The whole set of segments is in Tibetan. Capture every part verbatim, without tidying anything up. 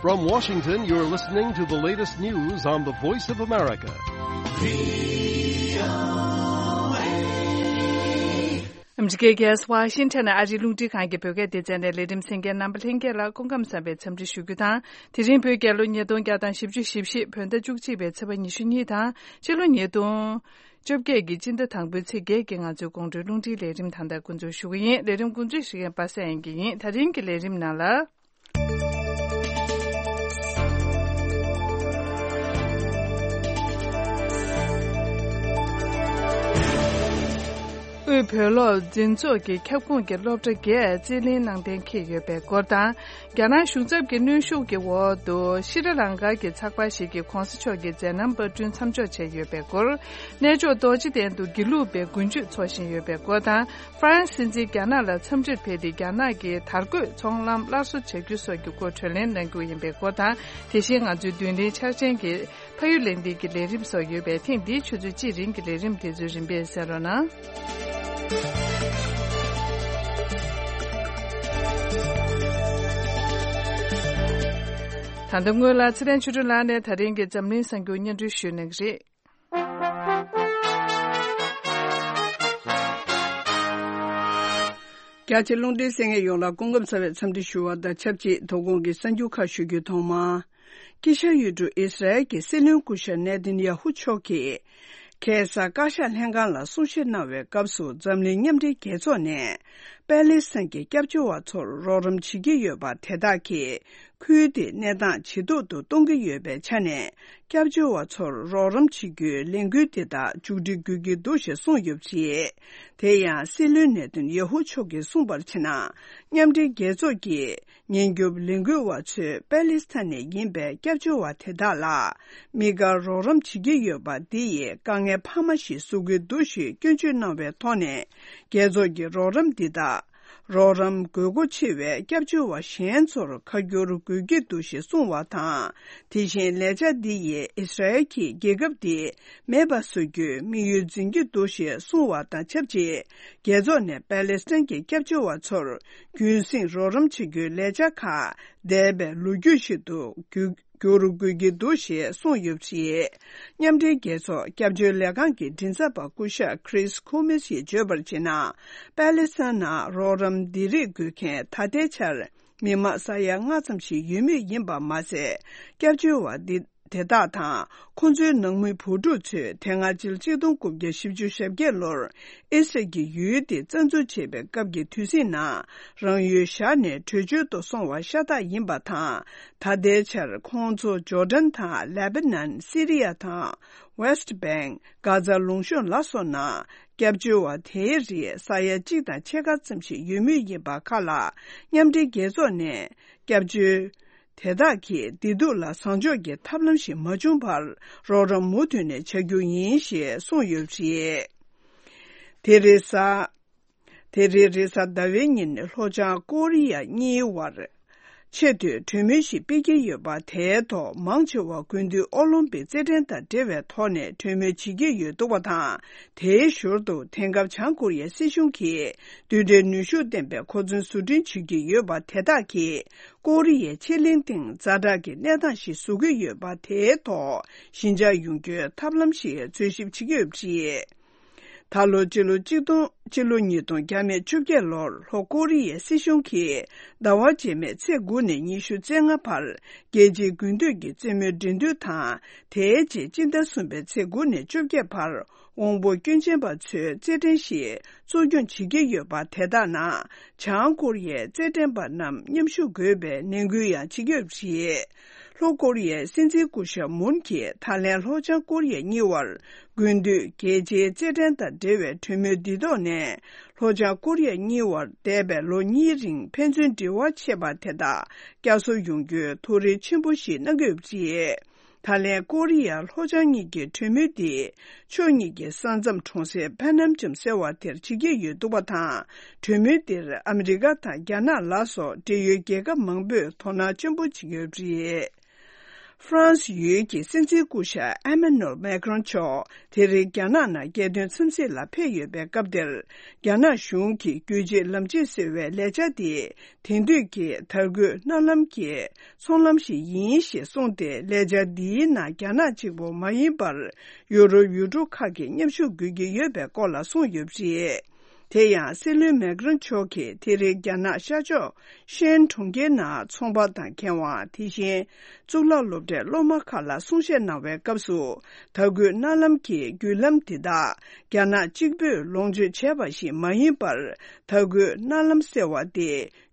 From Washington, you're listening to the latest news on the Voice of America. ཨ་མི་རི་ཀའི་རྒྱལ་ས་ཝ་ཤིང་ཊོན་ནས་ཨ་རིའི་རླུང་འཕྲིན་ཁང་གི་བོད་སྐད་སྡེ་ཚན་ནས་ལས་རིམ་གསན་མཁན་རྣམ་པ་ལྷན་རྒྱས་ལ་སྐུ་ཁམས་བཟང་བའི་འཚམས་འདྲི་ཞུ་རྒྱུ་དང་། དེ་རིང་བོད་རྒྱལ་ལོ་ཉིས་སྟོང་བརྒྱ་དང་བཞི་བཅུ་ཞེ་བཞི། བོད་ཟླ་བཅུ་གཅིག་པའི་ཚེས་པ་ཉི་ཤུ་གཉིས་དང་། ཕྱི་ལོ་ཉིས་སྟོང་བཅོ་བརྒྱད་ཀྱི་སྤྱི་ཟླ་དང་པོའི་ཚེས་བརྒྱད་ཀྱི་ང་ཚོའི་དགོང་དྲོའི་རླུང་འཕྲིན་ལས་རིམ་ད་ལྟ་འགོ་འཛུགས་ཞུ་གི་ཡིན། ལས་རིམ་འགོ་འཛུགས་ཞུ་མཁན་པ་སངས་དབྱངས་སྐྱིད་ཡིན། དེ་རིང་གི་ལས་རིམ་ནང་ལ། དབུས་བོད་སློབ་འཛིན་ཚོགས་ཀྱི་ཁྱབ་ཁོངས་ཀྱི་སློབ་གྲྭ་བརྒྱད་རྩིས་ལེན་གནང་གཏན་འཁེལ་ཡོད་པའི་སྐོར་དང་། རྒྱ་ནག་གཞུང་ཚབ་ཀྱི་གནོན་ཤུགས་ཀྱི་འོག་ཏུ་ཤྲི་ལང་ཀ་གི་ཚགས་པར་ཞིག་གིས་གོང་ས་མཆོག་གི་མཛད་རྣམ་པར་སྐྲུན་མཚམས་འཇོག་བྱས་ཡོད་པའི་སྐོར། གནས་མཆོག་རྡོ་རྗེ་གདན་དུ་དགེ་ལུགས་པའི་དགུན་ཆོས་འཚོགས་བཞིན་ཡོད་པའི་སྐོར་དང་། ཧྥ་རན་སི་སྲིད་འཛིན་རྒྱ་ནག་ལ་འཚམས་འདྲིར་ཕེབས་ཏེ་རྒྱ་ནག་གི་དར་གོས་ཚོང་ལམ་སླར་གསོ་བྱ་རྒྱུ་སོགས་ཀྱི་སྐོར་གྲོས་གླེང་གནང་རྒྱུ་ཡིན་པའི་སྐོར་དང་། དེ་བཞིན་ང་ཚོའི་མདུན་ལམ་འཆར་ཅན་གྱི་ཕ་ཡུལ་ལས་འདི་གི་ལས་རིམ་སོགས་ཡོད་པས། ཐེངས་འདིའི་ཆུ་ཚོད་གཅིག་རིང་གི་ལས་རིམ་དེ་ཚོའི་རིམ་པས་གསན་རོགས་གནང་། ད་ལྟ་སྔོན་ལ་ཚེ་བརྟན་ཆོས་སྒྲོན་ལགས་ནས་ད་རིང་གི་འཛམ་གླིང་གསར་འགྱུར་སྙན་སྒྲོན་ཞུ་གནང་གི་རེད། རྒྱ་ཆེ་རླུང་འཕྲིན་གསན་མཁན་ཡོངས་ལ་སྐུ་ཁམས་བཟང་བའི་འཚམས་འདྲི་ཞུ་བ་དང་ཆབས་ཅིག་དོ་དགོང་གི་གསར་འགྱུར་ཁག་ཞུ་རྒྱུའི་ཐོག་མ། དཀྱིལ་ཤར་ཡུལ་གྲུ་ཨི་སི་རལ་གྱི་སྲིད་བློན་སྐུ་ཞབས་ནེ་ཐན་ཡ་ཧུ་མཆོག་གིས། ཁ་སང་བཀའ་ཤག་ལྷན་ཁང་ལ་གསུང་བཤད་གནང་བའི་སྐབས་སུ། འཛམ་གླིང་མཉམ་འབྲེལ་རྒྱལ་ཚོགས་ནས་པེ་ལེ་སི་ཐན་གྱི་སྐྱབས་བཅོལ་བ་ཚོར་རོགས་རམ་བྱེད་ཀྱི་ཡོད་པ་དེ་དག་གིས། ཁུལ་དེའི་གནས་སྟངས་ཇེ་སྡུག་ཏུ་གཏོང་གི་ཡོད་པའི་ཆ་ནས། སྐྱབས་བཅོལ་བ་ཚོར་རོགས་རམ་བྱེད་རྒྱུའི་ལས་འགུལ་འདི་དག་མཇུག་སྒྲིལ་དགོས་ཀྱི་འདུག་ཞེས་གསུངས་ཡོད་པ་རེད། དེ་ཡང་སྲིད་བློན་ནེ་ཐན་ཡ་ཧུ་མཆོག་གིས་གསུངས་པར་བྱས་ན། མཉམ་འབྲེལ་རྒྱལ་ཚོགས་ཀྱི་ཉེན་སྐྱོབ་ལས་འགུལ་བ་ཚོས་པེ་ལེ་སི་ཐན་ནས་ཡིན་པའི་སྐྱབས་བཅོལ་བ་དེ་དག་ལ་དམིགས་བཀར་རོགས་རམ་བྱེད་ཀྱི་ཡོད་པ་འདི་ཡིས་དཀའ་ངལ་འཕར་མ་ཞིག་བཟོ་གི་འདུག་ཞེས་སྐྱོན་བརྗོད་གནང་བའི་ཐོག་ནས། རྒྱལ་ཚོགས་ཀྱི་རོགས་རམ་འདི་དག་རོགས་རམ་དགོས་མཁོ་ཆེ་བའི་སྐྱབས་བཅོལ་བ་གཞན་ཚོར་ཁ་བསྒྱུར་དགོས་ཀྱི་འདུག་ཞེས་གསུངས་པ་དང་། དེ་བཞིན་ལས་འཆར་འདི་ཡིས་ཨི་སི་རལ་གྱིས་རྒྱལ་ཁབ་འདི་མེད་པ་བཟོ་རྒྱུའི་དམིགས་ཡུལ་འཛིན་གྱི་འདུག་ཞེས་གསུངས་པ་དང་ཆབས་ཅིག་རྒྱལ་ཚོགས་ནས་པེ་ལེ་སི་ཐན་གྱི་སྐྱབས་བཅོལ་བ་ཚོར་རྒྱུན་སྲིང་རོགས་རམ་བྱེད་རྒྱུའི་ལས་འཆར་ཁག་འདས་པའི་ལོ་རྒྱུས་ཤིག་ཏུ་བསྒྱུར་བསྒྱུར་དགོས་ཀྱི་འདུག་ཞེས་གསུངས་ཡོད་པ་རེད། མཉམ་འབྲེལ་རྒྱལ་ཚོགས་སྐྱབས་བཅོལ་ལས་ཁང་གི་མགྲིན་ཚབ་པ་སྐུ་ཞབས་Chris Comas ཡིས་བརྗོད་པར་བྱས་ན། པེ་ལེ་སི་ཐན་ནང་རོགས་རམ་འདི་རིགས་དགོས་མཁན་ད་ལྟའི་ཆར་མི་མང་ས་ཡ་ལྔ་ཙམ་ཞིག་ཡོད་མུས་ཡིན་པ་མ་ཟད། སྐྱབས་བཅོལ་བ་འདི་དེ་དག་དང་ཁོང་ཚོའི་ནང་མི་བུ་ཕྲུག་ཚོས་དེ་སྔ་ཕྱི་ལོ་ཆིག་སྟོང་དགུ་བརྒྱ་བཞི་བཅུ་ཞེ་བརྒྱད་ལོར་ཨི་སི་རལ་གྱི་ཡུལ་དེ་རྩ་འཛུགས་བྱས་པའི་སྐབས་ཀྱི་དུས་ཚིགས་ནང་རང་ཡུལ་བཞག་ནས་བྲོས་བྱོལ་དུ་སོང་བ་ཤ་སྟག་ཡིན་པ་དང་། ད་ལྟའི་ཆར་ཁོང་ཚོ་ཇོར་ཌན་དང་ལེ་བྷ་ནན། སི་རི་ཡ་དང་ཝེ་སི་ཊི་བྷེང་། གྷ་ཛ་ལུང་གཤོང་ལ་སོགས་ནང་སྐྱབས་བཅོལ་བ་དེའི་རིགས་ས་ཡ་གཅིག་དང་ཕྱེད་ཀ་ཙམ་ཞིག་ཡོད་མུས་ཡིན་པ་ཁག་ལ། མཉམ་འབྲེལ་རྒྱལ་ཚོགས་ནས་སྐྱབས་བཅོལ་དེ་དག་གི་བདེ་སྡུག་ལ་བཟང་ཕྱོགས་ཀྱི་ཐབས་ལམ་ཞིག་མ་བྱུང་བར་རོགས་རམ་མུ་མཐུད་ནས་བྱ་རྒྱུ་ཡིན་ཞེས་གསུངས་ཡོད་པ་རེད། དེ་རེས་གཟའ། དེ་རིང་རེས་གཟའ་ཟླ་བའི་ཉིན་ལྷོ་བྱང་ཀོ་རི་ཡ་གཉིས་བར་ཆེས་མཐོའི་གྲོས་མོལ་ཞིག་སྤེལ་གྱི་ཡོད་པ་དེའི་ཐོག་མང་ཆེ་བ་དགུན་དུས་ཨོ་ལིམ་པིག་རྩེད་འགྲན་དང་འབྲེལ་བའི་ཐོག་ནས་གྲོས་མོལ་བྱེད་ཀྱི་ཡོད་འདུག་པ་དང་། དེའི་ཞོར་དུ་དེང་སྐབས་བྱང་ཀོ་རི་ཡའི་སྲིད་གཞུང་གིས་རྡུལ་ཕྲན་ནུས་ཤུགས་ལྡན་པའི་གོ་མཚོན་བཟོ་སྐྲུན་བྱེད་ཀྱི་ཡོད་པ་དེ་དག་གིས་ཀོ་རི་ཡའི་ཕྱེད་གླིང་སྟེང་ཛ་དྲག་གི་གནས་སྟངས་ཤིག་བཟོ་གི་ཡོད་པ་དེའི་ཐོག་ཞི་འཇགས་ཡོང་རྒྱུའི་ཐབས་ལམ་ཞིག་འཚོལ་ཞིབ་བྱེད་ཀྱི་ཡོད་པ་རེད། ད་ལོ་སྤྱི་ལོ་གཅིག་སྟོང་སྤྱི་ལོ་ཉིས་སྟོང་བརྒྱ་མེད་བཅོ་བརྒྱད་ལོར་ལྷོ་ཀོ་རི་ཡའི་སྲིད་གཞུང་གིས་ཟླ་བ་རྗེས་མའི་ཚེས་དགུ་ནས་ཉི་ཤུ་རྩ་ལྔ་བར་རྒྱལ་སྤྱིའི་དགུན་དུས་ཀྱི་རྩེད་མོའི་འགྲན་བསྡུར་དང་། དེའི་རྗེས་སྤྱི་ཟླ་གསུམ་པའི་ཚེས་དགུ་ནས་བཅོ་བརྒྱད་བར་དབང་པོ་སྐྱོན་ཅན་པ་ཚོའི་རྩེད་འགྲན་ཞིག་གཙོ་སྐྱོང་བྱེད་ཀྱི་ཡོད་པ་དེ་དག་ནང་བྱང་ཀོ་རི་ཡའི་རྩེད་འགྲན་པ་རྣམས་མཉམ་ཞུགས་དགོས་པའི་ནན་སྐུལ་ཡང་བྱེད་ཀྱི་ཡོད་པ་རེད། ལྷོ་ཀོ་རི་ཡའི་སྲིད་འཛིན་སྐུ་ཞབས་མུན་གྱིས་ད་ལན་ལྷོ་བྱང་ཀོ་རི་ཡ་གཉིས་བར་དགུན་དུས་རྒྱལ་སྤྱིའི་རྩེད་འགྲན་དང་འབྲེལ་བའི་གྲོས་མོལ་འདི་ཐོག་ནས། ལྷོ་བྱང་ཀོ་རི་ཡ་གཉིས་བར་འདས་པའི་ལོ་གཉིས་རིང་ཕན་ཚུན་འབྲེལ་བ་ཆད་པ་དེ་དག་བསྐྱར་གསོ་ཡོང་རྒྱུའི་ཐུགས་རེ་ཆེན་པོ་ཞིག་གནང་གི་ཡོད་པ་རེད། ད་ལན་ཀོ་རི་ཡ་ལྷོ་བྱང་གཉིས་ཀྱི་གྲོས་མོལ་འདི་ཕྱོགས་གཉིས་ཀྱི་ས་མཚམས་གྲོང་གསེབ་ཕན་ནམ་ཅམ་ཟེར་བ་དེར་བྱེད་ཀྱི་ཡོད་འདུག་པ་དང་། གྲོས་མོལ་འདིར་ཨ་མི་རི་ཀ་དང་རྒྱ་ནག་ལ་སོགས་འབྲེལ་ཡོད་རྒྱལ་ཁབ་མང་པོས་དོ་སྣང་ཆེན་པོ་བྱེད་ཀྱི་ཡོད་པ་རེད། ཧྥ་རན་སི་ཡུལ་གྱི་སྲིད་འཛིན་སྐུ་ཞབས་ཨེ་མ་ནུ་ཨེལ་མེག་རོན་མཆོག་དེ་རིང་རྒྱ་ནག་ནང་རྒྱལ་དོན་འཚམས་གཟིགས་ལ་ཕེབས་ཡོད་པའི་སྐབས་དེར། རྒྱ་ནག་གཞུང་གིས་རྒྱུད་གཅིག་ལམ་གཅིག་ཟེར་བའི་ལས་འཆར་དེ་དེང་དུས་ཀྱི་དར་རྒུད་གནའ་ལམ་གྱི་ཚོང་ལམ་ཞིག་ཡིན་ཞེས་གསུངས་ཏེ། ལས་འཆར་འདིའི་ནང་རྒྱ་ནག་གཅིག་པུ་མ་ཡིན་པར། ཡུ་རོབ་ཡུལ་གྲུ་ཁག་གི་མཉམ་ཞུགས་དགོས་ཀྱི་ཡོད་པའི་སྐོར་ལ་གསུངས་ཡོད་པ་རེད། དེ་ཡང་སྲིད་བློན་མེག་རོན་མཆོག་གིས་དེ་རིང་རྒྱ་ནག་ཤར་ཕྱོགས་ཤན་གྲོང་ཁྱེར་ནང་ཚོང་པ་དང་མཁས་དབང་། དེ་བཞིན་གཙུག་ལག་སློབ་གྲྭའི་སློབ་མ་ཁག་ལ་གསུང་བཤད་གནང་བའི་སྐབས་སུ། དར་རྒུད་གནའ་ལམ་གྱི་བརྒྱུད་ལམ་འདི་དག་རྒྱ་ནག་གཅིག་པུས་ལོངས་སྤྱོད་བྱས་པ་ཞིག་མ་ཡིན་པར། དར་རྒུད་གནའ་ལམ་ཟེར་བ་དེ་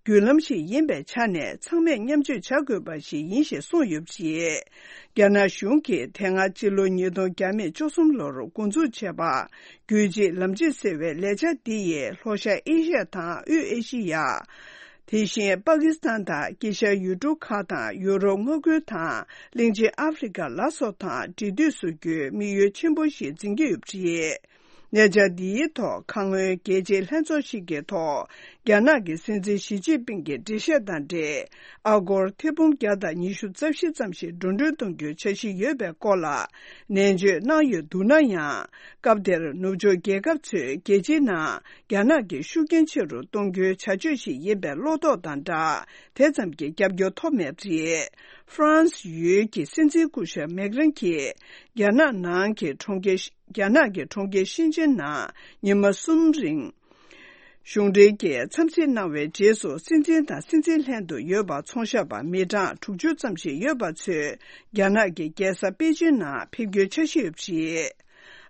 བརྒྱུད་ལམ་ཞིག་ཡིན་པའི་ཆ་ནས་ཚང་མས་མཉམ་སྤྱོད་བྱ་དགོས་པ་ཞིག་ཡིན་ཞེས་གསུངས་ཡོད་པ་རེད། རྒྱ་ནག་གཞུང་གིས་དེ་སྔ་སྤྱི་ལོ་ཉིས་སྟོང་བཅུ་གསུམ་ལོར་འགོ་འཛུགས་བྱས་པ། རྒྱུད་གཅིག་ལམ་གཅིག་ཟེར་བའི་ལས་འཆར་འདི་ཡིས་ལྷོ་ཤར་ཨེ་ཤི་ཡ་དང་དབུས་ཨེ་ཤི་ཡ། དེ་བཞིན་པ་ཀི་སི་ཐན་དང་དཀྱིལ་ཤར་ཡུལ་གྲུ་ཁག་དང་ཡུ་རོབ་མངའ་ཁུལ་དང་གླིང་ཆེན་ཨ་ཧྥེ་རི་ཁ་ལ་སོགས་དང་འབྲེལ་མཐུད་བཟོ་རྒྱུའི་དམིགས་ཡུལ་ཆེན་པོ་ཞིག་འཛིན་གྱི་ཡོད་པ་རེད། ལས་འཆར་འདིའི་ཐོག་ཁ་སྔོན་རྒྱལ་སྤྱིའི་ལྷན་ཚོགས་ཤིག་གི་ཐོག་རྒྱ་ནག་གི་སྲིད་འཛིན་ཞི་ཅིན་ཕིང་གི་འགྲེལ་བཤད་དང་འབྲེལ། ཨ་སྒོར་ཐེར་འབུམ་བརྒྱ་དང་ཉི་ཤུ་རྩ་བཞི་ཙམ་ཞིག་འགྲོ་གྲོན་གཏོང་རྒྱུའི་འཆར་གཞི་ཡོད་པའི་སྐོར་ལ་ནན་བརྗོད་གནང་ཡོད་འདུག་ན་ཡང་། སྐབས་དེར་ནུབ་ཕྱོགས་རྒྱལ་ཁབ་ཚོས་རྒྱལ་སྤྱིའི་ནང་རྒྱ་ནག་གི་ཤུགས་རྐྱེན་ཆེ་རུ་གཏོང་རྒྱུའི་བྱ་སྤྱོད་ཞིག་ཡིན་པའི་བློ་དོགས་དང་སྦྲགས། དེ་ཙམ་གྱི་རྒྱབ་སྐྱོར་ཐོབ་མེད་པ་རེད། ཧྥ་རན་སི་ཡུལ་གྱི་སྲིད་འཛིན་སྐུ་ཞབས་མེག་རན་གྱིས་རྒྱ་ནག་ནང་གི་གྲོང་ཁྱེར། རྒྱ་ནག་གི་གྲོང་ཁྱེར་ཤིན་ཅན་ནང་ཉི་མ་གསུམ་རིང་གཞུང་འབྲེལ་གྱི་འཚམས་གཟིགས་གནང་བའི་རྗེས་སུ། སྲིད་འཛིན་དང་སྲིད་འཛིན་ལྷན་དུ་ཡོད་པ་ཚོང་ཞབས་པ་མི་གྲངས་དྲུག་ཅུ་ཙམ་ཞིག་ཡོད་པ་ཚོས་རྒྱ་ནག་གི་རྒྱལ་ས་པེ་ཅིན་ནང་ཕེབས་རྒྱུའི་འཆར་གཞི་ཡོད་པ་རེད།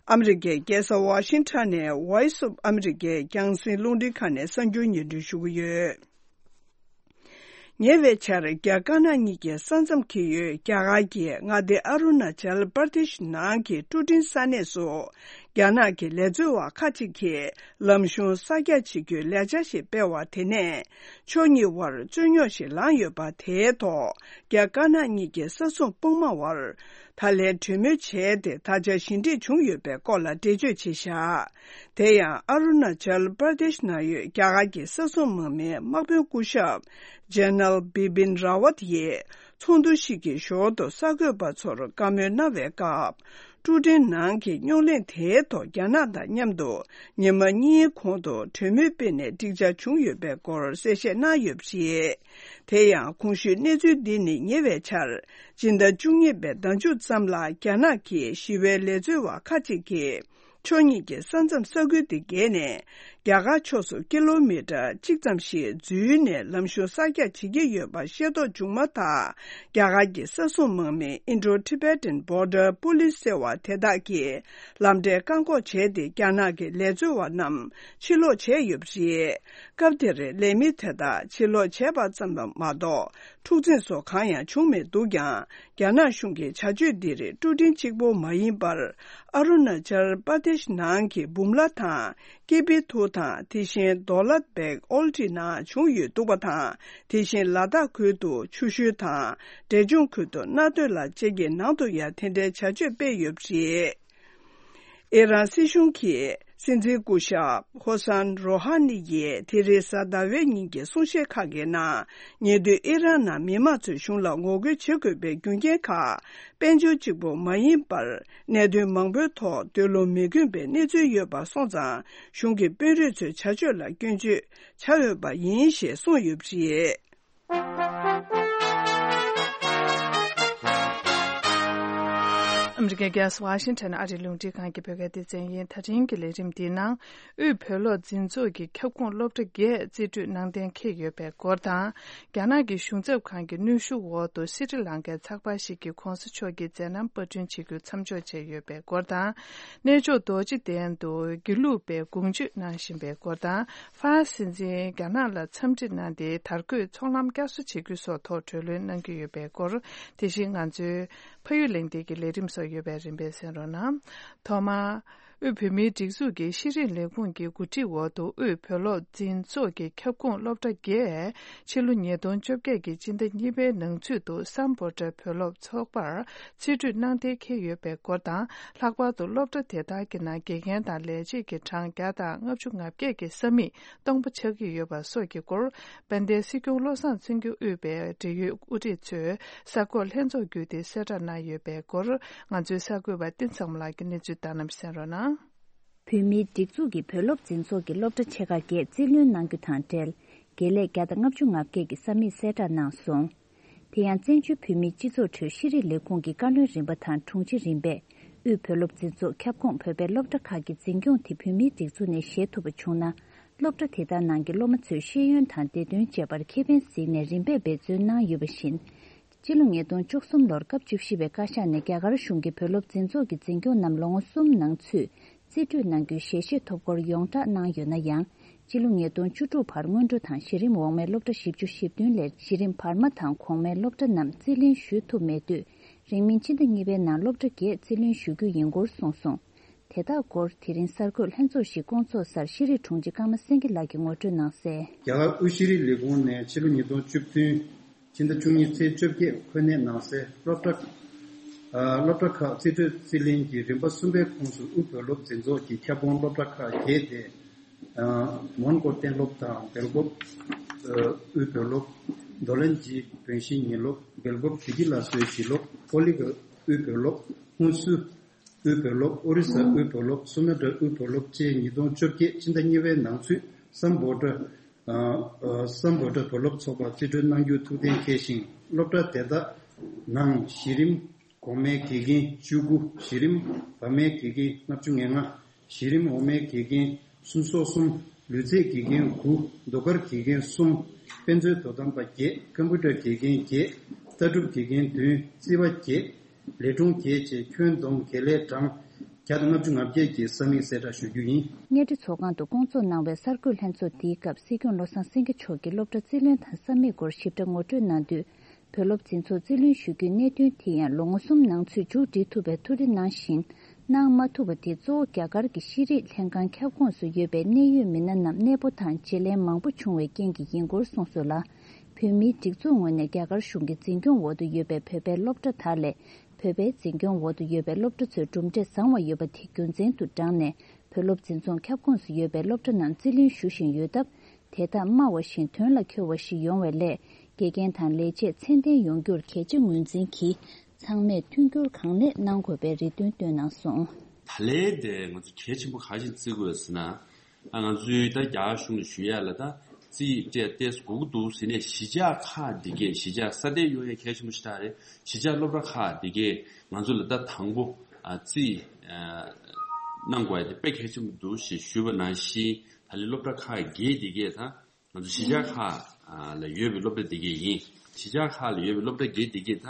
ཨ་མི་རི་ཀའི་རྒྱལ་ས་ཝ་ཤིང་ཊོན་ནས་Voice of America རྒྱང་སྲིང་རླུང་འཕྲིན་ཁང་ནས་གསར་འགྱུར་སྙན་སྒྲོན་ཞུ་གི་ཡོད། ཉེ་བའི་ཆར་རྒྱ་དཀར་ནག་གཉིས་ཀྱི་ས་མཚམས་འཁེལ་ཡུལ་རྒྱ་གར་གྱི་མངའ་སྡེ་ཨ་རུ་ན་ཅལ་པར་དེཤ་ནང་གི་ཀྲུ་ཀྲིན་ས་གནས་སུ། རྒྱ་ནག་གི་ལས་འཛོལ་བ་ཁག་ཅིག་གིས་ལམ་གཞུང་གསར་རྒྱག་བྱེད་རྒྱུའི་ལས་འཆར་ཞིག་སྤེལ་བ་དེ་ནས་ཕྱོགས་གཉིས་བར་རྩོད་རྙོག་ཞིག་ལངས་ཡོད་པ་དེའི་ཐོག་རྒྱ་དཀར་ནག་གཉིས་ཀྱི་ས་སྲུང་དཔུང་དམག་བར། ད་ལན་གྲོས་མོལ་བྱས་ཏེ་ད་ཆ་ཞི་འགྲིག་བྱུང་ཡོད་པའི་སྐོར་ལ་འགྲེལ་བརྗོད་བྱས་བཞག་དེ་ཡང་ཨ་རུ་ན་ཅལ་པར་དེཤ་ནང་ཡོད་རྒྱ་གར་གྱི་ས་སྲུང་དམག་མིའི་དམག་དཔོན་སྐུ་ཞབས་ཇེ་ནལ་བི་པིན་ར་ཝཏ་ཡིས་ཚོགས་འདུ་ཞིག་གི་ཞོར་དུ་གསར་འགོད་པ་ཚོར་བཀའ་མོལ་གནང་བའི་སྐབས། ཀྲུ་ཀྲིན་ནང་གི་རྙོག་གླེང་དེའི་ཐོག་རྒྱ་ནག་དང་མཉམ་དུ་ཉི་མ་གཉིས་གོང་དུ་གྲོས་མོལ་སྤེལ་ནས་འགྲིག་འཆར་བྱུང་ཡོད་པའི་སྐོར་གསལ་བཤད་གནང་ཡོད་པ་རེད། དེ་ཡང་གོང་ཞུས་གནས་ཚུལ་འདི་ནི་ཉེ་བའི་ཆར། སྤྱི་ཟླ་བཅུ་གཉིས་པའི་ཟླ་མཇུག་ཙམ་ལ་རྒྱ་ནག་གི་ཞི་བའི་ལས་འཛོལ་བ་ཁག་ཅིག་གིས་ཕྱོགས་གཉིས་ཀྱི་ས་མཚམས་ས་ཁུལ་དེ་བརྒལ་ནས་རྒྱ་གར་ཕྱོགས་སུ་ཀི་ལོ་མི་ཊར་གཅིག་ཙམ་ཞིག་འཛུལ་ནས་ལམ་གཞུང་གསར་རྒྱག་བྱེད་ཀྱི་ཡོད་པ་ཤེས་རྟོགས་བྱུང་མ་ཐག་རྒྱ་གར་གྱི་ས་སྲུང་དམག་མི་Indo-Tibetan Border Police ཟེར་བ་དེ་དག་གིས་ལམ་འབྲས་བཀག་འགོག་བྱས་ཏེ་རྒྱ་ནག་གི་ལས་འཛོལ་བ་རྣམས་ཕྱིར་ལོག་བྱས་ཡོད་པ་རེད། སྐབས་དེར་ལས་མི་དེ་དག་ཕྱིར་ལོག་བྱས་པ་ཙམ་མ་གཏོགས་འཁྲུག་འཛིང་སོགས་གང་ཡང་བྱུང་མི་འདུག་ཀྱང་། རྒྱ་ནག་གཞུང་གི་བྱ་སྤྱོད་འདིར་ཀྲུ་ཀྲིན་གཅིག་པུ་མ་ཡིན་པར། ཨ་རུ་ན་ཅལ་པར་དེཤ་ནང་གི་བུམ་ལ་དང་ཀི་པི་ཐུ་དང་། དེ་བཞིན་དོ་ལད་བེག་ཨོལ་ཏི་ནང་བྱུང་ཡོད་འདུག་པ་དང་། དེ་བཞིན་ལ་དྭགས་ཁུལ་དུ་ཆུ་ཤུལ་དང་འབྲས་ལྗོངས་ཁུལ་དུ་གནའ་སྟོད་ལ་བཅས་ཀྱི་ནང་དུ་ཡང་དེ་འདྲའི་བྱ་སྤྱོད་སྤེལ་ཡོད་པ་རེད། ཨི་རན་སྲིད་གཞུང་གིས་སྲིད་འཛིན་སྐུ་ཞབས་ཧོ་སན་རོ་ཧ་ནི་ཡིས་དེ་རིང་གཟའ་ཟླ་བའི་ཉིན་གྱི་གསུང་བཤད་ཁག་གི་ནང་། ཉེ་དུས་ཨི་རན་ནང་མི་མང་ཚོས་གཞུང་ལ་ངོ་རྒོལ་བྱེད་དགོས་པའི་རྒྱུ་རྐྱེན་ཁག་དཔལ་འབྱོར་གཅིག་པུ་མ་ཡིན་པར། གནད་དོན་མང་པོའི་ཐོག་འདོད་བློ་མི་ཁེངས་པའི་གནས་ཚུལ་ཡོད་པ་སོང་ཙང་། གཞུང་གི་དཔོན་རིགས་ཚོའི་བྱ་སྤྱོད་ལ་སྐྱོན་བརྗོད་བྱ་འོས་པ་ཡིན་ཞེས་གསུངས་ཡོད་པ་རེད། ཨ་མི་རི་ཀའི་རྒྱལ་ས་ཝ་ཤིང་ཊོན་ཨ་རིའི་རླུང་འཕྲིན་ཁང་གི་བོད་སྐད་སྡེ་ཚན་ཡིན། ད་རིང་གི་ལས་རིམ་འདིའི་ནང་། དབུས་བོད་སློབ་འཛིན་ཚོགས་ཀྱི་ཁྱབ་ཁོངས་སློབ་གྲྭ་བརྒྱད་རྩིས་སྤྲོད་གནང་གཏན་འཁེལ་ཡོད་པའི་སྐོར་དང་། རྒྱ་ནག་གི་གཞུང་ཚབ་ཁང་གི་གནོན་ཤུགས་འོག་ཏུ་སི་རི་ལང་ཀའི་ཚགས་པར་ཞིག་གིས་གོང་ས་མཆོག་གི་མཛད་རྣམ་པར་སྐྲུན་བྱེད་རྒྱུ་མཚམས་འཇོག་བྱས་ཡོད་པའི་སྐོར་དང་། གནས་མཆོག་རྡོ་རྗེ་གདན་དུ་དགེ་ལུགས་པའི་དགུང་མཆོད་གནང་བཞིན་པའི་སྐོར་དང་། ཧྥ་རན་སི་སྲིད་འཛིན་རྒྱ་ནག་ལ་འཚམས་འདྲི་གནང་སྟེ་དར་གོས་ཚོང་ལམ་བསྐྱར་གསོ་བྱེད་རྒྱུ་སོགས་ཐོག་གྲོས་གླེང་གནང་གི་ཡོད་པའི་སྐོར། དེ་བཞིན་ང་ཚོའི་ཕ་ཡུལ་གླེང་སྟེགས་ཀྱི་ལས་རིམ་སོགས་ཡོད་པས་རིམ་པས་གསན་རོགས་གནང་། ཐོག་མར། དབུས་བོད་མིའི་སྒྲིག་འཛུགས་ཀྱི་ཤེས་རིག་ལས་ཁུངས་ཀྱི་འགོ་ཁྲིད་འོག་ཏུ་དབུས་བོད་སློབ་འཛིན་ཚོགས་ཀྱི་ཁྱབ་ཁོངས་སློབ་གྲྭ་བརྒྱད། ཕྱི་ལོ་ཉིས་སྟོང་བཅོ་བརྒྱད་ཀྱི་སྤྱི་ཟླ་གཉིས་པའི་ནང་ཚུད་དུ་སམ་བྷོ་ཊ་བོད་སློབ་ཚོགས་པར་རྩིས་སྤྲོད་གནང་གཏན་འཁེལ་ཡོད་པའི་སྐོར་དང་། ལྷག་པར་དུ་སློབ་གྲྭ་དེ་དག་གི་ནང་དགེ་རྒན་དང་ལས་བྱེད་ཀྱི་གྲངས་བརྒྱ་དང་ལྔ་བཅུ་ང་བརྒྱད་ཀྱི་ས་མིག་སྟོང་པ་ཆགས་ཀྱི་ཡོད་པ་སོགས་ཀྱི་སྐོར། དཔལ་ལྡན་སྲིད་སྐྱོང་བློ་བཟང་སེང་གེ་དབུས་པའི་འབྲེལ་ཡོད་དབུ་ཁྲིད་ཚོས་གསར་འགོད་ལྷན་ཚོགས་བརྒྱུད་དེ་གསལ་བསྒྲགས་གནང་ཡོད་པའི་སྐོར། ང་ཚོའི་གསར་འགོད་པ་བསྟན་འཛིན་བཟང་མོ་ལགས་ཀྱིས་གནས་ཚུལ་བཏང་གནང་གསན་རོགས་གནང་། བོད་མིའི་སྒྲིག་འཛུགས་ཀྱི་བོད་སློབ་འཛིན་ཚོགས་ཀྱི་སློབ་གྲྭ་ཆེ་ཁག་བརྒྱད་རྩིས་ལེན་གནང་རྒྱུ་དང་འབྲེལ། དགེ་ལས་བརྒྱ་དང་ལྔ་བཅུ་ང་བརྒྱད་ཀྱི་ས་མིག་གསལ་བསྒྲགས་གནང་སོང་། དེ་ཡང་བཙན་བྱོལ་བོད་མིའི་སྤྱི་ཚོགས་ཁྲོད་ཤེས་རིག་ལས་ཁུངས་ཀྱི་བཀའ་བློན་རིམ་པ་དང་དྲུང་ཆེ་རིམ་པས། དབུས་བོད་སློབ་འཛིན་ཚོགས་ཁྱབ་ཁོངས་བོད་པའི་སློབ་གྲྭ་ཁག་གི་འཛིན་སྐྱོང་དེ་བོད་མིའི་སྒྲིག་འཛུགས་ནས་བཞེས་ཐུབ་པ་བྱུང་ན། སློབ་གྲྭ་དེ་དག་ནང་གི་སློབ་མ་ཚོའི་ཤེས་ཡོན་དང་བདེ་དོན་བཅས་པར་ཁེ་ཕན་གཟིགས་ནས་རིམ་པས་འབད་བརྩོན་གནང་ཡོད་པ་བཞིན། སྤྱི་ལོ་ཉིས་སྟོང་བཅུ་གསུམ་ལོར་སྐབས་བཅུ་བཞི་པའི་བཀའ་ཤག་ནས་རྒྱ་གར་གཞུང་གིས་བོད་སློབ་འཛིན་ཚོགས་ཀྱི་འཛིན་སྐྱོང་རྣམས་ལོ་ངོ་གསུམ་ནང་ཚུད་རྩིས་སྤྲོད་གནང་རྒྱུའི་ཞལ་བཞེས་ཐོབ་སྐོར་ཡོངས་བསྒྲགས་གནང་ཡོད་ན་ཡང་། སྤྱི་ལོ་ཉིས་སྟོང་བཅུ་དྲུག་བར་སྔོན་འགྲོ་དང་གཞི་རིམ་འོག་མའི་སློབ་གྲྭ་བཞི་བཅུ་ཞེ་བདུན་ལས་གཞི་རིམ་བར་མ་དང་གོང་མའི་སློབ་གྲྭ་རྣམས་རྩིས་ལེན་ཞུ་ཐུབ་མེད་དུས། རིང་མིན་ཕྱི་ཟླ་གཉིས་པའི་ནང་སློབ་གྲྭ་བརྒྱད་རྩིས་ལེན་ཞུ་རྒྱུ་ཡིན་སྐོར་གསུངས་སོང་། དེ་དག་སྐོར་དེ་རིང་གསར་འགོད་ལྷན་ཚོགས་ཤིག་བསྐོང་ཚོགས་སར་ཤེས་རིག་དྲུང་ཆེ་ཀརྨ་སེང་གེ་ལགས་ཀྱིས་ངོ་སྤྲོད་གནང་གསལ། རྒྱ་གར་དབུས་ཤེས་རིག་ལས་ཁུངས་ནས་ཕྱི་ལོ་ཉིས་སྟོང་བཅུ་བདུན་ཕྱི་ཟླ་བཅུ་གཉིས་ཚེས་བཅོ་བརྒྱད་འཁོད་གནས་གནང་སའི་སློབ་གྲྭ། ཨ། སློབ་གྲྭ་ཁག་རྩིས་སྤྲོད་རྩིས་ལེན་གྱི་རིམ་པ་གསུམ་པའི་ཁོངས་སུ་དབུས་བོད་སློབ་འཛིན་ཚོགས་ཀྱི་ཁྱབ་ཁོངས་སློབ་གྲྭ་ཁག་བརྒྱད་དེ། ཨ། མོན་གྷོ་གཏན་སློབ་དང་སྦེལ་ཀོབ། ཨ། དབུས་བོད་སློབ། མདོ་ལན་གྱི་བོན་ཤིང་ཉིན་སློབ། སྦེལ་ཀོབ་བདེ་སྐྱིད་ལ་སོའི་གཞིས་སློབ། ཀོ་ལི་གྷལ་དབུས་བོད་སློབ། ཧུན་སུར་དབུས་བོད་སློབ། ཨོ་རི་ས་དབུས་བོད་སློབ། སུ་མ་ཏྲ་དབུས་བོད་སློབ་བཅས་ཉིས་སྟོང་བཅོ་བརྒྱད་ཕྱི་ཟླ་གཉིས་པའི་ནང་ཚུད་སམ་བྷོ་ཊ། ཨ། ཨ། སམ་བྷོ་ཊ་བོད་སློབ་ཚོགས་པར་རྩིས་སྤྲོད་གནང་རྒྱུ་ཐུགས་གཏན་འཁེལ་ཞིང་། སློབ་གྲྭ་དེ་དག་ནང་གཞི་རིམ་གོང་མའི་དགེ་རྒན་བཅུ་དགུ། གཞི་རིམ་བར་མའི་དགེ་རྒན་ལྔ་བཅུ་ང་ལྔ། གཞི་རིམ་འོག་མའི་དགེ་རྒན་སུམ་སོ་གསུམ། ལུས་རྩལ་དགེ་རྒན་དགུ། ཟློས་གར་དགེ་རྒན་གསུམ། དཔེ་མཛོད་དོ་དམ་པ་བརྒྱད། ཀམ་པུ་ཊར་དགེ་རྒན་བརྒྱད། ལྟ་གྲུབ་དགེ་རྒན་བདུན། རྩིས་པ་བརྒྱད། ལས་དྲུང་བརྒྱད་བཅས་ཁྱོན་བསྡོམས་དགེ་ལས་གྲངས་བརྒྱ་དང་ལྔ་བཅུ་ང་བརྒྱད་ཀྱི་ས་མིག་གསལ་བསྒྲགས་ཞུ་རྒྱུ་ཡིན། གཉའ་ཁྲི་ཚོགས་ཁང་དུ་བསྐོང་ཚོགས་གནང་བའི་གསར་འགོད་ལྷན་ཚོགས་འདིའི་སྐབས་སྲིད་སྐྱོང་བློ་བཟང་སེང་གེ་མཆོག་གིས་སློབ་གྲྭ་རྩིས་ལེན་དང་ས་མིག་སྐོར་ཞིབ་ཕྲ་ངོ་སྤྲོད་གནང་དུས། བོད་སློབ་འཛིན་ཚོགས་རྩིས་ལེན་ཞུ་རྒྱུའི་གནད་དོན་དེ་ཡང་ལོ་ངོ་གསུམ་ནང་ཚུད་མཇུག་སྒྲིལ་ཐུབ་པའི་ཐུགས་རེ་གནང་བཞིན། གནང་མ་ཐུབ་པ་དེ་གཙོ་བོ་རྒྱ་གར་གྱི་ཤེས་རིག་ལྷན་ཁང་ཁྱབ་ཁོངས་སུ་ཡོད་པའི་གནད་ཡོད་མི་སྣ་རྣམས་གནས་སྤོ་དང་བརྗེ་ལེན་མང་པོ་བྱུང་བའི་རྐྱེན་གྱིས་ཡིན་སྐོར་གསུངས་སོང་ལ། བོད་མིའི་སྒྲིག་འཛུགས་ངོས་ནས་རྒྱ་གར་གཞུང་གི་འཛིན་སྐྱོང་འོག་ཏུ་ཡོད་པའི་བོད་པའི་སློབ་གྲྭ་དག་ལས། བོད་པའི་འཛིན་སྐྱོང་འོག་ཏུ་ཡོད་པའི་སློབ་གྲྭ་ཚོས་གྲུབ་འབྲས་བཟང་བ་ཡོད་པ་དེ་རྒྱུ་མཚན་དུ་བགྲངས་ནས། བོད་སློབ་འཛིན་ཚོགས་ཁྱབ་ཁོངས་སུ་ཡོད་པའི་སློབ་གྲྭ་རྣམས་རྩིས་ལེན་ཞུ་བཞིན་ཡོད་སྟབས། དེ་དག་སྨྲ་བ་བཞིན་དོན་ལ་འཁྱོལ་བ་ཞིག་ཡོང་བའི་སླད། དགེ་རྒན་དང་ལས་བྱེད་ཚད་ལྡན་ཡོང་རྒྱུར་གལ་ཆེ་ངོས་འཛིན་གྱིས། ཚང་མས་མཐུན་འགྱུར་གང་ལེགས་གནང་དགོས་པའི་རེ་འདུན་བཏོན་གནང་སོང་། ད་ལན་དེ་ང་ཚོ་གལ་ཆེན་པོ་ག་རེ་བརྩི་དགོས་ཟེར་ན། ཨ། ང་ཚོའི་ད་རྒྱ་གཞུང་ལ་ཞུ་ཡ་ལ་ད་རྩིས་སྤྲད་ཏེ་དགོས་ཀྱི་འདུག་ཟེར་ནས་གཞིས་ཆགས་ཁག་འདི་གས། གཞིས་ཆགས་སྲ་བརྟན་ཡོང་ཡ་གལ་ཆེན་པོ་ཞིག་ད་རེད། གཞིས་ཆགས་སློབ་གྲྭ་ཁག་འདི་གས་ང་ཚོ་ལ་ད་དང་པོ། ཨ། རྩིས། ཨ། གནང་དགོས་ཡ་དེ་དཔེ་གལ་ཆེན་པོ་འདུག་ཞེས་ཞུས་པ་ནང་བཞིན། ད་ལན་སློབ་གྲྭ་ཁག་བརྒྱད་འདི་གས་ད། ང་ཚོ་གཞིས་ཆགས་ཁག་ལ་ཡོད་པའི་སློབ་གྲྭ་འདི་གས་ཡིན། གཞིས་ཆགས་ཁག་ལ་ཡོད་པའི་སློབ་གྲྭ་བརྒྱད་འདི་གས་ད་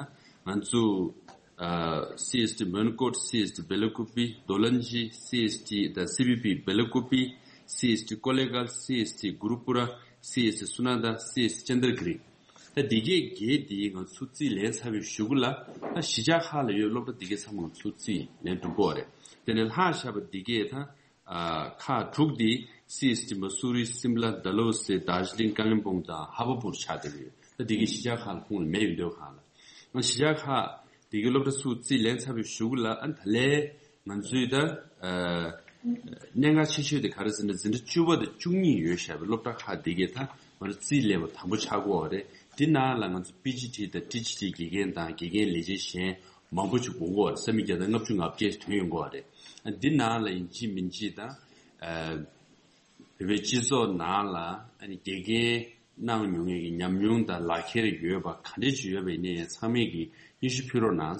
ང་ཚོ། ཨ། སི་ཨེས་ཊི་མོན་གྷོ། སི་ཨེས་ཊི་སྦེལ་ཀུ་པི། མདོ་ལན་ཇི། སི་ཨེས་ཊི་ད་སི་བི་པི་སྦེལ་ཀུ་པི། སི་ཨེས་ཊི་ཀོ་ལེ་གྷལ། སི་ཨེས་ཊི་གུ་རུ་པུ་ར། སི་ཨེས་ཊི་སུ་ན་ད། སི་ཨེས་ཊི་ཅན་དར་གི་རི། ད་འདི་གས་བརྒྱད་འདི་ང་ཚོ་རྩིས་ལེན་ཚར་བའི་གཞུག་གུ་ལ། ད་གཞིས་ཆགས་ཁག་ལ་ཡོད་སློབ་གྲྭ་འདི་གས་ཚང་མ་ང་ཚོ་རྩིས་ལེན་གྲུབ་ཀྱི་ཡོད་རེད། དེ་ནས་ལྷག་བཞག་པ་འདི་གས་ད། ཨ། ཁག་དྲུག་འདི། སི་ཨེས་ཊི་མ་སུ་རི། སིམ་ལ། ཌལ་ཧོ་སི། དར་ཇི་ལིང་། ཀ་ལིམ་པོང་དང་ཧ་བ་པུར་ཆགས་བསྡད་ཀྱི་ཡོད། ད་འདི་གའི་གཞིས་ཆགས་ཁག་ལ་ཁོངས་ལ་མེད་ཡོད་འདོད་ཁག་ལ། ཨ། གཞིས་ཆགས་ཁག་འདི་གའི་སློབ་གྲྭ་ཚུར་རྩིས་ལེན་ཚར་བའི་གཞུག་ལ། ཨ། ད་ལན་ང་ཚོའི་ད། ཨ། གནད་འགག་ཆེ་ཤོས་དེ་ག་རེ་ཟེར་ན། འཛིན་གྲྭ་བཅུ་པ་དང་བཅུ་གཉིས་ཡོད་བཞག་པའི་སློབ་གྲྭ་ཁག་འདི་གའི་ད་ང་ཚོ་རྩིས་ལེན་པ་དང་པོ་ཆགས་ཀྱི་ཡོད་རེད། འདི་ནང་ལ་ང་ཚོ་པི་ཇི་ཊི་དང་ཊི་ཇི་ཊི་དགེ་རྒན་དང་དགེ་རྒན་ལས་བྱེད་གཞན་མང་པོ་ཞིག་དགོས་ཀྱི་ཡོད་རེད། ས་མིག་བརྒྱ་དང་ལྔ་བཅུ་ང་བརྒྱད་ཐོན་ཡོང་གི་ཡོད་རེད། འདི་ནང་ལ་ཡིན་གཅིག་མིན་གཅིག་དང་། ཨ། བོད་པའི་སྤྱི་ཚོགས་ནང་ལ། ཨ་ནི་དགེ་རྒན་གནང་མྱོང་མཁན་གྱི་ཉམས་མྱོང་དང་ལག་ཁྱེར་ཡོད་པ་ག་འདྲས་ཅིག་ཡོད་པ་ཡིན་ནའི་ཚང་མས་ཀྱིས་སྙན་ཞུ་ཕུལ་རོགས་གནང་།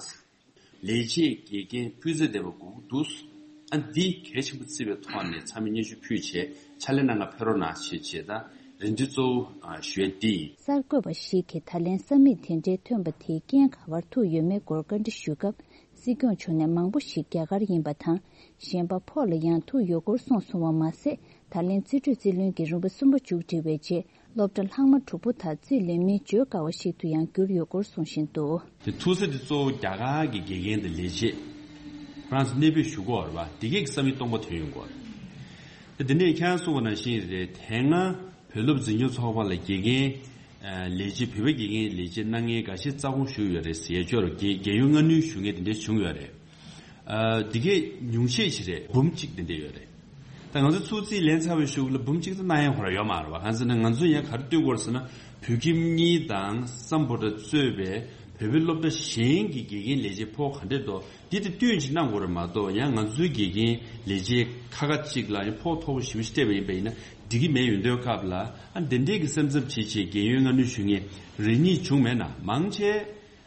ལས་བྱེད་དགེ་རྒན་སྤུས་ཚད་ལྡན་པ་དགོས་ཀྱི་འདུག། ཨ། འདི་གལ་ཆེན་པོ་བརྩི་བའི་ཐོག་ནས་ཚང་མས་སྙན་ཞུ་ཕུལ་བྱས་ཕྱག་ལས་གནང་ག་ཕེབས་རོགས་གནང་ཞེས་བྱས། ད་རེ་འདུན་གཙོ་བོ། ཨ། ཞུ་ཡ་འདི་ཡིན། གསར་འགོད་པ་ཞིག་གིས་ད་ལན་ས་མིག་དེ་འདྲའི་ཐོན་པ་དེའི་རྐྱེན་ག་པར་ཐུག་ཡོད་མེད་སྐོར་བཀའ་འདྲི་ཞུས་སྐབས། སྲིད་སྐྱོང་མཆོག་ནས་མང་པོ་ཞིག་རྒྱ་གར་ཡིན་པ་དང་། གཞན་པ་ཕོགས་ལ་ཡང་ཐུག་ཡོད་སྐོར་གསུངས་སོང་བ་མ་ཟད། ད་ལན་རྩིས་སྤྲོད་རྩིས་ལེན་གྱི་རིམ་པ་གསུམ་པ་མཇུག་སྒྲིལ་བའི་རྗེས། སློབ་གྲྭ་ལྷག་མ་དྲུག་པོ་དག་རྩིས་ལེན་མིན་བརྗོད་དཀའ་བ་ཞིག་ཏུ་ཡང་གྱུར་ཡོད་སྐོར་གསུང་བཞིན་འདུག། དེ་ཐུག་ས་དེ་གཙོ་བོ་རྒྱ་གར་གྱི་དགེ་རྒན་དང་ལས་བྱེད། ཧྥ་རན་སི་གནས་སྤོས་ཞུ་གི་ཡོད་རེད་པ། དེ་གས་ཀྱི་ས་མིག་སྟོང་པ་ཐོན་ཡོང་གི་ཡོད་རེད། དེ་དེ་ནས་ཁྱེད་རང་གསུངས་པ་ནང་བཞིན་རེད། དེ་སྔ་བོད་སློབ་འཛིན་སྐྱོང་ཚོགས་པ་ལ་དགེ་རྒན་ཨ་ལས་བྱེད། བོད་པའི་དགེ་རྒན་ལས་བྱེད་གནང་མཁན་འགའ་ཤས་རྩ་དགོངས་ཞུས་ཡོད་རེད་ཟེར། ཡ་ཅོར་རྒན་རྒན་ཡོལ་སྔ་སྣུར་ཞུ་མཁན་དེ་འདྲས་བྱུང་ཡོད་རེད། ཨ་དེ་གས་ཉུང་ཤས་ཤིག་རེད། འབུམ་གཅིག་དེ་འདྲས་ཡོད་རེད། ད་ང་ཚོ་ཚུར་རྩིས་ལེན་ཚར་བའི་གཞུག་ལ་འབུམ་གཅིག་ཙམ་གནང་ཡ་ཁོ་རང་ཡོད་མ་རེད་པ། གང་ཟེར་ན་ང་ཚོ་ཡང་ག་རེ་སྟོན་དགོས་རེད་ཟེར་ན། བོད་ཁྱིམ་གཉིས་དང་སམ་བྷོ་ཊ་གཙོས་པའི་བོད་པའི་སློབ་གྲྭ་གཞན་གྱི་དགེ་རྒན་ལས་བྱེད་ཕོགས་ག་འདྲས་འདུག་འདི་དེ་བསྟུན་ཅིག་གནང་དགོས་རེད་མ་གཏོགས། ཡང་ང་ཚོའི་དགེ་རྒན་ལས་བྱེད་ཁ་ཁ་ཅིག་ལ་ཡང་ཕོགས་མཐོ་པོ་ཞེ་པོ་ཞིག་སྤྲད་པ་ཡིན་པ་ཡིན་ན་འགྲིག་གི་མེད། ཡོང་དུས་སྐབས་ལ་ཨ་འདི་འདྲས་ཀྱི་སེམས་འཚབ་བྱེད་བྱེད་རྒན་ཡོལ་སྔ་སྣུར་ཞུ་མཁན་རེ་གཉིས་བྱུང་མེད་ན། མང་ཆེ་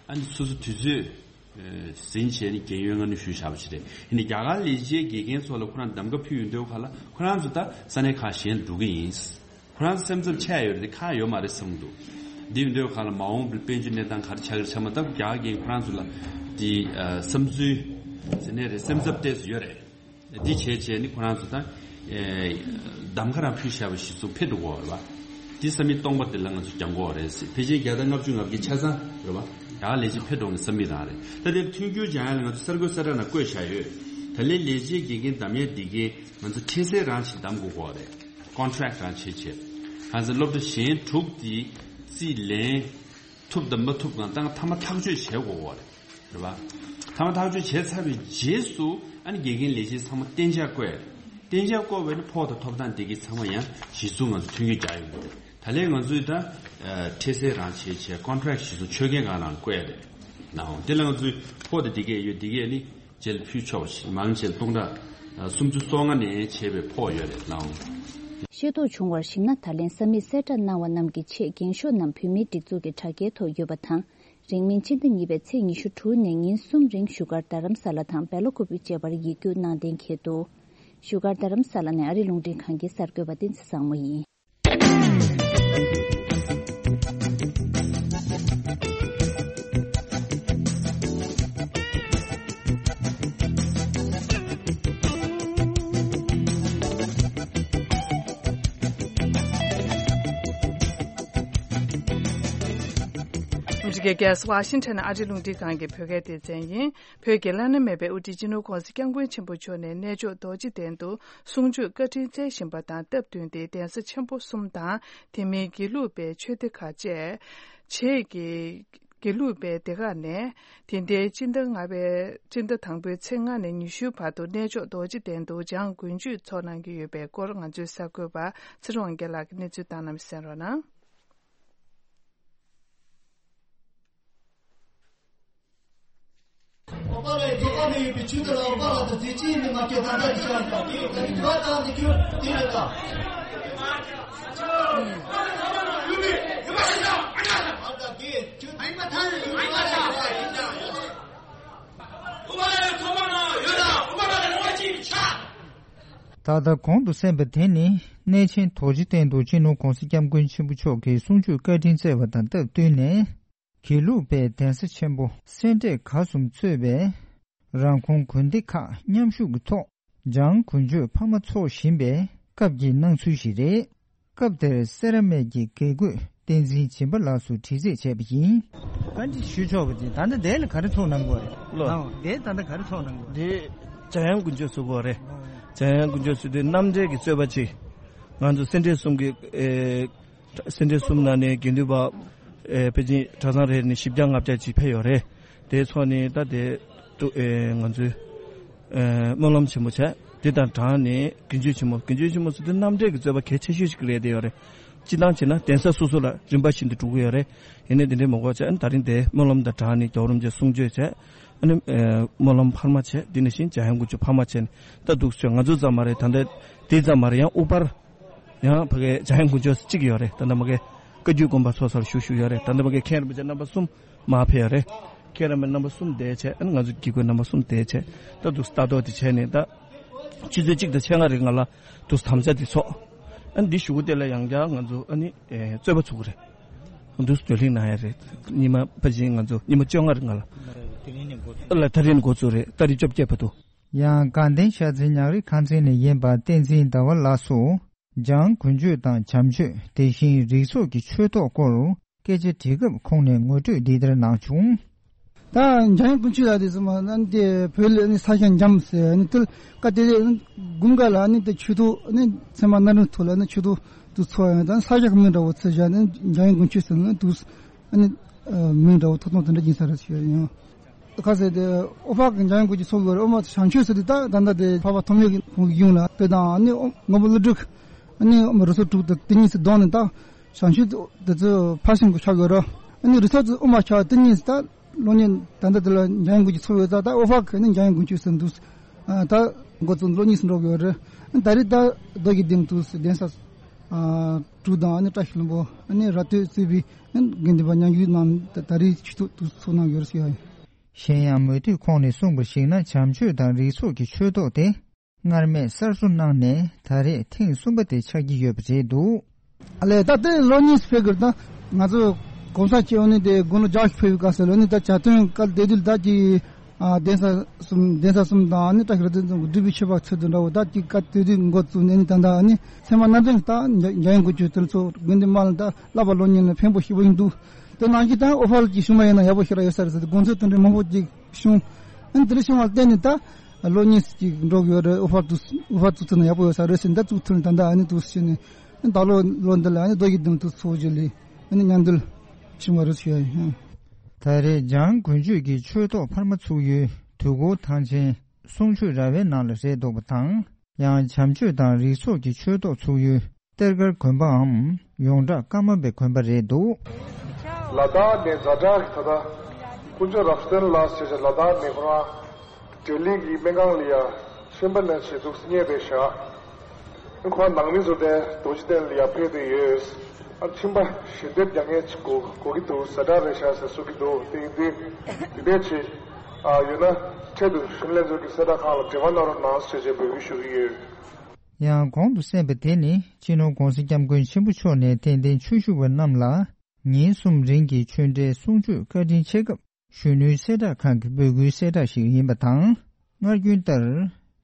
ཨ་ནི་སོ་སོ་དུས་ཚོད་ཨ་ཟིན་བྱས་ནས་རྒན་ཡོལ་སྔ་སྣུར་ཞུས་བཞག་པ་ཞིག་རེད། ཡིན་ནའི་རྒྱ་གར་ལས་བྱེད་དགེ་རྒན་ཚོ་ལ་ཁོ་རང་གདམ་ག་ཕུལ་ཡོང་དུས་སྐབས་ལ་ཁོ་རང་ཚོ་ད་ས་གནས་ཁག་གཞན་ལ་འགྲོ་གི་ཡིན། ཁོ་རང་ཚོ་སེམས་འཚབ་ཆེ་ཡོད་རེད། དེ་ཁག་ཡོད་མ་རེད་བསམ་གྱི་འདུག་འདི་ཡིན་དུས་སྐབས་ལ་མ་འོངས་པའི་དཔལ་འབྱོར་གནས་སྟངས་ག་རེ་ཆགས་ཀྱི་རེད། ཚང་མ་ད་རྒྱ་གར་རྒན་ཁོ་རང་ཚོ་ལ་དེ་ཨ་བསམ་ཚུལ་ཟེར་ནའི་རེད། སེམས་འཚབ་ཏོག་ཙམ་ཡོད་རེད། འདི་བྱས་བྱས་ནི་ཁོ་རང་ཚོ་ད་ཨེ་གདམ་ག་རང་ཕུལ་བཞག་པ་གཞི་བཟུང་འཕེལ་འགྲོ་གི་ཡོད་རེད་པ། འདི་ས་མིག་སྟོང་པ་དེ་ལ་ང་ཚོ་སྦྱང་དགོས་རེད་ཟེར། ཕལ་ཆེར་བརྒྱ་དང་ལྔ་བཅུ་ང་བརྒྱད་ཆ་ཚང་རེད་པ། ཡག་ལས་བྱེད་འཕེལ་འགྲོ་གི་ས་མིག་རང་རེད། ད་དེ་མཐུན་འགྱུར་སྦྱང་ཡ་ལ་ང་ཚོ་གསར་འགོད་གསལ་བསྒྲགས་ནང་བཀོད་བཞག་ཡོད། ད་ལན་ལས་བྱེད་དགེ་རྒན་གདམ་ཡ་འདི་གའི་ང་ཚོ་འཕྲལ་སེལ་རང་ཞིག་གདམ་དགོས་ཀྱི་ཡོད་རེད། ཀོན་ཊེག་རང་བྱེད་བྱས། གང་ཟེར་སློབ་གྲྭ་གཞན་དྲུག་དེ་རྩིས་ལེན་ཐུབ་དང་མ་ཐུབ་གང་ལྟར་མཐའ་མ་ཐག་གཅོད་བྱེད་དགོས་ཀྱི་ཡོད་རེད། རེད་པ། མཐའ་མ་ཐག་གཅོད་བྱས་ཚར་བའི་རྗེས་སུ་ཨ་ནི་དགེ་རྒན་ལས་བྱེད་ཚང་མ་གཏན་འཇགས་བསྐོས། གཏན་འཇགས་བསྐོས་པ་ཡིན་ན་ཕོགས་དང་ཐོབ་ཐང་དེ་གའི་ཚང་མ་ཡང་གཞི་བཟུང་ང་ཚོ་མཐུན་འགྱུར་རྒྱག་ཡོང་གི་རེད། ད་ལན་ང་ཚོས་ད་ཨ་འཕྲལ་སེལ་རང་བྱེད་བྱས། ཀོན་ཊེག་གཞི་བཟུང་ཆོད་མཁན་སྒང་ལ་བསྐོས་རེད། ནའོ་དེ་ལ་ང་ཚོས་ཕོགས་དེ་དེ་གས་ཡོད། དེ་གས་ནི་རྗེས་ལ་ཕུལ་ཆོག་པ་ཞིག་མང་ཆེ་སྟོང་ཕྲག་ཨ་སུམ་ཅུ་སོ་ལྔ་ནས་བྱས་པའི་ཕོགས་ཡོད་རེད། ནའོ། ཤེས་རྟོགས་བྱུང་བར་གཞིགས་ན། ད་ལན་ས་མིག་གསལ་བསྒྲགས་གནང་བ་རྣམས་ཀྱི་ཆེད་འགེངས་ཤོག་རྣམས་བོད་མིའི་སྒྲིག་འཛུགས་ཀྱི་དྲ་རྒྱའི་ཐོག་ཡོད་པ་དང་། རིང་མིན་ཕྱི་ཟླ་གཉིས་པའི་ཚེས་ཉི་ཤུ་དྲུག་ནས་ཉིན་གསུམ་རིང་བཞུགས་སྒར་རྡ་རམ་ས་ལ་དང་སྦེ་ལ་ཀུ་པེ་བཅས་པར་ཡིག་རྒྱུགས་གནང་གཏན་འཁེལ་འདུག་བཞུགས་སྒར་རྡ་རམ་ས་ལ་ནས་ཨ་རི་རླུང་འཕྲིན་ཁང་གི་གསར་འགོད་པ་བསྟན་འཛིན་བཟང་མོ་ཡིན། ཨ་མི་རི་ཀའི་རྒྱལ་ས་ཝ་ཤིང་ཊོན་ཨ་རིའི་རླུང་འཕྲིན་ཁང་གི་བོད་སྐད་སྡེ་ཚན་ཡིན། བོད་ཀྱི་བླ་ན་མེད་པའི་དབུ་ཁྲིད་སྤྱི་ནོར་༸གོང་ས་༸སྐྱབས་མགོན་ཆེན་པོ་མཆོག་ནས་གནས་མཆོག་རྡོ་རྗེ་གདན་དུ་གསུང་ཆོས་བཀའ་དྲིན་སྩལ་བཞིན་པ་དང་སྟབས་བསྟུན་ཏེ་གདན་ས་ཆེན་པོ་གསུམ་དང་། དེ་མིན་དགེ་ལུགས་པའི་ཆོས་སྡེ་ཁག་བཅས་རྗེས་ཀྱི་དགེ་ལུགས་པའི་སྡེ་ཁག་ནས་དེ་ཟླའི་སྤྱི་ཟླ་ལྔ་པའི་སྤྱི་ཟླ་དང་པོའི་ཚེས་ལྔ་ནས་ཉི་ཤུའི་བར་དུ་གནས་མཆོག་རྡོ་རྗེ་གདན་དུ་བྱང་དགུན་མཆོད་འཚོགས་གནང་གི་ཡོད་པའི་སྐོར་ང་ཚོའི་གསར་འགོད་པ་ཚེ་རིང་དབང་རྒྱལ་ལགས་ཀྱིས་གནས་ཚུལ་བཏང་གནང་བ་གསན་རོགས་གནང་། འོག་པ་ལ་ཡི་ཐོག་པ་མི་ཡོད་པའི་ཆུ་དེ་ལ་འོག་པ་ལ་དང་དེ་ཅིའི་མི་མ་སྐྱེ་ད་ལྟ་རི་ཤ་ལ་དགེ་ད་ནི་ག་དང་ནི་ཁྱོད་དེ་རེད་ད། ཨ་ད་དགེ་ཁྱོད་ཨ་ཡིན་པ་ད་ནི་ཡིན་པ་ད་ཡིན་ད་ཡིན་ད། འོག་པ་ལ་ཡི་ཐོག་པ་ན་ཡོད་ད། འོག་པ་ལ་ཡི་ལོ་གཅིག་ཆ། ད་ལྟ་གོང་དུ་གསན་པ་དེ་ནི་གནས་ཆེན་རྡོ་རྗེ་གདན་དུ་སྤྱི་ནོར་༸གོང་ས་༸སྐྱབས་མགོན་ཆེན་པོ་མཆོག་གིས་གསུང་ཆོས་བཀའ་དྲིན་སྩལ་བ་དང་སྟབས་བསྟུན་ནས། དགེ་ལུགས་པའི་གདན་ས་ཆེན་པོ་སེ་འབྲས་དགའ་གསུམ་གཙོས་པའི་རང་ཁོངས་དགོན་སྡེ་ཁག་མཉམ་ཞུགས་ཀྱི་ཐོག་བྱང་དགུན་མཆོད་འཕར་མ་འཚོགས་བཞིན་པའི་སྐབས་ཀྱི་སྣང་ཚུལ་ཞིག་རེད། སྐབས་དེར་སེ་ར་སྨད་ཀྱི་དགེ་བསྐོས་བསྟན་འཛིན་སྦྱིན་པ་ལགས་སུ་དྲི་རྩད་བྱས་པ་ཡིན། བཀའ་འདྲི་ཞུ་ཆོག་པ་དེ་ད་ལྟ་འདི་ལ་ག་རེ་ཚོགས་གནང་དགོས་རེད། ལོ། ཨང་། འདི་ད་ལྟ་ག་རེ་ཚོགས་གནང་དགོས་རེད། འདི་འཇམ་དབྱངས་དགུན་ཆོས་ཚོགས་དགོས་རེད། འཇམ་དབྱངས་དགུན་ཆོས་ཚོགས་དུས་རྣམ་འགྲེལ་གྱི་རྩོད་པ་ཅིག་ང་ཚོ་སེ་འབྲས་གསུམ་གྱི་ཨེ། སེ་འབྲས་གསུམ་ནང་ནས་དགེ་འདུན་པ་ཨེ་ཕལ་ཆེར་གྲྭ་ཚང་རེ་ནས་བཞི་བརྒྱ་ལྔ་བརྒྱ་ཅིག་ཕེབས་ཡོད་རེད། དེ་ཚོ་ནི་ད་དེ་ཏུ་ཨེ་ང་ཚོའི་ཨེ་སྨོན་ལམ་ཆེན་མོ་བྱས། དེ་དང་སྦྲགས་ནས་དགེ་མཆོད་ཆེན་མོ། དགེ་མཆོད་ཆེན་མོ་ཟེར་དུས་རྣམ་འགྲེལ་གྱི་རྩོད་པ་གལ་ཆེ་ཤོས་ཤིག་རེད་བསྡད་ཡོད་རེད། སྤྱིར་བཏང་བྱས་ན་གདན་ས་སོ་སོ་ལ་རིམ་པ་བཞིན་དུ་འགྲོ་གི་ཡོད་རེད། ཡིན་ནའི་དེ་འདྲའི་མ་དགོས་བྱས། ཨ་ནི་ད་རིང་དེ་སྨོན་ལམ་དང་སྦྲགས་ནས་རྒྱལ་བ་རིན་པོ་ཆེ་གསུང་ཆོས་བྱས། ཨ་ནི་ཨེ་སྨོན་ལམ་འཕར་མ་བྱས། དེ་ནང་བཞིན་འཇམ་དབྱངས་དགུན་ཆོས་འཕར་མ་བྱས་ནས་ད་འདུག་སེ་ང་ཚོ་ཙམ་མ་རེད། ད་ལྟ་དེ་ཙམ་མ་རེད། ཡང་དབུ་ཕར་ཡང་ཕ་གའི་འཇམ་དབྱངས་དགུན་ཆོས་གཅིག་ཡོད་རེད། ད་ལྟ་མ་གའི་བཀའ་བརྒྱུད་དགོན་པ་ཚོགས་ས་ལ་བཞུགས་བཞུགས་ཡོད་རེད། ད་ལྟ་མ་གའི་མཁན་རིན་པོ་ཆེ་རྣམ་པ་གསུམ་མར་ཕེབས་ཡོད་རེད། མཁན་རིན་པོ་ཆེ་རྣམ་པ་གསུམ་བསྡད་བྱས། ཨ་ནི་ང་ཚོ་དགེ་བསྐོས་རྣམ་པ་གསུམ་བསྡད་བྱས། ད་འདུག་སེ་ལྟ་རྟོག་དེ་བྱས་ནས་ད་ཆུ་ཚོད་གཅིག་དང་ཕྱེད་ཀ་རིང་ལ་འདུག་སེ་དམ་བཅའ་དེ་ཚོགས། ཨ་ནི་འདི་གཞུག་གུ་དེ་ལ་ཡང་བསྐྱར་ང་ཚོ་ཨ་ནི་ཨེ་རྩོད་པ་ཚུགས་ཀྱི་རེད། འདུག་སེ་བགྲོ་གླེང་གནང་ཡ་རེད། ཉི་མ་ཕལ་ཆེར་ང་ཚོ་ཉི་མ་བཅོ་ལྔ་རིང་ལ། དེ་རིང་ནས་འགོ་ཚུགས། ལ་དེ་རིང་ནས་འགོ་ཚུགས་རེད། ཏ་རིག་བཅོ་བརྒྱད་བར་དུ། ཡང་དགའ་ལྡན་ཤར་རྩེ་ཉག་རི་ཁང་ཚན་ནས་ཡིན་པ་བསྟན་འཛིན་ཟླ་བ་ལགས་སུ། འཇང་དགུན་ཆོས་དང་བྱམས་ཆོས། དེ་བཞིན་རིགས་ཚོགས་ཀྱི་ཆོས་ཐོག་སྐོར་སྐད་ཆ་དྲིས་སྐབས་ཁོང་ནས་ངོ་སྤྲོད་འདི་ལྟར་གནང་བྱུང་། ད་འཇམ་དབྱངས་དཀོན་མཆོག་ལགས་དེ་ཚོ་མ་ཨ་ནི་དེ་བོད་ལ་ཨ་ནི་ས་ཞིང་འཇམ་ཟེར། ཨ་ནི་དེ་ལ་བཀའ་དེ་དེ་དགུན་ཁ་ལ་ཨ་ནི་དེ་ཆུ་ཐོག་ཨ་ནི་ཚེར་མ་སྣ་དྲོན་ཐོག་ལ་ཨ་ནི་ཆུ་ཐོག་དེ་ཚོ་ཡང་ད་ས་ཞིང་མིང་འདྲ་བོ་ཚུར་བཞག་ནས་འཇམ་དབྱངས་དཀོན་མཆོག་ཟེར་ན་དུ་ཨ་ནི་མིང་འདྲ་བོ་ཐོགས་སྟངས་དེ་འདྲ་ཡིན་ས་རེད་ཟེར་ཡོད། ཁ་ཟེར་དེ་ཨོ་ཕག་གི་འཇམ་དབྱངས་དཀོན་མཆོག་ཚོགས་ཡོད་རེད། ཨོ་མ་བྱང་ཆོས་ཟེར་དེ་ད་ད་ལྟ་དེ་འཕགས་པ་ཐོགས་མེད་ཀྱི་ཁོང་གི་གཞུང་ལ་དཔེ་དང་ཨ་ནི་མགོན་པོ་ཀླུ་སྒྲུབ་ཨ་ནི་ཨོ་མ་རུ་ཚོགས་དྲུག་དང་དེ་གཉིས་སུ་བསྡོམས་ནས་ད་བྱང་ཆོས་དེ་ཚོ་ཕར་ཕྱིན་གྱི་ཆགས་ཡོད་རེད། ཨ་ནི་རུ་ཚོགས་ཚོ་ཨོ་མ་ཆགས་དེ་གཉིས་སུ་ད་སློབ་གཉེར་ད་ལྟ་དེ་ལ་འཇམ་དབྱངས་དཀོན་མཆོག་ཚོགས་ཡོད་ཙང་ད་ཨོ་ཕག་གི་ཨ་ནི་འཇམ་དབྱངས་དཀོན་མཆོག་ཟེར་འདུག་ད་འགོ་བཙུགས་ལོ་གཉིས་སུ་འགྲོ་གི་ཡོད་རེད། ད་རེས་ད་རྡོ་རྗེ་གདན་དུ་གདན་ས་དྲུག་དང་ཨ་ནི་བཀྲ་ཤིས་ལྷུན་པོ་ཨ་ནི་ར་སྟོད་གཙོས་པའི་དགེ་འདུན་པ་མཉམ་ཞུགས་གནང་ད་རེས་ཆུ་ཐོག་ཏུ་ཚོགས་གནང་ཡོད་ཟེར་ཡ་ཡིན། གཞན་ཡང་མུ་མཐུད་ཁོང་ནས་གསུངས་པར་གཞིགས་ན་བྱམས་ཆོས་དང་རིགས་ཚོགས་ཀྱི་ཆོས་ཐོག་དེ་སྔར་མེད་གསར་བཟོ་གནང་ནས་ད་རེས་ཐེངས་གསུམ་པ་དེ་ཆགས་ཀྱི་ཡོད་པ་རེད་འདུག་ཨ་ལས་ད་ལྟའི་ལོ་གཉིས་སུ་ཕེབས་ཀྱི་རེད། ད་ང་ཚོ་གོང་ས་མཆོག་ནས་དེ་དགུང་ལོ་བརྒྱད་ཅུ་ཕེབས་པའི་སྐབས་སུ་ལོ་ནི་ད་བྱ་སྟོན་སྐབས་དེ་དུས་ད་ཀྱི་ཨ་གདན་ས་གསུམ་གདན་ས་གསུམ་དང་ཨ་ནི་བཀྲ་ཤིས་ར་སྟོད་འཛོམས་ཀྱི་སྒྲུབ་པའི་ཆོས་པ་ཚོ་དང་འདྲ་བོ་ད་ཀྱི་སྐབས་དེ་དུས་འགོ་བཙུགས་ནས་ནི་ད་ལྟ་ཨ་ནི་ཚད་མ་སྣ་དྲོན་ད་འཇམ་དབྱངས་དཀོན་མཆོག་དེ་ཚོ་དགོན་སྡེ་དམངས་ལ་ད་བསླབ་པ་སློབ་གཉེར་ལ་ཕན་པོ་ཞེ་པོ་ཡིན་འདུག་དེ་ནང་བཞིན་ད་ཨོ་ཕག་གི་བཞུགས་མ་ཡིན་ན་ཡག་པོ་ཞེ་དྲག་ཡོད་ས་རེད་ཟེར་ཏེ་དགོངས་ཚུལ་དེ་འདྲའི་མང་པོ་ཅིག་བྱུང་། ཨ་ནི་དེ་འདྲ་བྱུང་བར་བརྟེན་ནས་ད་ལོ་གཉིས་ཅིག་འགྲོ་གི་ཡོད་རེད། ཨོ་ཕག་དུ་ཨོ་ཕག་བཙུགས་ཐུབ་ན་ཡག་པོ་ཡོད་ས་རེད་ཟེར་ད་བཙུགས་ཐུབ་ནས་ད་ལྟ་ཨ་ནི་འདུག་ཟེར་ནས་ཨ་ནི་ད་ལོ་ལོ་འདི་ལ་ཨ་ནི་རྡོ་རྗེ་གདན་དུ་ཚོགས་རྒྱུ་ལས་ཨ་ནི་མཉམ་འབྲེལ་བྱུང་བ་རེད་ཞུ་ཡ་ཡིན། ད་རེས་འཇམ་དཀོན་མཆོག་གི་ཆོས་ཐོག་འཕར་མ་ཚུགས་ཡུལ་དུས་འཁོར་ཐང་ཆེན་གསུང་ཆོས་ར་བའི་ནང་ལ་རེད་འདུག་པ་དང་། ཡང་བྱམས་ཆོས་དང་རིགས་ཚོགས་ཀྱི་ཆོས་ཐོག་ཚུགས་ཡུལ་གཏེར་སྒར་དགོན་པའམ་ཡོངས་གྲགས་ཀརྨ་པའི་དགོན་པ་རེད་འདུག་ལ་དྭགས་ནས་ཛ་དྲག་གི་ད་ལྟ་དཀོན་མཆོག་རབ་བརྟན་ལགས་ཞེས་བྱ་ལ་དྭགས་ནས་ཁོ་རང་བགྲེས་གླིང་གི་སྨན་ཁང་ལ་ཡ་ཤན་པ་ནས་བྱེད་འདུག་རྙེད་པའི་ཞག་ཁོ་རང་ནང་མི་ཚོ་དེ་རྡོ་རྗེ་གདན་ལ་ཡ་ཕེབས་བསྡད་ཡོད། ཨ་མཆིན་པ་ཞལ་འདེབས་རྒྱག་མཁན་ཅིག་གོ་གོ་གི་འདུག་ཛ་དྲག་རེད་ཤག་ཟེར་གསུང་གི་འདུག་དེ་ཡིན་དུས་དེ་འདྲས་ཅིག་ཨ་ཡོད་ན་འཕྲལ་དུ་གཞོན་ནུ་ལྷན་ཚོགས་ཀྱི་གསལ་བསྒྲགས་ཁང་ལ་འབྲེལ་བ་གནང་རོགས་གནང་ཞེས་བྱས་འབོད་སྐུལ་ཞུ་གི་ཡོད། ཡང་གོང་དུ་གསན་པ་དེ་ནི་སྤྱི་ནོར་༸གོང་ས་༸སྐྱབས་མགོན་ཆེན་པོ་མཆོག་ནས་དད་ལྡན་ཆོས་ཞུ་བ་རྣམས་ལ་ཉིན་གསུམ་རིང་གི་ཆོས་འབྲེལ་གསུང་ཆོས་བཀའ་དྲིན་ཆེ་སྐབས་གཞོན་ནུའི་གསལ་བསྒྲགས་ཁང་གི་འབོད་སྐུལ་གསལ་བསྒྲགས་ཤིག་ཡིན་པ་དང་། སྔར་རྒྱུན་ལྟར་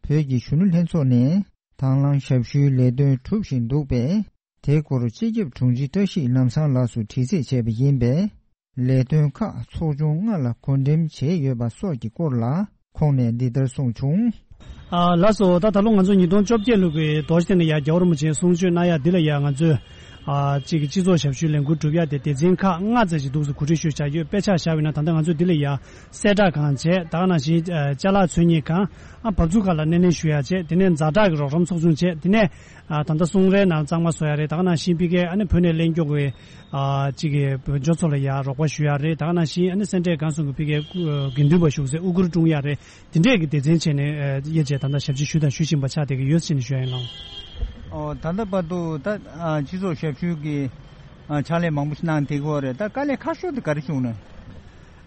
བོད་ཀྱི་གཞོན་ནུ་ལྷན་ཚོགས་ནས་དང་བླངས་ཞབས་ཞུའི་ལས་དོན་གྲུབ་བཞིན་འདུག་པས། དེའི་སྐོར་སྤྱི་ཁྱབ་དྲུང་ཆེ་བཀྲ་ཤིས་ལམ་བཟང་ལགས་སུ་དྲི་རྩད་བྱས་པ་ཡིན་པས། ལས་དོན་ཁག་ཚོགས་ཆུང་ལྔ་ལ་བགོ་འགྲེམས་བྱས་ཡོད་པ་སོགས་ཀྱི་སྐོར་ལ་ཁོང་ནས་འདི་ལྟར་གསུངས་བྱུང་། ཨ་ལགས་སོ། ད་ད་ལོ་ང་ཚོ་ཉིས་སྟོང་བཅོ་བརྒྱད་ལོ་གི་རྡོ་རྗེ་གདན་ལ་ཡ་རྒྱལ་བ་རིན་པོ་ཆེ་གསུང་ཆོས་གནང་ཡ་འདི་ལ་ཡ་ང་ཚོས་ཨ་གཅིག་གི་སྤྱི་ཚོགས་ཞབས་ཞུའི་ལས་འགུལ་སྒྲུབ་ཡ་དེ་སྡེ་ཚན་ཁག་ལྔ་ཙམ་ཞིག་འདུག་སེ་གོ་སྒྲིག་ཞུས་བྱ་ཡོད། དཔེ་ཆ་བཞག་པ་ཡིན་ན་ད་ལྟ་ང་ཚོས་འདི་ལ་ཡ་གསལ་བསྒྲགས་ཁང་བྱས། ད་ག་ནང་བཞིན་ཨ་ཅ་ལག་འཚོལ་སྙེག་ཁང་། ཨ་བབས་ཚུགས་ཁག་ལ་སྣེ་ལེན་ཞུ་ཡ་བྱས། དེ་ནས་ཛ་དྲག་གི་རོགས་རམ་ཚོགས་ཆུང་བྱས། དེ་ནས་ཨ་ད་ལྟ་སོང་རའི་ནང་གཙང་མ་བཟོ་ཡ་རེད། ད་ག་ནང་བཞིན་ཕ་གིའི་ཨ་ནི་བོད་ནས་གླེང་སྐྱོ་གི་ཨ་གཅིག་གི་བོད་ཇོ་ཚོ་ལ་ཡ་རོགས་པ་ཞུ་ཡ་རེད། ད་ག་ནང་བཞིན་ཨ་ནི་སེ་འབྲས་དགའ་གསུམ་གི་ཕ་གིའི་དགེ་འདུན་པ་བཞུགས་སའི་དབུ་གུར་བཀྲོང་ཡ་རེད། དེ་འདྲས་ཀྱི་སྡེ་ཚན་བྱས་ནས་ཨ་དབྱེ་འབྱེད་ད་ལྟ་ཞབས་ཕྱི་ཞུས་དང་ཞུ་བཞིན་པ་ཆགས་བསྡད་ཀྱི་ཡོད་ཟེར་ནས་ཞུ་ཡ་ཡིན་ལགས། ཨོ་ད་ལྟ་བར་དུ་ད་ཨ་སྤྱི་ཚོགས་ཞབས་ཞུ་གི་ཨ་ཕྱག་ལས་མང་པོ་ཞིག་གནང་བསྡད་ཀྱི་ཡོད་རེད། ད་དཀའ་ལས་ཁག་ཤོས་དེ་ག་རེ་བྱུང་ན།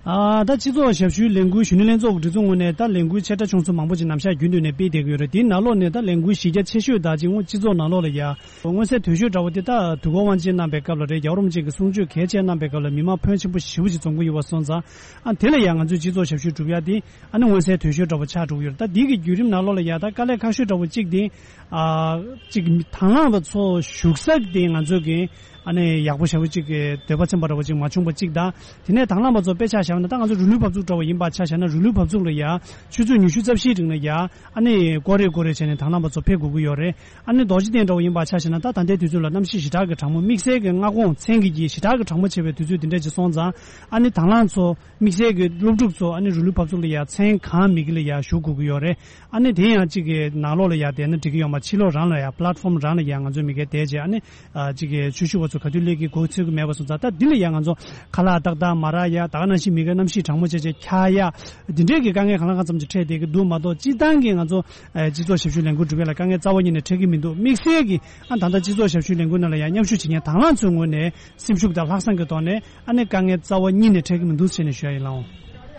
ཨ་ད་སྤྱི་ཚོགས་ཞབས་ཞུའི་ལས་འགུལ་གཞོན་ནུ་ལྷན་ཚོགས་ཀྱི་སྒྲིག་འཛུགས་ངོས་ནས་ད་ལས་འགུལ་ཆེ་ཕྲ་ཆུང་ཚོ་མང་པོ་ཅིག་ནམ་ཞག་རྒྱུན་དུ་ནས་སྤེལ་བསྡད་ཀྱི་ཡོད་རེད། དེའི་ནང་ལོགས་ནས་ད་ལས་འགུལ་གཞི་རྒྱ་ཆེ་ཤོས་ད་ཅིག་སྤྱི་ཚོགས་ནང་ལོགས་ལ་ཡ་མངོན་གསལ་དོད་ཤོས་འདྲ་བོ་དེ་ད་དུས་འཁོར་དབང་ཆེན་གནང་པའི་སྐབས་ལ་རེད། རྒྱལ་བ་རིན་པོ་ཆེ་གི་གསུང་ཆོས་གལ་ཆེ་གནང་པའི་སྐབས་ལ་མི་མང་ཕོན་ཆེན་པོ་ཞེ་པོ་ཅིག་འཛོམས་ཀྱི་ཡོད་པ་སོང་ཙང་། ཨ་དེ་ལ་ཡ་ང་ཚོས་སྤྱི་ཚོགས་ཞབས་ཞུ་སྒྲུབ་ཡ་དེ་ཨ་ནི་མངོན་གསལ་དོད་ཤོས་འདྲ་བོ་ཆགས་འགྲོ་གི་ཡོད་རེད། ད་འདི་གི་བརྒྱུད་རིམ་ནང་ལོགས་ལ་ཡ་ད་དཀའ་ལས་ཁག་ཤོས་འདྲ་བོ་གཅིག་དེ་ཨ་གཅིག་དང་བླངས་པ་ཚོ་བཞུགས་ས་དེ་ང་ཚོ་གི་ཨ་ནི་ཡག་པོ་ཞེ་པོ་ཅིག་གི་འདོད་པ་ཚིམ་པ་འདྲ་བོ་ཅིག་མ་བྱུང་བ་གཅིག་དང་། དེ་ནས་དང་བླངས་པ་ཚོ་དཔེ་ཆ་བཞག་ན་ད་ང་ཚོ་རི་ལུའི་བབས་ཚུགས་འདྲ་བོ་ཡིན་པ་ཆ་བཞག་ན་རི་ལུའི་བབས་ཚུགས་ལ་ཡ་ཆུ་ཚོད་ཉི་ཤུ་རྩ་བཞིའི་རིང་ལ་ཡ་ཨ་ནི་ཀོ་རེ་ཀོ་རེ་བྱས་ནས་དང་བླངས་པ་ཚོ་ཕེབས་དགོས་ཀྱི་ཡོད་རེད། ཨ་ནི་རྡོ་རྗེ་གདན་འདྲ་བོ་ཡིན་པ་ཆ་བཞག་ན་ད་ད་ལྟའི་དུས་ཚོད་ལ་གནམ་གཤིས་ཞེ་དྲག་གི་གྲང་མོ་དམིགས་བསལ་གྱི་མངའ་ཁོངས་མཚན་གྱི་རྒྱུད་ཞེ་དྲག་གི་གྲང་མོ་ཆེ་བའི་དུས་ཚོད་དེ་འདྲ་ཅིག་སོང་ཙང་ཨ་ནི་དང་བླངས་ཚོ་དམིགས་བསལ་གྱི་སློབ་ཕྲུག་ཚོ་ཨ་ནི་རི་ལུའི་བབས་ཚུགས་ལ་ཡ་མཚན་གང་མེད་ཀྱི་ལ་ཡ་བཞུགས་དགོས་ཀྱི་ཡོད་རེད། ཨ་ནི་དེ་ཡང་གཅིག་གི་ནང་ལོགས་ལ་ཡ་བསྡད་ན་འགྲིག་གི་ཡོད་མ་ཕྱི་ལོགས་རང་ལ་ཡ་པ་ལེ་ཊི་ཕོམ་རང་ལ་ཡ་ང་ཚོའི་མི་སྒེར་བསྡད་བྱས་ཨ་ནི་ཨ་གཅིག་གི་ཆོས་ཞུ་བ་ཚོ་ག་དུས་སླེབས་ཀྱི་གོ་ཚོད་ཀྱི་མེད་པ་སོང་ཙང་ད་འདི་ལ་ཡ་ང་ཚོ་ཁ་ལག་ཏག་ཏག་མ་རག་ཡ་ད་ག་ནང་བཞིན་མི་སྒེར་གནམ་གཤིས་གྲང་མོ་བྱས་བྱས་འཁྱག་ཡ་འདི་འདྲས་ཀྱི་དཀའ་ངལ་གང་ལ་གང་འཚམ་ཅིག་འཕྲད་བསྡད་ཀྱི་འདུག་མ་གཏོགས་སྤྱིར་བཏང་གི་ང་ཚོ་ཨ་སྤྱི་ཚོགས་ཞབས་ཞུའི་ལས་འགུལ་སྒྲུབ་ཡ་ལ་དཀའ་ངལ་རྩ་བ་ཉིད་ནས་འཕྲད་ཀྱི་མི་འདུག་དམིགས་བསལ་གྱི་ཨ་ད་ལྟ་སྤྱི་ཚོགས་ཞབས་ཞུའི་ལས་འགུལ་ནང་ལ་ཡ་མཉམ་ཞུགས་བྱེད་མཁན་དང་བླངས་ཚོའི་ངོས་ནས་སེམས་ཤུགས་དང་ལྷག་བསམ་གྱི་ཐོག་ནས་ཨ་ནི་དཀའ་ངལ་རྩ་བ་ཉིད་ནས་འཕྲད་ཀྱི་མི་འདུག་ཟེར་ནས་ཞུ་ཡ་ཡིན་ལགས།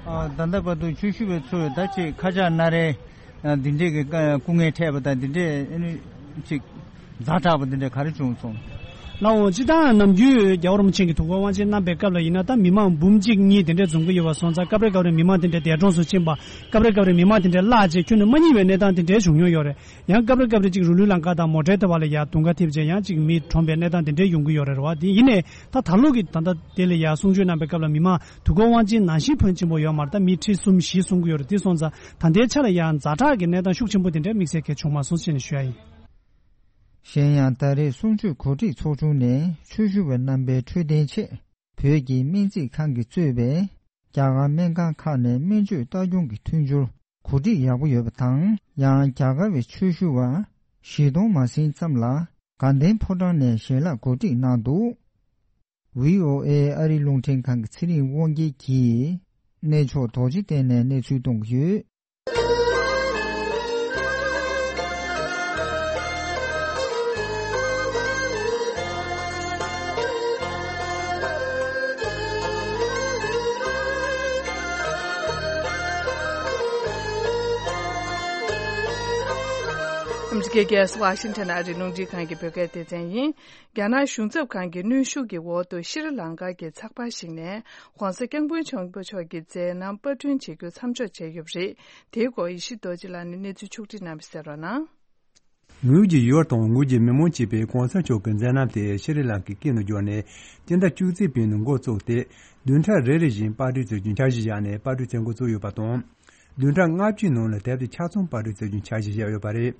ཨ་ད་ལྟ་བར་དུ་ཆོས་ཞུ་བའི་ཚོས་ད་ཅིག་ཁ་ཆག་སྣ་རལ་ཨ་འདི་འདྲས་ཀྱི་སྐུ་ངལ་འཕྲད་པ་དང་འདི་འདྲས་ཨ་ནི་ཅིག་ཛ་དྲག་པ་འདི་འདྲས་ག་རེ་བྱུང་སོང་། ལགས་འོང་། སྤྱིར་བཏང་ནམ་རྒྱུན་རྒྱལ་བ་རིན་པོ་ཆེ་གི་ཐུགས་ཁུར་དབང་ཆེན་བསྣམས་པའི་སྐབས་ལ་ཡིན་ན། ད་མི་མང་འབུམ་གཅིག་གཉིས་དེ་འདྲས་འཛོམས་ཀྱི་ཡོད་པ་སོང་ཙང་། སྐབས་རེ་སྐབས་རེ་མི་མང་དེ་འདྲས་འདས་གྲོངས་སུ་ཕྱིན་པ། སྐབས་རེ་སྐབས་རེ་མི་མང་དེ་འདྲས་བརླག་བྱས། ཁྱོན་ནས་མ་རྙེད་པའི་གནས་སྟངས་དེ་འདྲས་བྱུང་མྱོང་ཡོད་རེད། ཡང་སྐབས་རེ་སྐབས་རེ་ཅིག་རུ་ལུའི་ལམ་ཁ་དང་མོ་ཊའི་ཐོག་ལ་ཡར་དུང་ཁ་འཐིབས་བྱས། ཡང་ཅིག་མི་གྲོངས་པའི་གནས་སྟངས་དེ་འདྲས་ཡོང་གི་ཡོད་རེད་བ། དེ་ཡིན་ནའི་ད་ད་ལོ་གི་ད་ལྟ་དེ་ལ་ཡར་གསུང་ཆོས་གནང་པའི་སྐབས་ལ། མི་མང་ཐུགས་ཁུར་དབང་ཆེན་ནང་བཞིན་ཕོན་ཆེན་པོ་ཡོད་མ་རེད། ད་མི་ཁྲི་གསུམ་བཞི་གསུང་གི་ཡོད་རེད། དེ་སོང་ཙང་ད་ལྟའི་ཆ་ལ་ཡང་ཛ་དྲག་གི་གནས་སྟངས་ཤུགས་ཆེན་པོ་དེ་འདྲས་དམིགས་བསལ་གང་ཡང་བྱུང་མ་སོང་ཞེས་ནས་ཞུ་ཡ་ཡིན། གཞན་ཡང་། ད་རེས་གསུང་ཆོས་གོ་སྒྲིག་ཚོགས་ཆུང་ནས་ཆོས་ཞུ་བ་རྣམ་པའི་འཕྲོད་བསྟེན་ཆེད། བོད་ཀྱི་སྨན་རྩིས་ཁང་གིས་གཙོས་པའི་རྒྱ་གར་སྨན་ཁང་ཁག་ནས་སྨན་བཅོས་ལྟ་སྐྱོང་གི་མཐུན་སྦྱོར་གོ་སྒྲིག་ཡག་པོ་ཡོད་པ་དང་། ཡང་རྒྱ་གར་བའི་ཆོས་ཞུ་བ་བཞི་སྟོང་མ་ཟིན་ཙམ་ལ་དགའ་ལྡན་ཕོ་བྲང་ནས་ཞལ་ལག་གོ་སྒྲིག་གནང་འདུག། ཝི་ཨོ་ཨེ་ཨ་རིའི་རླུང་འཕྲིན་ཁང་གི་ཚེ་རིང་དབང་རྒྱལ་གྱིས་གནས་མཆོག་རྡོ་རྗེ་གདན་ནས་གནས་ཚུལ་གཏོང་གི་ཡོད། ཨ་མི་རི་ཀའི་རྒྱལ་ས་ཝ་ཤིང་ཊོན་ཨ་རིའི་རླུང་འཕྲིན་ཁང་གི་བོད་སྐད་སྡེ་ཚན་ཡིན། རྒྱ་ནག་གཞུང་ཚབ་ཁང་གི་གནོན་ཤུགས་ཀྱི་འོག་ཏུ་ཤྲི་ལང་ཀ་གི་ཚགས་པར་ཞིག་ནས་༧གོང་ས་༧སྐྱབས་མགོན་ཆེན་པོ་མཆོག་གི་མཛད་རྣམ་པར་སྐྲུན་བྱེད་རྒྱུ་མཚམས་འཇོག་བྱས་ཡོད་པ་རེད། དེའི་སྐོར་ཡེ་ཤེས་རྡོ་རྗེ་ལགས་ནས་གནས་ཚུལ་ཕྱོགས་བསྒྲིགས་གནང་བ་གསན་རོགས་གནང་། ངོས་ཀྱི་ཡུལ་དང་ངོས་ཀྱི་མི་མང་གཅིག་པས་༧གོང་ས་མཆོག་གི་མཛད་རྣམ་དེ་ཤྲི་ལང་ཀའི་སྐད་ནང་བསྒྱུར་ནས་སྤྱི་ཟླ་བཅུ་གཅིག་པའི་ནང་འགོ་བཙུགས་ཏེ། བདུན་ཕྲག་རེ་རེ་བཞིན་པར་སྐྲུན་བྱེད་རྒྱུའི་འཆར་གཞི་བཞག་ནས་པར་སྐྲུན་མཛད་འགོ་བཙུགས་ཡོད་པ་དང་། བདུན་ཕྲག་ལྔ་བཅུའི་ནང་ལ་དེབ་དེ་ཆ་ཚང་པར་སྐྲུན་བྱེད་རྒྱུའི་འཆར་གཞི་བཞག་ཡོད་པ་རེད།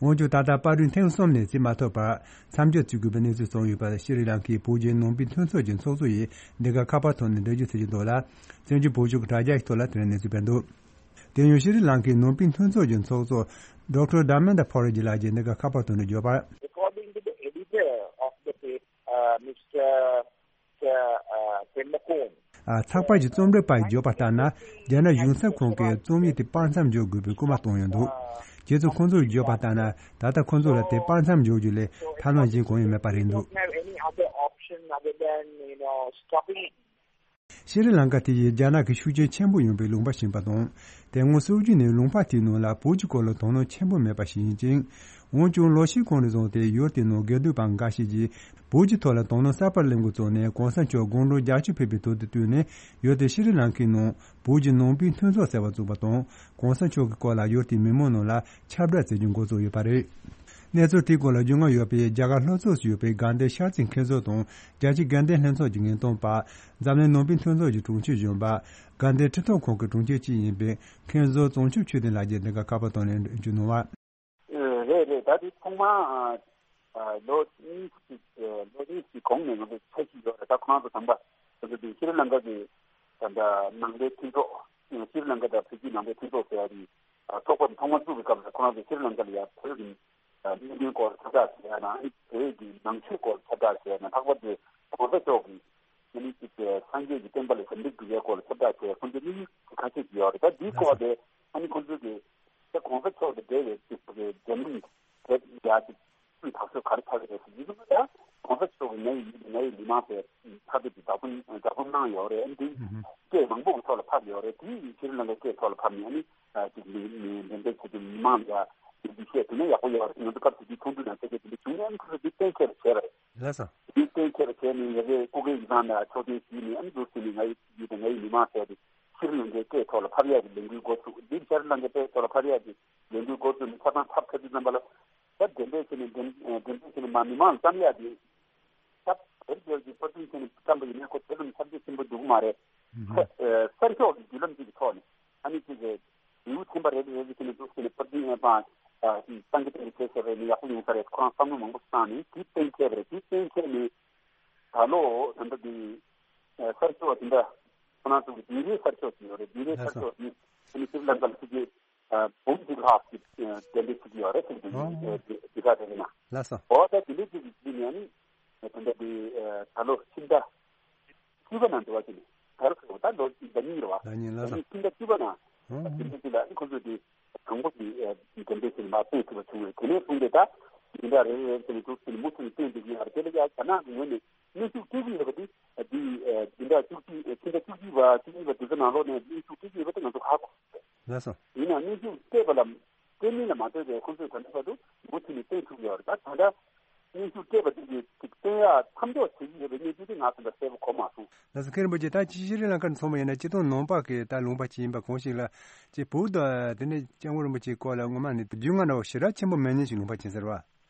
འོན་ཀྱང་ད་ལྟ་པར་སྐྲུན་ཐེངས་གསུམ་ནས་བྱེད་མ་ཐུབ་པར་མཚམས་འཇོག་བྱེད་དགོས་པའི་གནས་ཚུལ་བྱུང་ཡོད་པ་ཤྲི་ལང་ཀའི་བོད་བརྒྱུད་ནང་པའི་མཐུན་ཚོགས་ཀྱི་ཚོགས་གཙོ་ཡིས་འདི་ག་ཁ་པར་ཐོག་ནས་འགྲེལ་བརྗོད་བྱེད་ཀྱི་འདུག་ལ། བཙན་བྱོལ་བོད་གཞུང་གི་དྲ་རྒྱ་ཞིག་ཐོག་ལ་དེ་རིང་གནས་ཚུལ་སྤེལ་འདུག། དེ་ཡང་ཤྲི་ལང་ཀའི་ནང་པའི་མཐུན་ཚོགས་ཀྱི་ཚོགས་གཙོ་ཌོག་ཊར་དྷར་མེན་དྷ་ཕོ་རི་ཇི་ལགས་ཀྱིས་འདི་ག་ཁ་པར་ཐོག་ནས་བརྗོད་པར། According to the editor of the paper, uh, Mister uh, Tenmakon. ཨ། ཚགས་པར་གྱི་རྩོམ་སྒྲིག་པ་ཡིས་བརྗོད་པ་ལྟར་ན། རྒྱ་ནག་གཞུང་ཚབ་ཁང་གིས་རྩོམ་ཡིག་དེ་པར་མཚམས་འཇོག་དགོས་པའི་སྐུལ་མ་བཏང་ཡོད་འདུག། རྗེས་སུ་ཁོང་ཚོས་བརྗོད་པ་ལྟར་ན། ད་ལྟ་ཁོང་ཚོ་ལ་དེ་པར་མཚམས་འཇོག་རྒྱུ་ལས་ཐབས་ལམ་གཞན་གང་ཡང་མེད་པ་རེད་འདུག། Don't have any other option other than, you know, stopping it. ཤྲི་ལང་ཀ་དེ་ཡིས་རྒྱ་ནག་གི་ཤུགས་རྐྱེན་ཆེན་པོ་ཡོང་བའི་ལུང་པ་ཞིག་ཡིན་པ་དང་། དེ་སྔོན་སྲོལ་རྒྱུན་ནས་ལུང་པ་དེའི་ནང་ལ་བོད་ཀྱི་སྐོར་ལ་དོ་སྣང་ཆེན་པོ་མེད་པ་ཞིག་ཡིན་ཅིང་། འོན་ཀྱང་ལོ་ཤས་གོང་ནས་བཟུང་སྟེ་ཡུལ་དེའི་ནང་དགེ་འདུན་པ་འགའ་ཤས་ཀྱིས་བོད་ཀྱི་ཐོག་ལ་དོ་སྣང་གསར་པ་སླེབས་འགོ་བཙུགས་ནས། གོང་ས་མཆོག་དགུང་གྲངས་བརྒྱད་ཅུ་ཕེབས་པའི་དུས་དང་བསྟུན་ནས་ཡུལ་དེ་ཤྲི་ལང་ཀའི་ནང་བོད་ཀྱི་ནང་པའི་མཐུན་ཚོགས་ཟེར་བ་བཙུགས་པ་དང་། གོང་ས་མཆོག་གི་སྐོར་ལ་ཡུལ་དེའི་མི་མང་ནང་ལ་ཁྱབ་བསྒྲགས་བྱེད་རྒྱུ་འགོ་བཙུགས་ཡོད་པ་རེད། གནས་ཚུལ་དེའི་སྐོར་ལ་རྒྱུས་མངའ་ཡོད་པའི་རྒྱ་གར་ལྷོ་ཕྱོགས་སུ་ཡོད་པའི་དགའ་ལྡན་ཤར་རྩེའི་མཁན་ཟུར་དང་། རྒྱལ་སྤྱིའི་དགའ་ལྡན་ལྷན་ཚོགས་ཀྱི་ངན་རྟོག་པ། འཛམ་གླིང་ནང་པའི་མཐུན་ཚོགས་ཀྱི་དྲུང་ཆེ་གཞོན་པ། དགའ་ལྡན་ཁྲིམས་ཐོག་ཁང་གི་དྲུང་ཆེ་གཅིག་ཡིན་པའི་མཁན་ཟུར་བྱང་ཆུབ་ཆོས་ལྡན་ལགས་ཀྱིས་འདི་ག་ཁ་པར་ཐོག་ནས་འགྲེལ་བརྗོད་གནང་བ། ཨེ། རེད་རེད། ད་དེ་ཐོག་མར་ཨ་ཨ་ལོ་གཉིས་ཤིག་ཨ་ལོ་གཉིས་ཤིག་གོང་ནས་ང་ཚོ་འཆར་གཞི་ཡོད་རེད། ད་ཁོ་རང་ཚོ་དམ་པ་ང་ཚོ་དེ་ཤྲི་ལང་ཀ་གི་ད་ལྟ་ནང་པའི་མཐུན་ཚོགས། ཤྲི་ལང་ཀ་དང་བོད་བརྒྱུད་ནང་པའི་མཐུན་ཚོགས་ཟེར་ཡ་དེ་ཨ་ཚོགས་པ་དེ་ཐོག་མར་བཙུགས་པའི་སྐབས་ལ་ཁོ་རང་ཚོ་ཤྲི་ལང་ཀ་ལ་ཡ་བོད་ཀྱི་ཨ་གནད་དོན་སྐོར་ཁྱབ་བསྒྲགས་བྱས་ན། ཨ་ནི་བོད་ཀྱི་ནང་ཆོས་སྐོར་ཁྱབ་བསྒྲགས་བྱས་ན། ལྷག་པར་དུ་གོང་ས་མཆོག་གིས་ཨ་ནི་ཅིག་སངས་རྒྱས་ཀྱི་བསྟན་པ་ལ་ཞབས་འདེགས་སྒྲུབ་ཡའི་སྐོར་ལ་ཁྱབ་བསྒྲགས་བྱས། ཁོང་ཚོའི་དམིགས་ཡུལ་ཁ་ཤས་ཤིག་ཡོད་རེད། ད་འདིའི་སྐོར་དེ་ཨ་ནི་ཁོང་ཚོས་ཀྱི་ད་གོང་ས་མཆོག་དང་འབྲེལ་བའི་ཅིག་འབྲེལ་མིང་དེབ་ཡ་ཅིག་ཐག་གཅོད་ག་རེ་ཆགས་ཀྱི་རེད་ཟེར་གྱི་འདུག། ད་གོང་ས་མཆོག་གིས་ང་ཡི་ཡུལ་དང་ང་ཡི་མི་མང་ཟེར་ཐག་གཅོད་ཀྱི་བསྒྲགས་གཏམ་བསྒྲགས་གཏམ་གནང་ཡོད་རེད། ཨ་ནི་དེ་སྐད་མང་པོ་གི་ཐོག་ལ་ཕབ་ཡོད་རེད། དེ་ཡིན་ཕྱིར་ལ་ལ་སྐད་ཐོག་ལ་ཕབ་ནས་ཨ་ནི། ཨ་ཅིག་མི་མི་འགྲེམས་སྤེལ་བྱེད་དུས་མི་མང་ལ་ཡ་འདི་བཤད་ཐུབ་ན་ཡག་པོ་ཡོད་རེད། ང་ཚོ་སྐབས་དེ་དུས་ཚོགས་འདུ་ནང་ཐད་ཀའི་དེ་འདྲ་བྱུང་ནས་ཨ་ནི་ཁོ་ཚོ་འདི་གཏན་འཁེལ་བ་བྱས་པ་རེད། ལགས་སོ། འདི་གཏན་འཁེལ་བ་བྱས་ནས་ཡ་གི་སྐུ་སྒེར་གྱི་ནང་ལ་ཕྱོགས་སྡོམ་ཞུས་ནས་ཨ་ནི་འདུག་ཟེར་ནས་ང་ཡི་ཡུལ་དང་ང་ཡི་མི་མང་ཟེར་ཏེ་ཕྱིར་ལུང་གའི་སྐད་ཐོག་ལ་ཕབ་ཡག་གི་ལས་འགུལ་འགོ་ཚུགས། འདི་ཕྱིར་ལུང་གའི་སྐད་ཐོག་ལ་ཕབ་ཡག་གི་ལས་འགུལ་འགོ་ཚུགས་ནས་ཆ་ཚང་ཕབ་ཚར་དུས་ཙམ་པ་ལ་ད་འགྲེམས་སྤེལ་བྱས་ནས་འགྲེམས་འགྲེམས་སྤེལ་བྱས་ནས་མ་མི་མང་ལ་བཏང་ཡག་གི་ད་དེར་འབྱོར་གྱི་པར་སྐྲུན་བྱས་ནས་བཀྲམ་པ་ཡིན་ན་ཁོ་དེ་ལ་ནི་ཁྱབ་ཆེ་ཆེན་པོ་འདུག་མ་རེད། ཨུ་ཧུ། ས་གསར་ཤོག་གི་བརྒྱུད་ལམ་གཅིག་གི་ཐོག་ནས་ཨ་ནི་གཅིག་གི་ལེའུ་ཚན་པ་རེ་རེ་རེ་རེ་བྱས་ནས་འདུག་ཟེར་ནས་པར་སྐྲུན་ཨེ་པ་ཨ་གཏང་གི་གཏང་གི་བྱས་བྱས་པ་ཡིན་ན་ཡག་པོ་ཡོང་ས་རེད། ཁོ་རང་བསམ་བློ་མང་པོ་བཏང་ནས་དེ་གཏན་འཁེལ་བ་རེད། དེ་གཏན་འཁེལ་ནས་ད་ལོ་ད་ལྟ་འདི་ས་གསར་ཤོག་དེ་འདྲ་ཁོ་རང་ཚོ་གི་འདི་རེད། ས་གསར་ཤོག་ཅིག་ཡོད་རེད། འདི་རེད། ལགས་སོ། ས་གསར་ཤོག་འདི་ཨ་ནི་སི་རི་ལང་ཀ་ལ་ཚུད་ཀྱི་འབུམ་གཅིག་ལྷག་ཅིག་གདན་འདྲེན་བྱེད་ཀྱི་ཡོད་རེད་ཟེར་གྱི་འདུག། ཨོ། འདི་ག་དེ་ཡིན་ན། ལགས་སོ། འོ་ད་དེ་འདྲའི་ཅིག་གི་ཡིན་ནའི་ད་ལྟ་དེ་ད་ལོ་ཕྱི་ཟླ་བཅུ་པ་ནང་འདྲ་བ་ཅིག་ནས་ད་ལོ་ད་ལོ་ཟླ་གཉིས་རེད་བ། ཟླ་གཉིས་ལགས་སོ། ཕྱི་ཟླ་བཅུ་པ་ནང་ཨོ་དེ་འདྲའི་ཅིག་ལ་ཨ་ནི་ཁོ་ཚོས་དེ་དང་པོ་གི་གདན་འདྲེན་ཟེར་ནས་མར་བཏོན་ཐུབ་པ་བྱུང་བས། དེ་ནས་བཟུང་སྟེ་ད་འདི་འདྲ་རེ་རེ་རེ་ཟེར་ནས་འདུག་ཟེར་ནས་མུ་མཐུད་ནས་བཏོན་བསྡད་ཀྱི་ཡོད་རེད། དེ་ལ་ཡ་རྒྱ་ནག་གི་ངོས་ནས་གནོན་ཤུགས་སྤྲད་ཀྱི་ཡོད་པ་དེ་འདི་འདི་འདྲ་བཅུ་གཅིག་ཕྱི་ཟླ་བཅུ་གཅིག་པ་བཅུ་གཉིས་པ་དེ་ཚོ་ནང་ལོགས་ནས་གནོན་ཤུགས་སྤྲད་ཀྱི་ཡོད་པ་དེ་ང་ཚོ་ཧ་གོ། ལགས་སོ། ཡིན་ནའང་གནོན་ཤུགས་སྤྲད་པ་ལ་སྤྲད་མིན་ལ་མ་ལྟོས་པའི་ཁོང་ཚོས་ད་ལྟ་བར་དུ་མུ་མཐུད་ནས་བཏོན་ཐུབ་ཡོད་རེད། ད་ད་ལྟ་གནོན་ཤུགས་སྤྲད་པ་དེ་གི་ཅིག་ བསྟན་ཡག་མཚམས་འཇོག་བྱེད་ཀྱི་ཡོད་པའི་གནས་ཚུལ་དེ་ང་ཚོ་ལ་གསལ་པོ་གོ་མ་སོང་། ལགས་སོ། མཁན་རིན་པོ་ཆེ། ད་ཅི་ཤྲི་ལང་ཀར་མཚོན་པ་ཡིན་ན་སྤྱིར་བཏང་ནང་པ་གི་ད་ལུང་པ་ཅིག་ཡིན་པ་གང་ཞིག་ལ་ཅིག་བོད་དང་དེ་ནས་སྐྱབས་མགོན་རིན་པོ་ཆེའི་སྐོར་ལ་སྔོན་མ་ནས་རྒྱུས་མངའ་འདྲ་བོ་ཞེ་དྲག་ཆེན་པོ་མེད་མཁན་ཞིག་ལུང་པ་ཅིག་ཡིན་ཟེར་བ།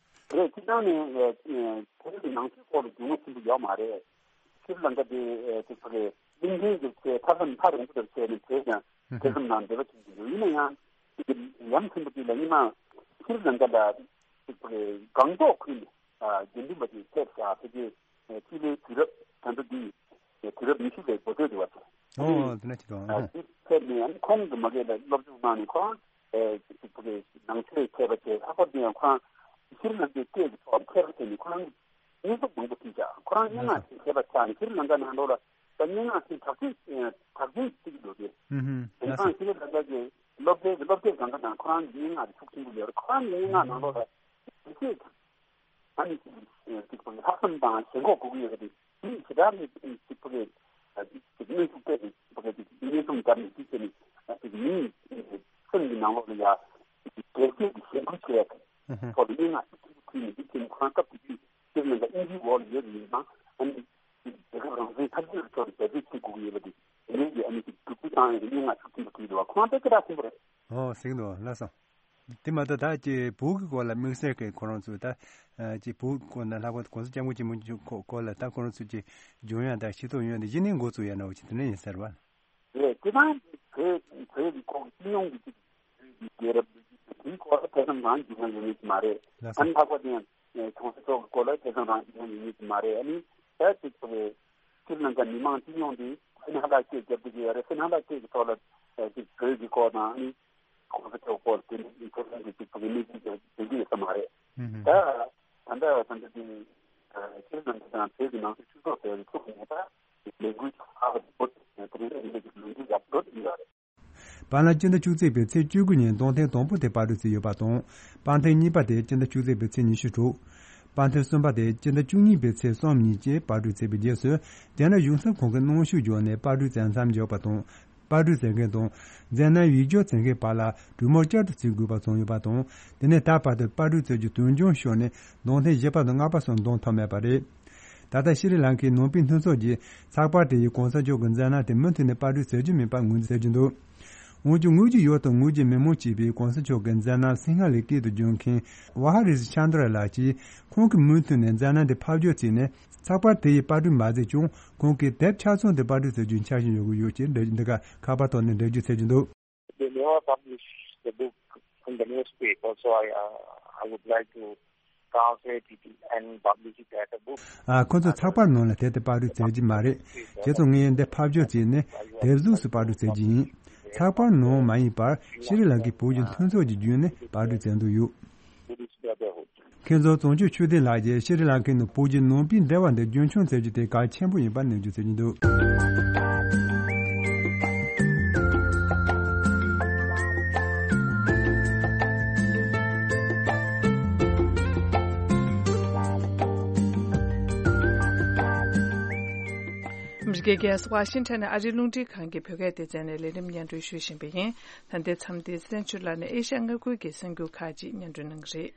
རེད། སྤྱིར་བཏང་ནས་བོད་ཀྱི་ནང་ཆོས་སྐོར་ལ་རྒྱུས་མངའ་ཆེན་པོ་ཡོད་མ་རེད། ཤྲི་ལང་ཀ་དེ་ཅིག་བོད་ཀྱི་གླིང་ཕྲན་གྱི་ཆེས་མཐའ་མཚམས་ཐག་རིང་པོ་དེར་བྱས་ནས་བོད་དང་ཐེ་ཚོམ་དང་འབྲེལ་བ་ཆེན་པོ་ཡོད། ཡིན་ན་ཡང་ཡ་མཚན་པོ་དེ་ལ་སྔོན་མ་ཤྲི་ལང་ཀ་ལ་ཅིག་བོད་ཀྱི་སྒང་ཏོག་ཁུལ་ནས་དགེ་འདུན་པ་ཅིག་ཕེབས་ཤག་ཕལ་ཆེར་སྤྱི་ལོའི་དུས་རབས་ད་ལྟ་འདི་དུས་རབས་ཉི་ཤུ་པའི་འགོ་སྟོད་དུ་བ་ཚོ། ཨོ་དེ་འདྲ་ཅིག་འདུག་ཨ་ཨ། དེ་ཕེབས་ནས་ཁོང་གི་མ་གི་ལ་སློབ་སྦྱོང་གནང་ནས་ཁོང་ཅིག་བོད་ཀྱི་ནང་ཆོས་མཁས་པ་བྱས། ལྷག་པར་དུ་ཡང་ཁོང་ཤྲི་ལང་ཀའི་སྐད་ཀྱི་ཐོག་མཁས་པ་བྱས་ནས་ཁོང་སྙན་ཐོ་མང་པོ་བྲིས་ཤག་ཁོ་རང་སྙན་ངག་ཅིག་མཁས་པ་ཆགས་ནས་ཤྲི་ལང་ཀ་ནང་ལོགས་ལ་ད་སྙན་ངག་ཅིག་དྲག་ཅིག་དྲག་ཅིག་བྲིས་ཀྱི་འདུག་སྟེ། ཨུ་ཧུམ། དེང་སང་ཤྲི་ལང་ཀ་གི་སློབ་གྲྭའི་གི་སློབ་དེབ་སྒང་ག་ནང་ཁོ་རང་གི་སྙན་ངག་དེ་ཤུགས་ཆེན་པོ་ཡོད་རེད། ཁོ་རང་གི་སྙན་ངག་ནང་ལོགས་ལ་དེ་ཚོས་ཨ་ནི་ཅིག་ལྷག་བསམ་དང་ཞེན་ཁོག་དགོས་ཀྱི་ཡོད་པ་དེ་མི་ཞེ་དྲག་གི་ཅིག་ཕ་གི་ཅིག་གནོན་ཤུགས་སྤྲད་དེ་ཕ་གི་ཅིག་གནོན་ཤུགས་བརྒྱབ་ནས་ཅིག་བྱས་ནས་ཅིག་མིའི་སེམས་ཀྱི་ནང་ལོགས་ལ་ཡ་ཅིག་སྒེར་གཅོད་ཀྱི་ཞེན་ཁུལ་བྱས་ཐོག་ལ་སྙན་ངག་ཅིག་ཕུལ་ནས་ཅིག་བྱས་ནས་ཁོ་རང་སྐབས་དེ་དུས་སྤྱིར་ནང་ལ་དབྱིན་ཇིའི་འོག་ལ་ཡོད་པ་ཡིན་ཙང་ཨ་ནི། རྒྱལ་ཁབ་རང་བཙན་འཐབ་རྩོད་ཀྱི་ཐོག་ནས་རྒྱབ་སྐྱོར་བྱེད་དགོས་ཀྱི་ཡོད་པ་དེ་དེ་ནས་ཀྱི་ཨ་ནི་ཅིག་སྒྲུབ་སྐུལ་བཏང་ཡོད་པའི་སྙན་ངག་ཤུགས་ཆེན་པོ་བྲིས་འདུག་བ། ཁོང་དེ་སྐད་གྲགས་ཆེན་པོ་རེད། ཨོ་ཟེར་གྱི་འདུག་ལགས་སོ། དེ་མ་གཏོགས་ད་ཅིག་བོད་ཀྱི་སྐོར་ལ་དམིགས་བསལ་གྱི་ཁོ་རང་ཚོས་ད་ཅིག་བོད་སྐོར་ན་ལྷག་པར་དུ་གོང་ས་སྐྱབས་མགོན་ཆེན་པོ་མཆོག་སྐོར་ལ་ད་ཁོ་རང་ཚོས་ཅིག་འཇོན་ཡག་དང་ཤེས་རྟོགས་ཡོད་དེ་གཞི་ནས་འགོ་བཙུགས་ཡག་འདྲ་བོ་ཅིག་དེ་འདྲ་ཡིན་ཟེར་བ། རེད། དེ་དང་བོད་བོད་ཀྱི་ཁོག་སྤྱི་ཡོངས་ཀྱི་ཅིག་བོད་ཀྱི་རྒྱལ་རབས་དེའི་སྐོར་ལ་ཐེ་ཚོམ་རང་བྱུང་ན་ཡོང་ངེས་ཀྱི་མ་རེད། ལགས་སོ། ཨ་ནི་ལྷག་པར་དུ་ཡང་གོང་ས་མཆོག་གི་སྐོར་ལ་ཐེ་ཚོམ་རང་བྱུང་ན་ཡོང་ངེས་ཀྱི་མ་རེད། ཨ་ནི་ད་ཅིག་བོད་ཤྲི་ལང་ཀ་མི་མང་སྤྱི་ཡོངས་དེ་ཕན་ཧ་ལ་སྐད་རྒྱབ་བསྡད་ཀྱི་ཡོད་རེད། ཕན་ཧ་ལ་སྐད་ཀྱི་ཐོག་ལ་ཅིག་བོད་ཀྱི་སྐོར་དང་ཨ་ནི་གོང་ས་མཆོག་སྐོར་དེ་འདྲ་ཐེ་ཚོམ་གྱི་ཅིག་བོད་ཀྱི་གནས་ཚུལ་དེ་འདྲ་ཡོད་ས་མ་རེད། ཨུ་ཧུམ། ད་ད་ལྟ་ད་ལྟ་དེ་ཤྲི་ལང་ཀ་དང་བོད་ཀྱི་ནང་སྲིད་ཆོས་ཚོགས་ཟེར་བའི་ཚོགས་ཀྱི་ནང་ད་ལས་འགུལ་ཚོགས་ཁག་གི་བོད་དེ་འདྲ་གི་ལས་འགུལ་ཡག་པོ་འགྲོ་བསྡད་ཀྱི་ཡོད་རེད། བར་ལ་སྤྱི་ཟླ་བཅུ་གཅིག་པའི་ཚེས་བཅུ་དགུ་ཉིན་རྡུང་ཐེངས་དང་པོ་དེ་པར་སྐྲུན་བྱས་ཡོད་པ་དང་། པར་ཐེངས་གཉིས་པ་དེ་སྤྱི་ཟླ་བཅུ་གཅིག་པའི་ཚེས་ཉི་ཤུ་དྲུག་པར་ཐེངས་གསུམ་པ་དེ་སྤྱི་ཟླ་བཅུ་གཉིས་པའི་ཚེས་གསུམ་ཉིན་བཅས་པར་སྐྲུན་བྱས་པའི་རྗེས་སུ། རྒྱ་ནག་གཞུང་ཚབ་ཁང་གིས་གནོན་ཤུགས་བརྒྱབ་ནས་པར་སྐྲུན་མཚམས་མཚམས་འཇོག་པ་དང་། པར་སྐྲུན་མཛད་མཁན་དང་། མཛད་རྣམ་ཡིག་སྒྱུར་མཛད་མཁན་བར་ལ་གྲོས་མོལ་བསྐྱར་དུ་བྱེད་དགོས་པ་བྱུང་ཡོད་པ་དང་། དེ་ནས་ད་བར་དུ་པར་སྐྲུན་བྱ་རྒྱུ་དོན་འཁྱོལ་ཤོར་ནས་རྡུང་ཐེངས་བཞི་པ་དང་ལྔ་པ་སོགས་བརྡུང་ཐུབ་མེད་པ་རེད། ད་ལྟ་ཤྲི་ལང་ཀའི་ནང་པའི་མཐུན་ཚོགས་ཀྱིས་ཚགས་པར་དེ་ཡིས་གོང་ས་མཆོག་གི་མཛད་རྣམ་དེ་མུ་མཐུད་ནས་པར་སྐྲུན་བྱ་རྒྱུ་མིན་པར་ངོས་འཛིན་བྱེད་ཀྱི་འདུག་འོན་ཀྱང་དངོས་ཀྱི་ཡུལ་དང་དངོས་ཀྱི་མི་མང་གཅིག་པས་གོང་ས་མཆོག་གི་མཛད་རྣམ་སིང་ཧ་ལའི་སྐད་དུ་བསྒྱུར་མཁན་ཝ་ཧ་རི་ཟི་ཆན་དྲ་ལགས་ཀྱིས་ཁོང་གིས་མུ་མཐུད་ནས་མཛད་རྣམ་དེ་ཕབ་སྒྱུར་བྱས་ནས་ཚགས་པར་དེ་ཡི་པར་སྐྲུན་མ་མཛད་ཀྱང་ཁོང་གིས་དེབ་ཆ་ཚང་དེ་པར་སྐྲུན་བྱ་རྒྱུའི་འཆར་གཞི་ཡོད་ཀྱི་ཡོད་ཅེས་འདི་ག་ཁ་པར་ཐོག་ནས་འགྲེལ་བརྗོད་བྱེད་ཀྱི་འདུག They never publish the book in the newspaper, so I, uh, I would like to translate it and publish it as a book. ཨ། ཁོ་ཚོས་ཚགས་པར་ནང་ལ་དེབ་དེ་པར་སྐྲུན་མཛད་ཀྱི་མ་རེད། བྱས་ཙང་ངས་འདི་ཕབ་སྒྱུར་བྱས་ནས་དེབ་གཟུགས་སུ་པར་སྐྲུན་མཛད་ཀྱི་ཡིན། ཚགས་པར་ནང་མ་ཡིན་པར་ཤྲི་ལང་ཀའི་བོད་ཀྱི་མཐུན་ཚོགས་ཀྱི་བརྒྱུད་ནས་པར་སྐྲུན་མཛད་འདོད་ཡོད། Buddhist Brotherhood. མཁན་ཟུར་ཙོང་ཆུ་ཆོས་ལྡན་ལགས་ཀྱིས་ཤྲི་ལང་ཀའི་ནང་བོད་ཀྱི་ནང་པའི་འབྲེལ་བ་འདི་རྒྱུན་འཁྱོངས་མཛད་རྒྱུ་དེ་གལ་ཆེན་པོ་ཡིན་པར་ནན་བརྗོད་བྱེད་ཀྱི་འདུག་ཨ་མི་རི་ཀའི་རྒྱལ་ས་ཝ་ཤིང་ཊོན་ནས་ཨ་རིའི་རླུང་འཕྲིན་ཁང་གི་བོད་སྐད་སྡེ་ཚན་ནས་ལས་རིམ་སྙན་སྒྲོན་ཞུ་བཞིན་པ་ཡིན། ད་ལྟའི་མཚམས་འདིར་གསན་ཞུ་ལ་ནི་ཨེ་ཤ་ཡ་མངའ་ཁུལ་གྱི་གསར་འགྱུར་ཁག་ཅིག་སྙན་སྒྲོན་གནང་གི་རེད།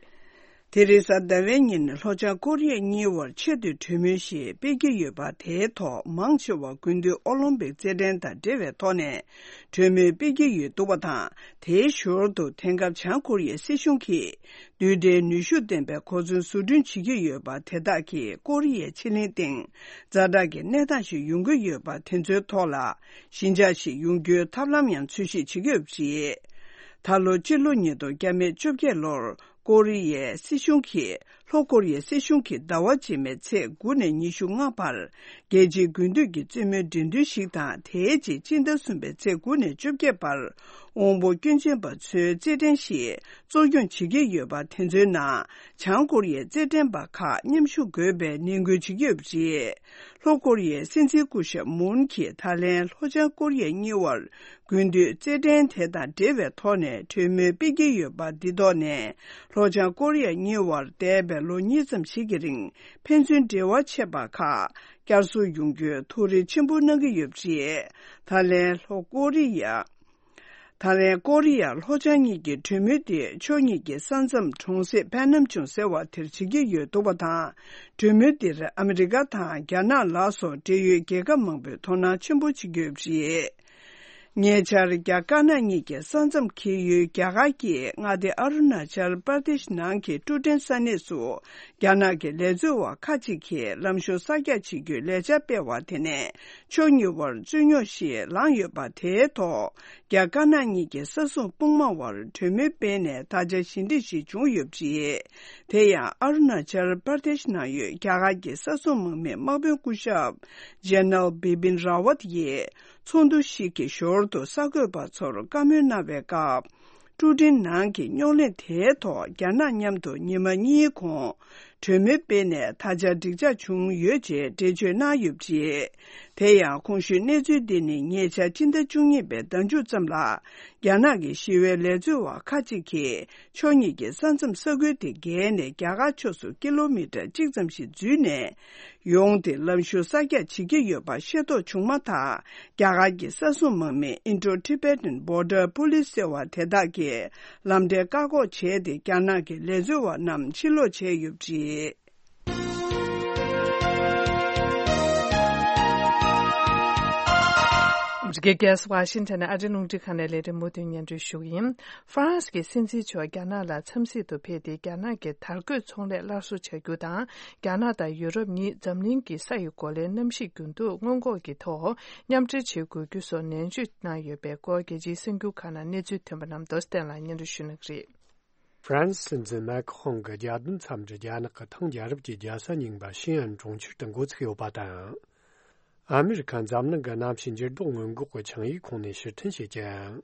དེ་རིང་གཟའ་ཟླ་བའི་ཉིན་ལྷོ་བྱང་ཀོ་རི་ཡ་གཉིས་བར་ཆེད་དུ་གྲོས་མོལ་ཞིག་སྤེལ་གྱི་ཡོད་པ། དེའི་ཐོག་མང་ཆེ་བ་དགུན་དུས་ཨོ་ལིམ་པིག་རྩེད་འགྲན་དང་འབྲེལ་བའི་ཐོག་ནས་གྲོས་མོལ་སྤེལ་གྱི་ཡོད་འདུག་པ་དང་། དེའི་ཞོར་དུ་དེང་སྐབས་བྱང་ཀོ་རི་ཡའི་སྲིད་གཞུང་གིས་རྡུལ་ཕྲན་ནུས་ཤུགས་ལྡན་པའི་གོ་མཚོན་བཟོ་སྐྲུན་བྱེད་ཀྱི་ཡོད་པ། དེ་དག་གིས་ཀོ་རི་ཡའི་ཕྱེད་གླིང་སྟེང་ཛ་དྲག་གི་གནས་སྟངས་ཤིག་ཡོང་གི་ཡོད་པ། དེ་ཚོའི་ཐོག་ལ་ཞི་འཇགས་ཤིག་ཡོང་རྒྱུའི་ཐབས་ལམ་ཡང་འཚོལ་ཞིབ་བྱེད་ཀྱི་ཡོད་པ་རེད། ད་ལོ་སྤྱི་ལོ་ཉིས་སྟོང་བརྒྱ་མེད་བཅོ་བརྒྱད་ལོར་ཀོ་རི་ཡའི་སྲིད་གཞུང་གིས། ལྷོ་ཀོ་རི་ཡའི་སྲིད་གཞུང་གིས་ཟླ་བ་རྗེས་མའི་ཚེས་དགུ་ནས་ཉི་ཤུ་ལྔ་བར་རྒྱལ་སྤྱིའི་དགུན་དུས་ཀྱི་རྩེད་མོའི་འགྲན་བསྡུར་ཞིག་དང་། དེའི་རྗེས་སྤྱི་ཟླ་གསུམ་པའི་ཚེས་དགུ་ནས་བཅོ་བརྒྱད་བར་དབང་པོ་སྐྱོན་ཅན་པ་ཚོའི་རྩེད་འགྲན་ཞིག་གཙོ་སྐྱོང་བྱེད་ཀྱི་ཡོད་པ། དེ་ཚོའི་ནང་བྱང་ཀོ་རི་ཡའི་རྩེད་འགྲན་པ་ཁག་མཉམ་ཞུགས་དགོས་པའི་ནན་སྐུལ་བྱེད་ཀྱི་ཡོད་པ་རེད། ལྷོ་ཀོ་རི་ཡའི་སྲིད་འཛིན་སྐུ་ཞབས་མུན་གྱིས་ད་ལན་ལྷོ་བྱང་ཀོ་རི་ཡ་གཉིས་བར་དགུན་དུས་རྩེད་འགྲན་དེ་དང་འབྲེལ་བའི་ཐོག་ནས་གྲོས་མོལ་སྤེལ་གྱི་ཡོད་པ། འདི་ཐོག་ནས་ལྷོ་བྱང་ཀོ་རི་ཡ་གཉིས་བར་འདས་པའི་ལོ་གཉིས་ཙམ་ཞིག་གི་རིང་ཕན་ཚུན་འབྲེལ་བ་ཆད་པ་ཁག་བསྐྱར་གསོ་ཡོང་རྒྱུའི་ཐུགས་རེ་ཆེན་པོ་གནང་གི་ཡོད་པ་རེད། ད་ལན་ལྷོ་ཀོ་རི་ཡ། ད་ལན་ཀོ་རི་ཡ་ལྷོ་བྱང་གཉིས་ཀྱི་གྲོས་མོལ་དེ་ཕྱོགས་གཉིས་ཀྱི་ས་མཚམས་གྲོང་གསེབ་པན་ནམ་ཅུང་ཟེར་བ་དེར་བྱེད་ཀྱི་ཡོད་འདུག་པ་དང་། གྲོས་མོལ་འདིར་ཨ་མི་རི་ཀ་དང་རྒྱ་ནག་ལ་སོགས་འབྲེལ་ཡོད་རྒྱལ་ཁབ་མང་པོས་དོ་སྣང་ཆེན་པོ་བྱེད་ཀྱི་ཡོད་པ་རེད། ཉེ་ཆར་རྒྱ་དཀར་ནག་གཉིས་ཀྱི་ས་མཚམས་འཁེལ་ཡུལ་རྒྱ་གར་གྱི་མངའ་སྡེ་ཨ་རུ་ན་ཅལ་པར་དེཤ་ནང་གི་ཀྲུ་ཀྲན་ས་གནས་སུ་རྒྱ་ནག་གི་ལས་འཛུལ་བ་ཁག་ཅིག་གིས་ལམ་གཞུང་གསར་རྒྱག་བྱེད་རྒྱུའི་ལས་འཆར་སྤེལ་བ་དེ་ནས་ཕྱོགས་གཉིས་བར་རྩོད་རྙོག་ཞིག་ལངས་ཡོད་པ་དེའི་ཐོག་རྒྱ་དཀར་ནག་གཉིས་ཀྱི་ས་སྲུང་དཔུང་དམག་དབར་གྲོས་མོལ་སྤེལ་ནས་ད་ཆ་ཞི་འགྲིག་ཞིག་བྱུང་ཡོད་པ་རེད། དེ་ཡང་ཨ་རུ་ན་ཅལ་པར་དེཤ་ནང་ཡོད་རྒྱ་གར་གྱི་ས་སྲུང་དམག་མིའི་དམག་དཔོན་སྐུ་ཞབས་ཇེ་ནལ་བི་པིན་ར་ཝད་ཡིས་ཚོགས་འདུ་ཞིག་གི་ཞོར་དུ་གསར་འགོད་པ་ཚོར་བཀའ་མོལ་གནང་བའི་སྐབས། ཀྲུ་ཀྲན་ནང་གི་རྙོག་གླེང་དེའི་ཐོག་རྒྱ་ནག་མཉམ་དུ་ཉི་མ་གཉིས་གོང་གྲོས་མོལ་སྤེལ་ནས་ད་ཆ་འགྲིག་འཇགས་བྱུང་ཡོད་ཅེས་འགྲེལ་བརྗོད་གནང་ཡོད་པ་རེད། དེ་ཡང་གོང་ཞུས་གནས་ཚུལ་འདི་ནི་ཉེ་ཆར་སྤྱི་ཟླ་བཅུ་གཉིས་པའི་ཟླ་མཇུག་ཙམ་ལ། རྒྱ་ནག་གི་ཞི་བའི་ལས་འཛུལ་བ་ཁག་ཅིག་གིས་ཕྱོགས་གཉིས་ཀྱི་ས་མཚམས་ས་ཁུལ་དེ་བརྒལ་ནས་རྒྱ་གར་ཕྱོགས་སུ་ཀི་ལོ་མི་ཊར་གཅིག་ཙམ་ཞིག་འཛུལ་ནས། ཡོང་སྟེ་ལམ་གཞུང་གསར་རྒྱག་བྱེད་ཀྱི་ཡོད་པ་ཤེས་རྟོགས་བྱུང་མ་ཐག་རྒྱ་གར་གྱི་ས་སྲུང་དམག་མི་Indo-Tibetan Border Police ཟེར་བ་དེ་དག་གིས་ལམ་འབྲས་བཀག་འགོག་བྱས་ཏེ་རྒྱ་ནག་གི་ལས་འཛུལ་བ་རྣམས་ཕྱིར་ལོག་བྱས་ཡོད་པ་རེད། ཨ་མི་རི་ཀའི་རྒྱལ་ས་ཝ་ཤིང་ཊོན་ནས་ཨ་རིའི་རླུང་འཕྲིན་ཁང་ནས་ལས་རིམ་མུ་མཐུད་སྙན་སྒྲོན་ཞུ་གི་ཡིན། ཧྥ་རན་སི་གི་སྲིད་འཛིན་མཆོག་རྒྱ་ནག་ལ་འཚམས་གཟིགས་དུ་ཕེབས་ཏེ་རྒྱ་ནག་གི་དར་གོས་ཚོང་ལས་སླར་གསོ་བྱ་རྒྱུ་དང་། རྒྱ་ནག་དང་ཡུ་རོབ་གཉིས་འཛམ་གླིང་གི་ས་ཡི་གོ་ལའི་གནམ་གཤིས་འགྱུར་ལྡོག་སྔོན་འགོག་གི་ཐོག་མཉམ་འབྲེལ་བྱེད་དགོས་རྒྱུ་སོགས་ནན་བརྗོད་གནང་ཡོད་པའི་སྐོར་རྒྱལ་སྤྱིའི་གསར་འགྱུར་ཁག་ནང་གནས་ཚུལ་ཐོན་པ་རྣམས་རྡོ་རྗེ་བསྟན་ལགས་སྙན་སྒྲོན་ཞུ་གནང་གི་རེད། ཧྥ་རན་སི་སྲིད་འཛིན་མེག་ཧོང་གི་རྒྱལ་དོན་འཚམས་འདྲི་རྒྱ་ནག་གི་ཐང་རྒྱལ་རབས་ཀྱི་རྒྱལ་ས་རྙིང་པ་ཤིན་ཨན་གྲོང་ཁྱེར་དུ་འགོ་ཚུགས་ཡོད་པ་དང་། ཨ་མི་རི་ཁ་འཛམ་གླིང་གི་གནམ་གཤིས་འགྱུར་ལྡོག་སྔོན་འགོག་གི་ཆིངས་ཡིག་ཁོངས་ནས་ཕྱིར་འཐེན་བྱེད་ཀྱང་།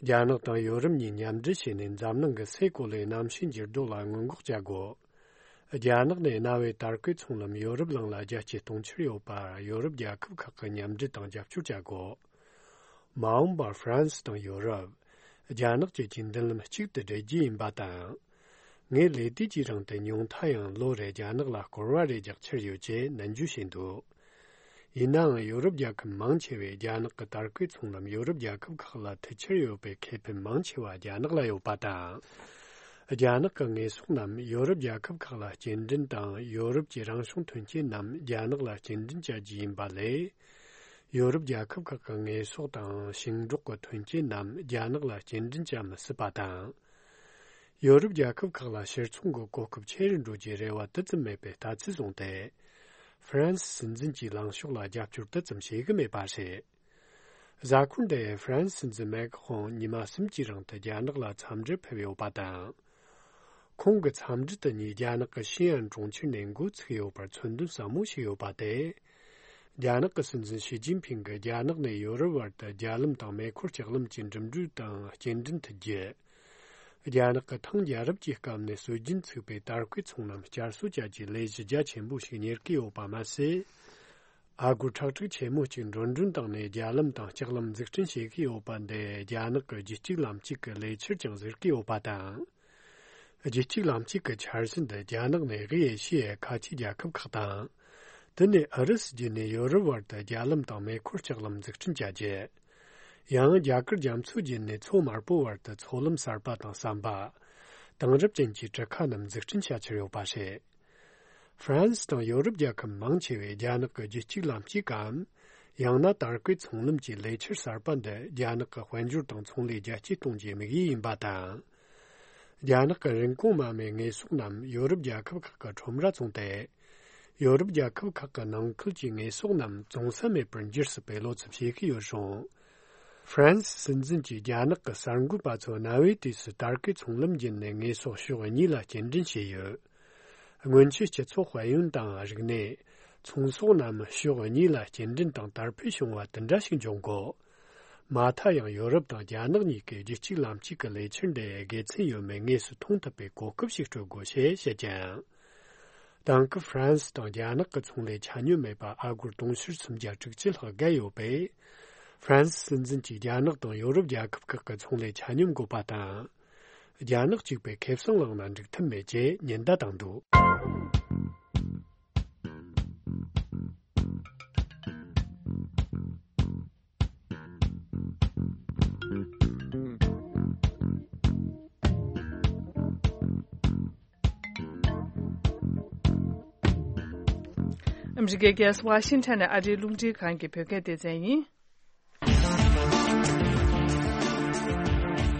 རྒྱ་ནག་དང་ཡོ་རོབ་གཉིས་མཉམ་འབྲེལ་བྱས་ནས་འཛམ་གླིང་གི་སའི་གོ་ལའི་གནམ་གཤིས་འགྱུར་ལྡོག་ལ་སྔོན་འགོག་བྱ་དགོས། རྒྱ་ནག་ནས་གནའ་བོའི་དར་གོས་ཚོང་ལམ་ཡོ་རོབ་གླིང་ལ་རྒྱ་སྐྱེད་གཏོང་འཆར་ཡོད་པར་ཡོ་རོབ་རྒྱལ་ཁབ་ཁག་གིས་མཉམ་འབྲེལ་དང་རྒྱབ་སྐྱོར་བྱ་དགོས། མ་འོངས་པར་ཧྥ་རན་སི་དང་ཡོ་རོབ། རྒྱ་ནག་བཅས་ཀྱི་མདུན་ལམ་གཅིག་ཏུ་སྦྲེལ་རྒྱུ་ཡིན་པ་དང་། ངས་ལས་དུས་ཀྱི་རིང་དུ་ཉུང་མཐའ་ཡང་ལོ་རེར་རྒྱ་ནག་ལ་སྐོར་བ་རེ་རྒྱག་འཆར་ཡོད་ཅེས་ནན་བརྗོད་བྱས་འདུག་ཡིན་ནའང་ཡོ་རོབ་རྒྱལ་ཁབ་མང་ཆེ་བས་རྒྱ་ནག་གི་དར་གོས་ཚོང་ལམ་ཡོ་རོབ་རྒྱལ་ཁབ་ཁག་ལ་མཐུད་འཆར་ཡོད་པའི་ཁེ་ཕན་མང་ཆེ་བ་རྒྱ་ནག་ལ་ཡོད་པ་དང་། རྒྱ་ནག་གི་དངོས་ཟོག་རྣམས་ཡོ་རོབ་རྒྱལ་ཁབ་ཁག་ལ་སྐྱེལ་འདྲེན་དང་ཡོ་རོབ་ཀྱི་རང་བྱུང་ཐོན་སྐྱེད་རྣམས་རྒྱ་ནག་ལ་སྐྱེལ་འདྲེན་བྱ་རྒྱུ་ཡིན་པ་ལས། ཡོ་རོབ་རྒྱལ་ཁབ་ཁག་གི་དངོས་ཟོག་དང་ཞིང་འབྲོག་གི་ཐོན་སྐྱེད་རྣམས་རྒྱ་ནག་ལ་སྐྱེལ་འདྲེན་བྱ་མི་སྲིད་པ་དང་། ཡོ་རོབ་རྒྱལ་ཁབ་ཁག་ལ་ཕྱིར་ཚོང་གི་གོ་སྐབས་ཆེ་རུ་འགྲོ་རྒྱུའི་རེ་བ་དེ་ཙམ་མེད་པའི་ལྟ་ཚུལ་བཟུང་སྟེ། ཧྥ་རན་སི་སྲིད་འཛིན་གྱི་ལངས་ཕྱོགས་ལ་རྒྱབ་སྐྱོར་དེ་ཙམ་བྱེད་ཀྱི་མེད་པ་རེད། གཟའ་འཁོར་འདིར་ཧྥ་རན་སི་སྲིད་འཛིན་མེག་ཧོང་ཉི་མ་གསུམ་གྱི་རིང་དུ་རྒྱ་ནག་ལ་འཚམས་འདྲིར་ཕེབས་ཡོད་པ་དང་། ཁོང་གི་འཚམས་འདྲི་དེ་ཉིད་རྒྱ་ནག་གི་ཤིན་ཨན་གྲོང་ཁྱེར་ནས་འགོ་ཚུགས་ཡོད་པར་མཚོན་དོན་ཟབ་མོ་ཞིག་ཡོད་པ་སྟེ། རྒྱ་ནག་གི་སྲིད་འཛིན་ཞི་ཅིན་ཕིང་གིས་རྒྱ་ནག་ནས་ཡོ་རོབ་བར་དུ་རྒྱ་ལམ་དང་མེ་འཁོར་ལྕགས་ལམ་གྱི་འགྲིམ་འགྲུལ་དང་སྐྱེལ་འདྲེན་མཐུད་རྒྱུ། རྒྱ་ནག་གི་ཐང་རྒྱལ་རབས་ཀྱི་སྐབས་ནས་སྲོལ་རྒྱུན་ཚུགས་པའི་དར་གོས་ཚོང་ལམ་བསྐྱར་གསོ་བྱ་རྒྱུའི་ལས་གཞི་རྒྱ་ཆེན་པོ་ཞིག་གཉེར་གྱི་ཡོད་པ་མ་ཟད། ཨ་སྒོར་ཁྲག་ཁྲིག་ཆེན་མོ་གཅིག་འགྲོ་གྲོན་བཏང་ནས་རྒྱ་ལམ་དང་ལྕགས་ལམ་འཛུགས་སྐྲུན་བྱེད་ཀྱི་ཡོད་པ་འདི་རྒྱ་ནག་གི་རྒྱུད་གཅིག་ལམ་གཅིག་གི་ལས་འཆར་ཀྱང་ཟེར་གྱི་ཡོད་པ་དང་། རྒྱུད་གཅིག་ལམ་གཅིག་གི་འཆར་གཞི་འདི་རྒྱ་ནག་ནས་དབུས་ཨེ་ཤི་ཡའི་ཁ་ཆེའི་རྒྱལ་ཁབ་ཁག་དང་། དེ་ནས་ཨུ་རུ་སུ་བརྒྱུད་ནས་ཡོ་རོབ་བར་དུ་རྒྱ་ལམ་དང་མེ་འཁོར་ལྕགས་ལམ་འཛུགས་སྐྲུན་བྱ་རྒྱུ། ཡང་རྒྱ་གར་རྒྱ་མཚོ་བརྒྱུད་ནས་མཚོ་དམར་པོ་བར་དུ་མཚོ་ལམ་གསར་པ་དང་ཟམ་པ། དེང་རབས་ཅན་གྱི་གྲུ་ཁ་རྣམས་འཛུགས་སྐྲུན་བྱ་འཆར་ཡོད་པ་རེད། ཧྥ་རན་སི་དང་ཡོ་རོབ་རྒྱལ་ཁབ་མང་ཆེ་བས་རྒྱ་ནག་གི་རྒྱུད་གཅིག་ལམ་གཅིག་གམ། ཡང་ན་དར་གོས་ཚོང་ལམ་གྱི་ལས་འཆར་གསར་པ་འདི་རྒྱ་ནག་གི་དཔལ་འབྱོར་དང་ཚོང་ལས་རྒྱ་སྐྱེད་གཏོང་རྒྱུའི་དམིགས་ཡུལ་ཡིན་པ་དང་། རྒྱ་ནག་གི་རིན་གོང་དམའ་མོའི་དངོས་ཟོག་རྣམས་ཡོ་རོབ་རྒྱལ་ཁབ་ཁག་གི་ཁྲོམ་ར་བཙོངས་ཏེ། ཡོ་རོབ་རྒྱལ་ཁབ་ཁག་གི་ནང་ཁུལ་གྱི་དངོས་ཟོག་རྣམས་བཙོང་ས་མེད་པར་འགྱུར་སྲིད་པའི་བློ་འཚབ་བྱེད་ཀྱི་ཡོད་རུང་། ཧྥ་རན་སི་སྲིད་འཛིན་གྱིས་རྒྱ་ནག་གི་གསར་འགོད་པ་ཚོ་གནའ་བོའི་དུས་སུ་དར་གོས་ཚོང་ལམ་བརྒྱུད་ནས་དངོས་ཟོག་ཕྱོགས་གཉིས་ལ་སྐྱེལ་འདྲེན་བྱས་ཡོད། སྔོན་ཆད་སྤྱི་ཚོགས་དཔལ་ཡོན་དང་རིག་གནས། ཚོང་ཟོག་རྣམས་ཕྱོགས་གཉིས་ལ་སྐྱེལ་འདྲེན་དང་དར་འཕེལ་བྱུང་བ་དེ་འདྲ་ཞིག་འབྱུང་དགོས། མ་མཐའ་ཡང་ཡོ་རོབ་དང་རྒྱ་ནག་གཉིས་ཀས་རྒྱུད་གཅིག་ལམ་གཅིག་གི་ལས་འཆར་འདི་དགེ་མཚན་ཡོད་མེད་དངོས་སུ་མཐོང་ཐུབ་པའི་གོ་སྐབས་ཤིག་སྤྲོད་དགོས་ཞེས་བཤད་ཀྱང་། དེང་སྐབས་ཧྥ་རན་སི་དང་རྒྱ་ནག་གི་ཚོང་ལས་ཆ་སྙོམས་མེད་པ་ཨ་སྒོར་དུང་ཕྱུར་སུམ་བརྒྱ་དྲུག་ཅུ་ལྷག་བརྒལ་ཡོད་པས། ཧྥ་རན་སི་སྲིད་འཛིན་གྱིས་རྒྱ་ནག་དང་ཡོ་རོབ་རྒྱལ་ཁབ་ཁག་གི་ཚོང་ལས་ཆ་སྙོམས་དགོས་པ་དང་། རྒྱ་ནག་གཅིག་པུས་ཁེ་བཟང་བླངས་ན་འགྲིག་ཐབས་མེད་ཅེས་ཉེན་བརྡ་བཏང་འདུག་ཨ་མི་རི་ཀའི་རྒྱལ་ས་ཝ་ཤིང་ཊོན་ནས་ཨ་རིའི་རླུང་འཕྲིན་ཁང་གི་བོད་སྐད་སྡེ་ཚན་ཡིན།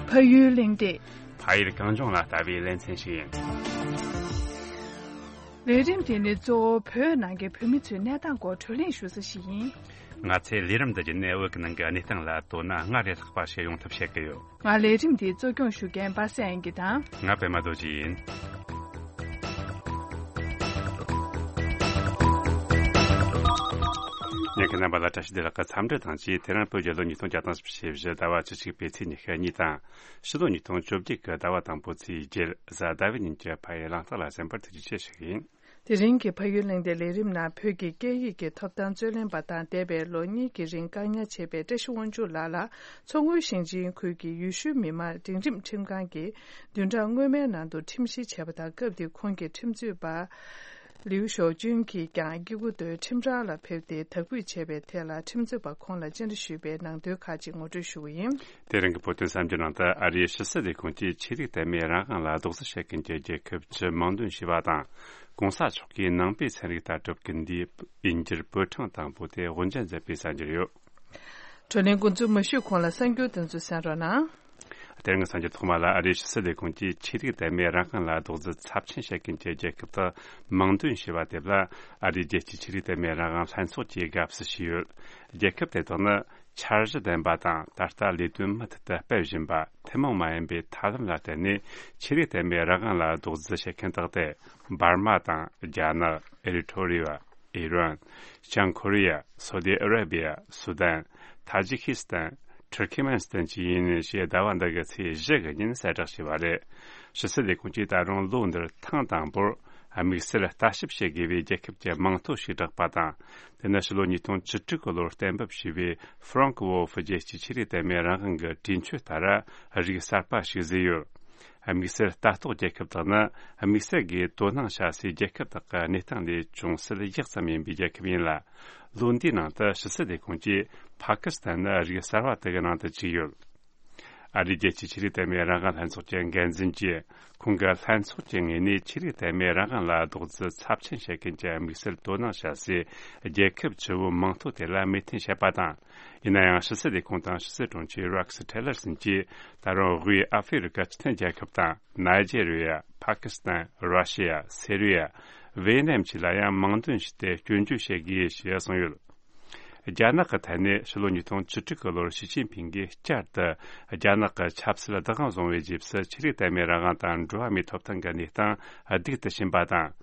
ཕ་ཡུལ་གླེང་སྟེགས། ཕ་ཡུལ་གངས་ལྗོངས་ལ་ལྟ་བའི་ལེ་ཚན་ཞིག་ཡིན། ལས་རིམ་དེ་ནི་གཙོ་བོ་བོད་ནང་གི་བོད་མི་ཚོའི་གནས་སྟངས་སྐོར་བགྲོ་གླེང་ཞུ་ས་ཞིག་ཡིན། ང་ཚོའི་ལས་རིམ་འདི་བརྒྱུད་ནས་བོད་ཀྱི་ནང་གི་གནས་སྟངས་ལ་དོ་སྣང་སྔར་ལས་ལྷག་པ་ཞིག་ཡོང་ཐབས་བྱེད་ཀྱི་ཡོད། ང་ལས་རིམ་འདི་གཙོ་སྐྱོང་ཞུ་མཁན་པ་སངས་དབྱངས་སྐྱིད་དང་། ང་པད་མ་རྡོ་རྗེ་ཡིན། ཉན་མཁན་རྣམ་པ་ལ་བཀྲ་ཤིས་བདེ་ལེགས་ཀྱི་འཚམས་འདྲི་དང་བཅས། དེ་རིང་བོད་རྒྱལ་ལོ་ཉིས་སྟོང་བརྒྱ་དང་བཞི་བཅུ་ཞེ་བཞི་ཟླ་བ་བཅུ་གཅིག་པའི་ཚེས་ཉི་ཤུ་གཉིས་དང་། ཕྱི་ལོ་ཉིས་སྟོང་བཅོ་བརྒྱད་ཀྱི་ཟླ་བ་དང་པོའི་ཚེས་བརྒྱད་གཟའ་ཟླ་བའི་ཉིན་གྱི་ཕ་ཡུལ་གླེང་སྟེགས་ལ་གསན་པར་ཐུགས་རྗེ་ཆེ་ཞུ་གི་ཡིན། དེ་རིང་གི་ཕ་ཡུལ་གླེང་སྟེགས་ལས་རིམ་ནང་བོད་ཀྱི་སྐད་ཡིག་གི་ཐོབ་ཐང་རྩོད་ལེན་པ་དང་འདས་པའི་ལོ་གཉིས་ཀྱི་རིང་བཀག་ཉར་བྱས་པའི་བཀྲ་ཤིས་དབང་ཕྱུག་ལགས་ལ་མཚོ་སྔོན་ཞིང་ཆེན་ཁུལ་གྱི་ཡུལ་ཤུལ་མི་དམངས་འབྲིང་རིམ་ཁྲིམས་ཁང་གིས་བདུན་ཕྲག་སྔོན་མའི་ནང་དུ་ཁྲིམས་བཤེར་བྱས་པ་དང་། སྐབས་དེར་ཁོང་གི་ཁྲིམས་རྩོད་པ་ལིའུ་ཞའོ་ཅུན་གྱིས་ཀྱང་སྐྱེ་རྒུ་མདོའི་ཁྲིམས་ར་ལ་ཕེབས་ཏེ་དག་འབུད་བྱས་པའི་ཐད་ལ་ཁྲིམས་རྩོད་པ་ཁོང་ལ་བཅར་འདྲི་ཞུས་པའི་ནང་དོན་ཁག་ཅིག་ངོ་སྤྲོད་ཞུ་གི་ཡིན། དེ་རིང་གི་བོད་དོན་གསར་འགྱུར་ནང་དུ། ཨ་རིའི་ཕྱི་སྲིད་ལས་ཁུངས་ཀྱིས་ཆོས་རིག་དད་མོས་རང་དབང་ལ་རྡོག་རྫིས་བྱེད་མཁན་གྱི་རྒྱལ་ཁབ་བཅུ་མིང་འདོན་བྱས་པ་དང་། གོང་ས་མཆོག་གིས་ནང་པའི་ཚན་རིག་ལྟ་གྲུབ་ཀྱི་འདས་ཡིན་གྱི་པོད་གྲངས་དང་པོ་དེ་དབུ་འབྱེད་མཛད་པའི་གསར་འགྱུར་ཡོད། བགྲོ་གླེང་འགོ་འཛུགས་མ་ཞུས་གོང་ལ་གསར་འགྱུར་དེ་ཚོ་གསན་རོགས་གནང་། དེ་རིང་གི་གསར་འགྱུར་ཐོག་མ་ལ། ཨ་རིའི་ཕྱི་སྲིད་ལས་ཁུངས་ཀྱིས་ཆོས་རིག་དད་མོས་རང་དབང་ལ་རྡོག་རྫིས་ཚབས་ཆེན་བྱེད་མཁན་གྱི་རྒྱལ་ཁབ་དག་མིང་འདོན་བྱས་པ་དེ་ལ། ཨ་རིའི་རྒྱལ་སྤྱིའི་ཆོས་རིག་དད་མོས་རང་དབང་ལྷན་ཚོགས་ཀྱིས་དགའ་བསུ་ཞུས་ཡོད། རྒྱལ་ཁབ་དེ་དག་ནི་འཆར་གཞི་ལྡན་པ་དང་། ད་ལྟ་ལས་དོན་མུ་མཐུད་དུ་སྤེལ་བཞིན་པ། ཐུན་མོང་མ་ཡིན་པའི་ཐབས་ལམ་ལ་བརྟེན་ནས་ཆོས་རིག་དད་མོས་རང་དབང་ལ་རྡོག་རྫིས་བྱེད་མཁན་དག་སྟེ། འབར་མ་དང་། རྒྱ་ནག་ཨེ་རི་ཐོ་རི་ཡ། ཨི་རན། བྱང་ཀོ་རི་ཡ། སོ་ཏི་ཨ་ར་བི་ཡ། སུ་དན། ཐ་ཇི་ཁི་སི་ཐན། ཐུར་ཁི་མན་སི་ཐན་བཅས་ཡིན་ཞེས་ཟླ་བ་འདི་གི་ཚེས་བཞི་གི་ཉིན་གསལ་བསྒྲགས་བྱས་པ་རེད། ཕྱི་སྲིད་ལས་ཁུངས་ཀྱིས་ད་རུང་ལོ་འདིར་ཐེངས་དང་པོར་དམིགས་བསལ་ལྟ་ཞིབ་བྱེད་དགོས་པའི་རྒྱལ་ཁབ་ཀྱི་མིང་ཐོ་ཞིག་བསྒྲགས་པ་དང་། དེ་ནི་ཕྱི་ལོ་ཉིས་སྟོང་བཅུ་དྲུག་གི་ལོར་གཏན་འབེབས་བྱས་པའི་ཧྥ་རང་ཀི་ཝོལ་ཧྥི་རྒྱལ་སྤྱིའི་ཆོས་རིག་དད་མོས་རང་དབང་གི་གྲོས་ཆོད་ལྟར་རིགས་གསར་པ་ཞིག་བཟོས་ཡོད། དམིགས་བསལ་ལྟ་རྟོག་རྒྱལ་ཁབ་དག་ནི་དམིགས་བསལ་གྱིས་དོ་སྣང་བྱ་སའི་རྒྱལ་ཁབ་དག་གི་གནས་སྟངས་ལས་ཅུང་ཟད་ཡག་ཙམ་ཡིན་པའི་རྒྱལ་ཁབ་ཡིན་ལ། ལོ་འདིའི་ནང་དུ་ཕྱི་སྲིད་ལས་ཁུངས་ཀྱིས་ཕ་ཀི་སི་ཐན་ནི་རིགས་གསར་བ་དག་གི་ནང་དུ་བཅུག་ཡོད། ཨ་རིའི་རྒྱལ་སྤྱིའི་ཆོས་རིག་དད་མོས་རང་དབང་ལྷན་ཚོགས་ཀྱི་འགན་འཛིན་གྱིས། ཁོང་གི་ལྷན་ཚོགས་ཀྱི་ངོས་ནས་ཆོས་རིག་དད་མོས་རང་དབང་ལ་རྡོག་རྫིས་ཚབས་ཆེན་བྱེད་མཁན་གྱི་དམིགས་བསལ་དོ་སྣང་བྱ་སའི་རྒྱལ་ཁབ་བཅུ་བོའི་མིང་ཐོ་དེ་ལ་མོས་མཐུན་བྱས་པ་དང་། ཡིན་ན་ཡང་། ཕྱི་སྲིད་ལས་ཁུངས་དང་ཕྱི་སྲིད་དྲུང་ཆེ་རེག་སི་ཊི་ལར་སན་གྱིས་ད་རུང་དབུས་ཨ་ཧྥེ་རི་ཀ་སྤྱི་མཐུན་རྒྱལ་ཁབ་དང་། ནཱི་ཇེ་རི་ཡ། ཕ་ཀི་སི་ཐན། ར་ཤི་ཡ། སི་རི་ཡ། ཝེ་ནམ་བཅས་ལ་ཡང་མིང་འདོན་བྱས་ཏེ་སྐྱོན་བརྗོད་བྱེད་དགོས་ཞེས་གསུངས་ཡོད། རྒྱ་ནག་གི་ཐད་ནས་ཕྱི་ལོ་ཉིས་སྟོང་བཅུ་དྲུག་གི་ལོར་ཞི་ཅིན་ཕིང་གིས་བསྐྱར་དུ་རྒྱ་ནག་གི་ཆབ་སྲིད་བདག་དབང་བཟུང་བའི་རྗེས་སུ། ཆོས་རིག་དད་མོས་རང་དབང་དང་འགྲོ་བ་མིའི་ཐོབ་ཐང་གི་གནས་སྟངས་སྡུག་ཏུ་ཕྱིན་པ་དང་།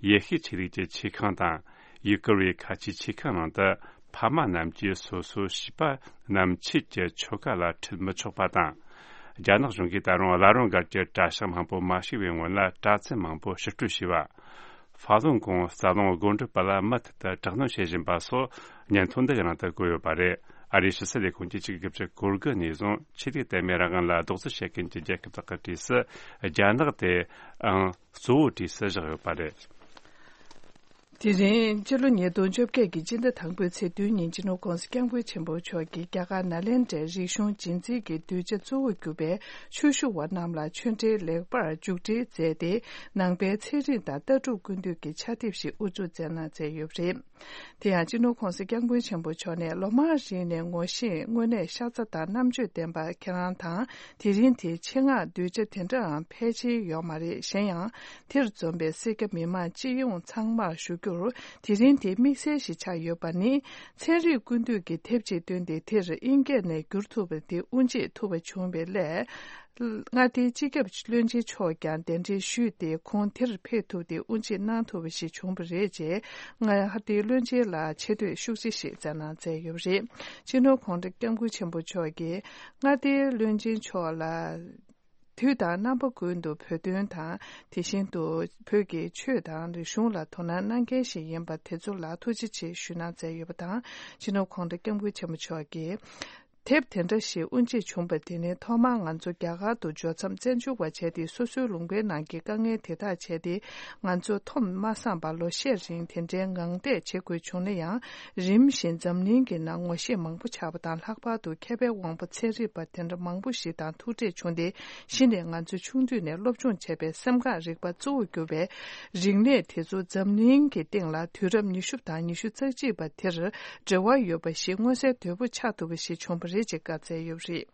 ཡེ་ཤུའི་ཆོས་ལུགས་ཀྱི་ཆེ་ཁང་དང་། ཡུ་གུར་བའི་ཁ་ཆེའི་ཆེ་ཁང་ནང་དུ་ཕ་མ་རྣམས་ཀྱིས་སོ་སོའི་བྱིས་པ་རྣམས་ཆོས་ཀྱི་ཆོ་ག་ལ་ཁྲིད་མི་ཆོག་པ་དང་། རྒྱ་ནག་གཞུང་གིས་ད་རུང་བླ་རུང་སྒར་གྱི་གྲྭ་ཤག་མང་པོ་མ་ཕྱེ་བའི་སྔོན་ལ་གྲྭ་བཙུན་མང་པོ་ཕྱིར་སྤྲོད་བྱས་པ། ཧྥ་ལུན་གོང་རྩ་རླུང་སྒོ་འགྲམ་པ་ལ་མུ་མཐུད་དུ་དྲག་གནོན་བྱེད་བཞིན་པ་སོགས་སྙན་ཐོ་འདི་གའི་ནང་དུ་བཀོད་ཡོད་པ་རེད། ཨ་རིའི་ཕྱི་སྲིད་ལས་ཁུངས་ཀྱིས་ཆིག་སྟོང་དགུ་བརྒྱ་གོ་དགུ་ནས་བཟུང་ཆོས་ལུགས་དད་མོས་རང་དབང་ལ་རྡོག་རྫིས་བྱེད་མཁན་གྱི་རྒྱལ་ཁབ་དག་གི་གྲས་སུ་རྒྱ་ནག་དེའང་གཙོ་བོའི་གྲས་སུ་བཞག་ཡོད་པ་རེད། དེ་རིང་སྤྱི་ལོ་ཉིས་སྟོང་བཅོ་བརྒྱད་ཀྱི་སྤྱི་ཟླ་དང་པོའི་ཚེས་བདུན་ཉིན་སྤྱི་ནོར་༧གོང་ས་༧སྐྱབས་མགོན་ཆེན་པོ་མཆོག་གིས་རྒྱ་གར་ནཱ་ལེནྡྲའི་རིག་གཞུང་རྗེས་འཛིན་གྱི་གདུལ་བྱ་གཙོ་བོར་གྱུར་པའི་ཆོས་ཞུ་བ་རྣམས་ལ་ཆོས་འབྲེལ་ལེགས་པར་མཇུག་སྒྲིལ་མཛད་དེ། ནང་པའི་ཚན་རིག་དང་ལྟ་གྲུབ་ཀུན་བཏུས་ཀྱི་ཕྱག་དེབ་ཞིག་དབུ་འཛུགས་མཛད་གནང་མཛད་ཡོད་པ་རེད། དེ་ཡང་སྤྱི་ནོར་༧གོང་ས་༧སྐྱབས་མགོན་ཆེན་པོ་མཆོག་ནས་ལོ་མང་རིང་ནས་ངོ་ཤེས་དངོས་གནས་ཤ་ཚ་དང་རྣམ་དཔྱོད་ལྡན་པ་ཁྱེད་རང་དང་། དེ་རིང་དེའི་ཆེད་མངགས་གདུལ་བྱ་དེ་འདྲའང་ཕལ་ཆེར་ཡོད་མ་རེད། གཞན་ཡང་། དེར་འཛོམས་པའི་སེར་སྐྱ་མི་མང་སྤྱི་ཡོངས་ཚང་མར་ཞུ་རྒྱུར། དེ་རིང་དེ་དམིགས་བསལ་ཞིག་ཆགས་ཡོད་པ་ནི། ཚན་རིག་ཀུན་བཏུས་ཀྱི་དེབ་ཅིག་བཏོན་ཏེ། དེར་དབྱིན་སྐད་ནས་བསྒྱུར་ཐུབ་པ་དེ་དབུ་འབྱེད་ཐུབ་པ་བྱུང་བའི་སླད། མངའ་སྡེའི་སྤྱི་ཁྱབ་བློན་ཆེན་མཆོག་ཀྱང་གདན་འདྲེན་ཞུས་ཏེ། ཁོང་དེར་ཕེབས་ཐུབ་སྟེ་དབུ་འབྱེད་གནང་ཐུབ་པ་ཞིག་བྱུང་བ་རེད། ཅེས་མངའ་སྡེའི་བློན་ཆེན་ལ་ཆེ་བསྟོད་ཤུགས་ཆེ་ཞིག་བསྩལ་གནང་མཛད་ཡོད་པ་རེད། སྤྱི་ནོར་༧གོང་ས་༧སྐྱབས་མགོན་ཆེན་པོ་མཆོག་གིས་མངའ་སྡེའི་བློན་ཆེན་མཆོག་ལ། དུས་དང་རྣམ་པ་ཀུན་ཏུ་བོད་དོན་དང་། དེ་བཞིན་དུ་བོད་ཀྱི་ཆོས་དང་རིག་གཞུང་ལ་དོ་སྣང་གནང་མཁན་ཞིག་ཡིན་པ་དེ་ཚོ་ལ་ཐུགས་རྗེ་ཆེ་ཞུ་གནང་མཛད་ཡོད་པ་དང་། སྤྱི་ནོར་༧གོང་ས་༧སྐྱབས་མགོན་ཆེན་པོ་མཆོག་གིས། དེབ་དེ་འདྲ་ཞིག་དབུ་འབྱེད་བྱུང་བ་དེ་ནི་ཐོག་མར་ང་ཚོ་རྒྱ་གར་དུ་འབྱོར་མཚམས་བཙན་བྱོལ་བ་བྱས་ཏེ་སོ་སོའི་ལུང་པའི་ནང་གི་དཀའ་ངལ་དེ་དག་བྱས་ཏེ་ང་ཚོ་འཐོམ་མ་སངས་པར་ལོ་ཤས་རིང་དེ་འདྲའི་ངང་བསྡད་བྱེད་དགོས་བྱུང་ན་ཡང་། རིམ་བཞིན་འཛམ་གླིང་གི་ནང་ངོ་ཤེས་མང་པོ་ཆགས་པ་དང་། ལྷག་པར་དུ་མཁས་པའི་དབང་པོ་ཚན་རིག་པ་དེ་འདྲ་མང་པོ་ཞིག་དང་ཐུག་འཕྲད་བྱུང་སྟེ། གཞི་ནས་ང་ཚོ་ཆུང་དུས་ནས་སློབ་སྦྱོང་བྱས་པའི་སེམས་ཁམས་རིག་པ་གཙོ་བོར་གྱུར་པའི་རིག་གནས་དེ་ཚོ་འཛམ་གླིང་གི་སྟེང་ལ་དུས་རབས་ཉི་ཤུ་དང་ཉི་ཤུ་རྩ་གཅིག་པ་དེར་འབྲེལ་བ་ཡོད་པ་ཞིག་མངོན་གསལ་དོད་པོ་ཆགས་ཐུབ་པ་ཞིག་བྱུང་བ་རེད་ཅེས་བཀའ་སྩལ་ཡོད་པ་རེད།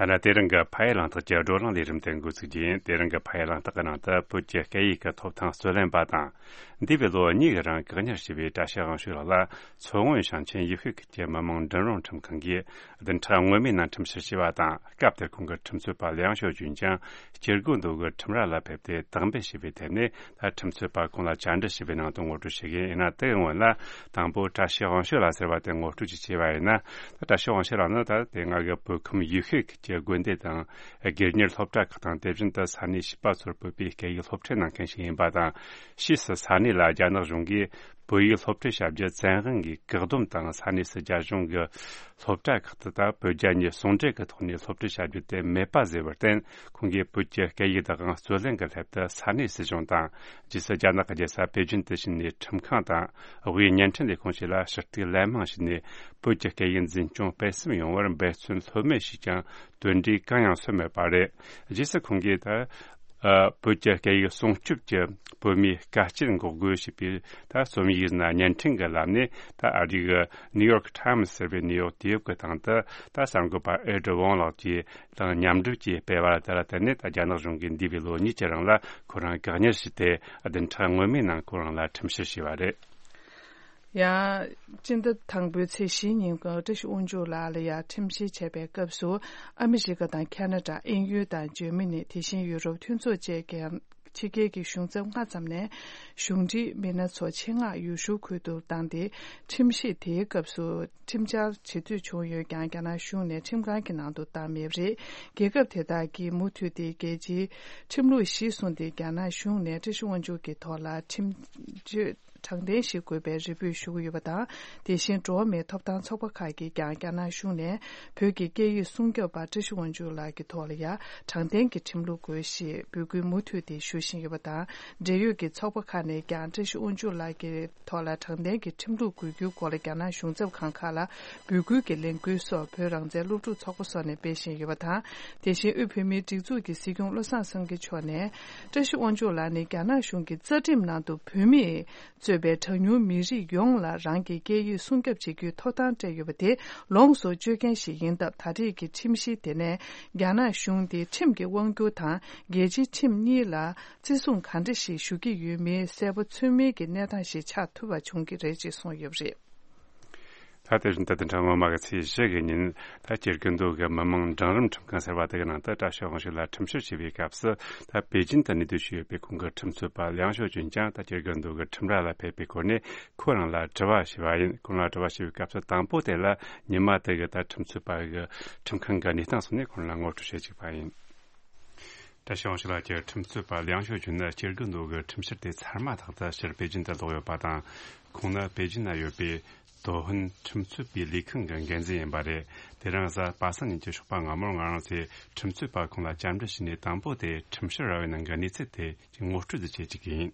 ད་ལྟ་དེ་རིང་གི་ཕ་ཡུལ་གླེང་སྟེགས་ཀྱི་བགྲོ་གླེང་ལས་རིམ་དེ་འགོ་ཚུགས་རྒྱུ་ཡིན། དེ་རིང་གི་ཕ་ཡུལ་གླེང་སྟེགས་ཀྱི་ནང་དུ་བོད་ཀྱི་སྐད་ཡིག་གི་ཐོབ་ཐང་རྩོད་ལེན་པ་དང་། འདས་པའི་ལོ་གཉིས་ཀྱི་རིང་བཀག་ཉར་བྱས་པའི་བཀྲ་ཤིས་དབང་ཕྱུག་ལགས་ལ་མཚོ་སྔོན་ཞིང་ཆེན་ཡུལ་ཤུལ་ཁུལ་གྱི་མི་དམངས་མགྲིན་དབང་ཁྲིམས་ཁང་གིས་བདུན་ཕྲག་སྔོན་མའི་ནང་ཁྲིམས་བཤེར་བྱས་པ་དང་། སྐབས་དེར་ཁོང་གི་ཁྲིམས་རྩོད་པ་ལིའང་ཞའོ་ཅུན་ཀྱང་སྐྱེ་རྒུ་མདོ་གི་ཁྲིམས་ར་ལ་ཕེབས་ཏེ་དག་འབེབས་བྱས་པའི་ཐད་ནས། ད་ཁྲིམས་རྩོད་པ་ཁོང་ལ་བཅར་འདྲི་བྱས་པའི་ནང་དུ་ངོ་སྤྲོད་བྱེད་ཀྱི་ཡིན། ཡིན་ན་དེའི་སྔོན་ལ་དང་པོ་བཀྲ་ཤིས་དབང་ཕྱུག་ལགས་ཟེར་བ་དེ་ངོ་སྤྲོད་ཅིག་བྱས་པ་ཡིན་ན། ད་བཀྲ་ཤིས་དབང་ཕྱུག་ལགས་ནི་ད་དེ་སྔ་གི་བོད་ཁམས་ཡུལ་ཤུལ་གྱི་དགོན་སྡེ་དང་སྒེར་གཉེར་སློབ་གྲྭ་ཁག་དང་། དེ་བཞིན་དུ་ས་གནས་བྱིས་པ་ཚོར་བོད་པའི་སྐད་ཡིག་སློབ་ཁྲིད་གནང་མཁན་ཞིག་ཡིན་པ་དང་། ཕྱིས་སུ་ས་གནས་ལ་རྒྱ་ནག་གཞུང་གིས་བོད་ཡིག་སློབ་ཁྲིད་བྱ་རྒྱུ་བཙན་དབང་གིས་བཀག་སྡོམ་དང་། ས་གནས་སུ་རྒྱ་གཞུང་གི་སློབ་གྲྭ་ཁག་ཏུ་ད་བོད་རྒྱ་གཉིས་ཟུང་འབྲེལ་གྱི་ཐོག་ནས་སློབ་ཁྲིད་བྱ་རྒྱུ་དེ་མེད་པ་བཟོས་པར་བརྟེན། ཁོང་གིས་བོད་ཀྱི་སྐད་ཡིག་དང་རྩོད་ལེན་གྱི་སླད་དུ་ས་གནས་སྲིད་གཞུང་དང་། རྗེས་སུ་རྒྱ་ནག་གི་རྒྱལ་ས་པེ་ཅིན་དུ་ཕྱིན་ནས་ཁྲིམས་ཁང་དང་། དབུས་བརྙན་འཕྲིན་ལས་ཁུངས་བཅས་ལ་ཞུ་གཏུག་ལན་མང་ཞུས་ནས། བོད་ཀྱི་སྐད་ཡིག་འཛིན་སྐྱོང་སྤེལ་གསུམ་ཡོང་བར་འབད་བརྩོན་ལྷོད་མེད་བྱས་ཀྱང་། དོན་འབྲས་གང་ཡང་སོན་མེད་པ་རེད། རྗེས་སུ་ཁོང་གིས་ད། ཨ། བོད་ཀྱི་སྐད་ཡིག་སྲུང་སྐྱོབ་ཀྱི་བོད་མིའི་དཀའ་སྤྱད་འགོག་རྒོལ་ཞེས་པའི་ད་རྩོམ་ཡིག་ཡིན་ན་བརྙན་འཕྲིན་གྱི་ལམ་ནས། ད་ཨ་རིའི་New York Times ཟེར་བའི་གནས་བབ་དེབ་ཀྱི་སྟེང་དུ། ད་གསར་འགོད་པ་ཨེ་ཌི་ཝོང་ལགས་ཀྱིས་དང་མཉམ་འགྲུབ་ཀྱིས་སྤེལ་བ་དེ་ལ་བརྟེན་ནས། ད་རྒྱ་ནག་གཞུང་གིས་འདས་པའི་ལོ་གཉིས་ཀྱི་རིང་ལ་ཁོ་རང་བཀག་ཉར་བྱས་ཏེ། བདུན་ཕྲག་སྔོན་མའི་ནང་ཁོ་རང་ལ་ཁྲིམས་བཤེར་བྱས་པ་རེད། ཡང་སྤྱི་ཟླ་དང་པོའི་ཚེས་བཞིའི་ཉིན་གྱི་བཀྲ་ཤིས་དབང་ཕྱུག་ལགས་ལ་ཡང་ཁྲིམས་བཤེར་བྱས་པའི་སྐབས་སུ། ཨ་མི་རི་ཀ་དང་ཁ་ན་ཌ། དབྱིན་ཡུལ་དང་འཇར་མ་ནི། དེ་བཞིན་ཡུ་རོབ་མཐུན་ཚོགས་བཅས་ཀྱི་ཕྱི་རྒྱལ་གྱི་གཞུང་ཚབ་ལྔ་ཙམ་ནས་གཞུང་འབྲེལ་མི་སྣ་ཚོ་ཆེད་མངགས་ཡུལ་ཤུལ་ཁུལ་དུ་བཏང་སྟེ། ཁྲིམས་བཤེར་དེའི་སྐབས་སུ་ཁྲིམས་འཆར་བྱེད་འདོད་བྱུང་ཡོད་ཀྱང་། རྒྱ་ནག་གཞུང་ནས་ཁྲིམས་ཁང་གི་ནང་དུ་བཏང་མེད་པ་རེད། རྒྱལ་ཁབ་དེ་དག་གིས་མུ་མཐུད་དེ་རྒྱལ་སྤྱིའི་ཁྲིམས་ལུགས་གཞིར་བཟུང་སྟེ། རྒྱ་ནག་གཞུང་ནས་བཀྲ་ཤིས་དབང་ཕྱུག་གི་ཐོག་ལ་ཁྲིམས་གཅོད་དྲང་བདེན་ཞིག་དགོས་པའི་རེ་འབོད་ཞུ་གི་ཡོད་པ་དང་། དེ་བཞིན་འགྲོ་བ་མིའི་ཐོབ་ཐང་ཚོགས་པ་ཁག་གིས་ཀྱང་རྒྱ་ནག་གཞུང་ནས་བོད་ཀྱི་སྐད་ཡིག་སྲུང་སྐྱོབ་པ་བཀྲ་ཤིས་དབང་ཕྱུག་ལགས་ཀྱི་ཐོག་ལ་ཡང་དྲང་བདེན་གྱི་ཁྲིམས་ལུགས་དགོས་ཞེས་འབོད་སྐུལ་མུ་མཐུད་དེ་ཞུ་བཞིན་ཡོད་པ་དང་། འབྲེལ་ཡོད་ཀྱི་ཚོགས་པ་ཁག་ནས་ཀྱང་བཀྲ་ཤིས་དབང་ཕྱུག་ལགས་ཀྱི་ཐོག་ལ་དྲང་བདེན་གྱི་ཁྲིམས་ལུགས་དགོས་རྒྱུའི་སྐོར་ལ་རྒྱ་ནག་གཞུང་ཚབ་ཁང་ཁག་ལ་འབོད་སྐུལ་གྱི་ལས་འགུལ་སོགས་བོད་རང་བཙན་སློབ་ཕྲུག་ཚོགས་པ་སོགས་ནས་སྤེལ་བཞིན་ཡོད་པ་དང་། དེ་བཞིན་དབུས་བོད་མིའི་སྒྲིག་འཛུགས་ཀྱི་སྲིད་སྐྱོང་བློ་བཟང་སེང་གེ་མཆོག་ནས། བཀྲ་ཤིས་དབང་ཕྱུག་ལགས་ནི་རྒྱ་ནག་གཞུང་གི་རྩ་ཁྲིམས་ནང་དུ་བོད་མིས་གཙོས་པའི་གྲངས་ཉུང་མི་རིགས་ཡོངས་ལ་རང་གི་སྐད་ཡིག་སྲུང་སྐྱོབ་བྱེད་རྒྱུའི་ཐོབ་ཐང་སྤྲད་ཡོད་པ་དེ་ལོངས་སུ་སྤྱོད་མཁན་ཞིག་ཡིན་སྟབས། ད་རེས་ཀྱི་ཁྲིམས་གཞི་དེ་ནས་རྒྱ་ནག་གཞུང་དེ་ཁྲིམས་ཀྱི་དབང་སྒྱུར་དང་རྒྱལ་སྤྱིའི་ཁྲིམས་གཉིས་ལ་བརྩི་སྲུང་ག་འདྲ་ཞིག་ཞུ་གི་ཡོད་མེད་གསལ་པོ་ཚོད་མེད་ཀྱི་གནས་སྟངས་ཤིག་ཆགས་ཐུབ་པ་བྱུང་གི་རེད་ཅེས་གསུངས་ཡོད་པ་རེད། ད་དེ་བཞིན་དུ་བདུན་ཕྲག་སྔོན་མ་གི་ཚེས་བཞི་གི་ཉིན། ད་སྐྱེ་རྒུ་མདོ་གི་མི་དམངས་འབྲིང་རིམ་ཁྲིམས་ཁང་ཟེར་བ་དེ་གི་ནང་དུ་བཀྲ་ཤིས་དབང་ཕྱུག་ལ་ཁྲིམས་བཤེར་བྱས་པའི་སྐབས་སུ། ད་པེ་ཅིན་དུ་གནས་སྡོད་བྱས་ཡོད་པའི་ཁོང་གི་ཁྲིམས་རྩོད་པ་ལིའང་ཞའོ་ཅུན་ཀྱང་ད་སྐྱེ་རྒུ་མདོ་གི་ཁྲིམས་ར་ལ་ཕེབས་པའི་སྐོར་ནས་ཁོ་རང་ལ་དྲི་བ་ཞུས་པ་ཡིན། ཁོ་རང་ལ་དྲི་བ་ཞུས་པའི་སྐབས་སུ་དང་པོ་དེ་ལ་ཉི་མ་དེ་གི་ད་ཁྲིམས་རྩོད་པ་གི་ཁྲིམས་ཁང་གི་གནས་སྟངས་སོགས་ནས་ཁོ་རང་ལ་ངོ་སྤྲོད་བྱེད་བཅུག་པ་ཡིན། 这消息了解， ཁྲིམས་རྩོད་པ་ལིའང་ཞའོ་ཅུན་ནི་སྐྱེ་རྒུ་མདོ་གི་ཁྲིམས་བཤེར་དེ་ཚར་མ་ཐག་ཏུ་ཕྱིར་པེ་ཅིན་དུ་ལོག་ཡོད་པ་དང་། ཁོང་ནི་པེ་ཅིན་ན་ཡོད་པའི་ཏོ་ཧུན་ཁྲིམས་རྩོད་པའི་ལས་ཁུངས་ཀྱི་འགན་འཛིན་ཡིན་པ་རེད། དེ་རིང་གཟའ་པ་སངས་ཉིན་གྱི་ཞོགས་པ་སྔ་མོར་ང་རང་ཚོས་ཁྲིམས་རྩོད་པ་ཁོང་ལ་བཅར་འདྲི་བྱས་ནས། དང་པོ་དེ་ཁྲིམས་བཤེར་ར་བའི་ནང་གི་གནས་ཚུལ་དེ་ངོ་སྤྲོད་དུ་བྱེད་ཅིག་ཡིན།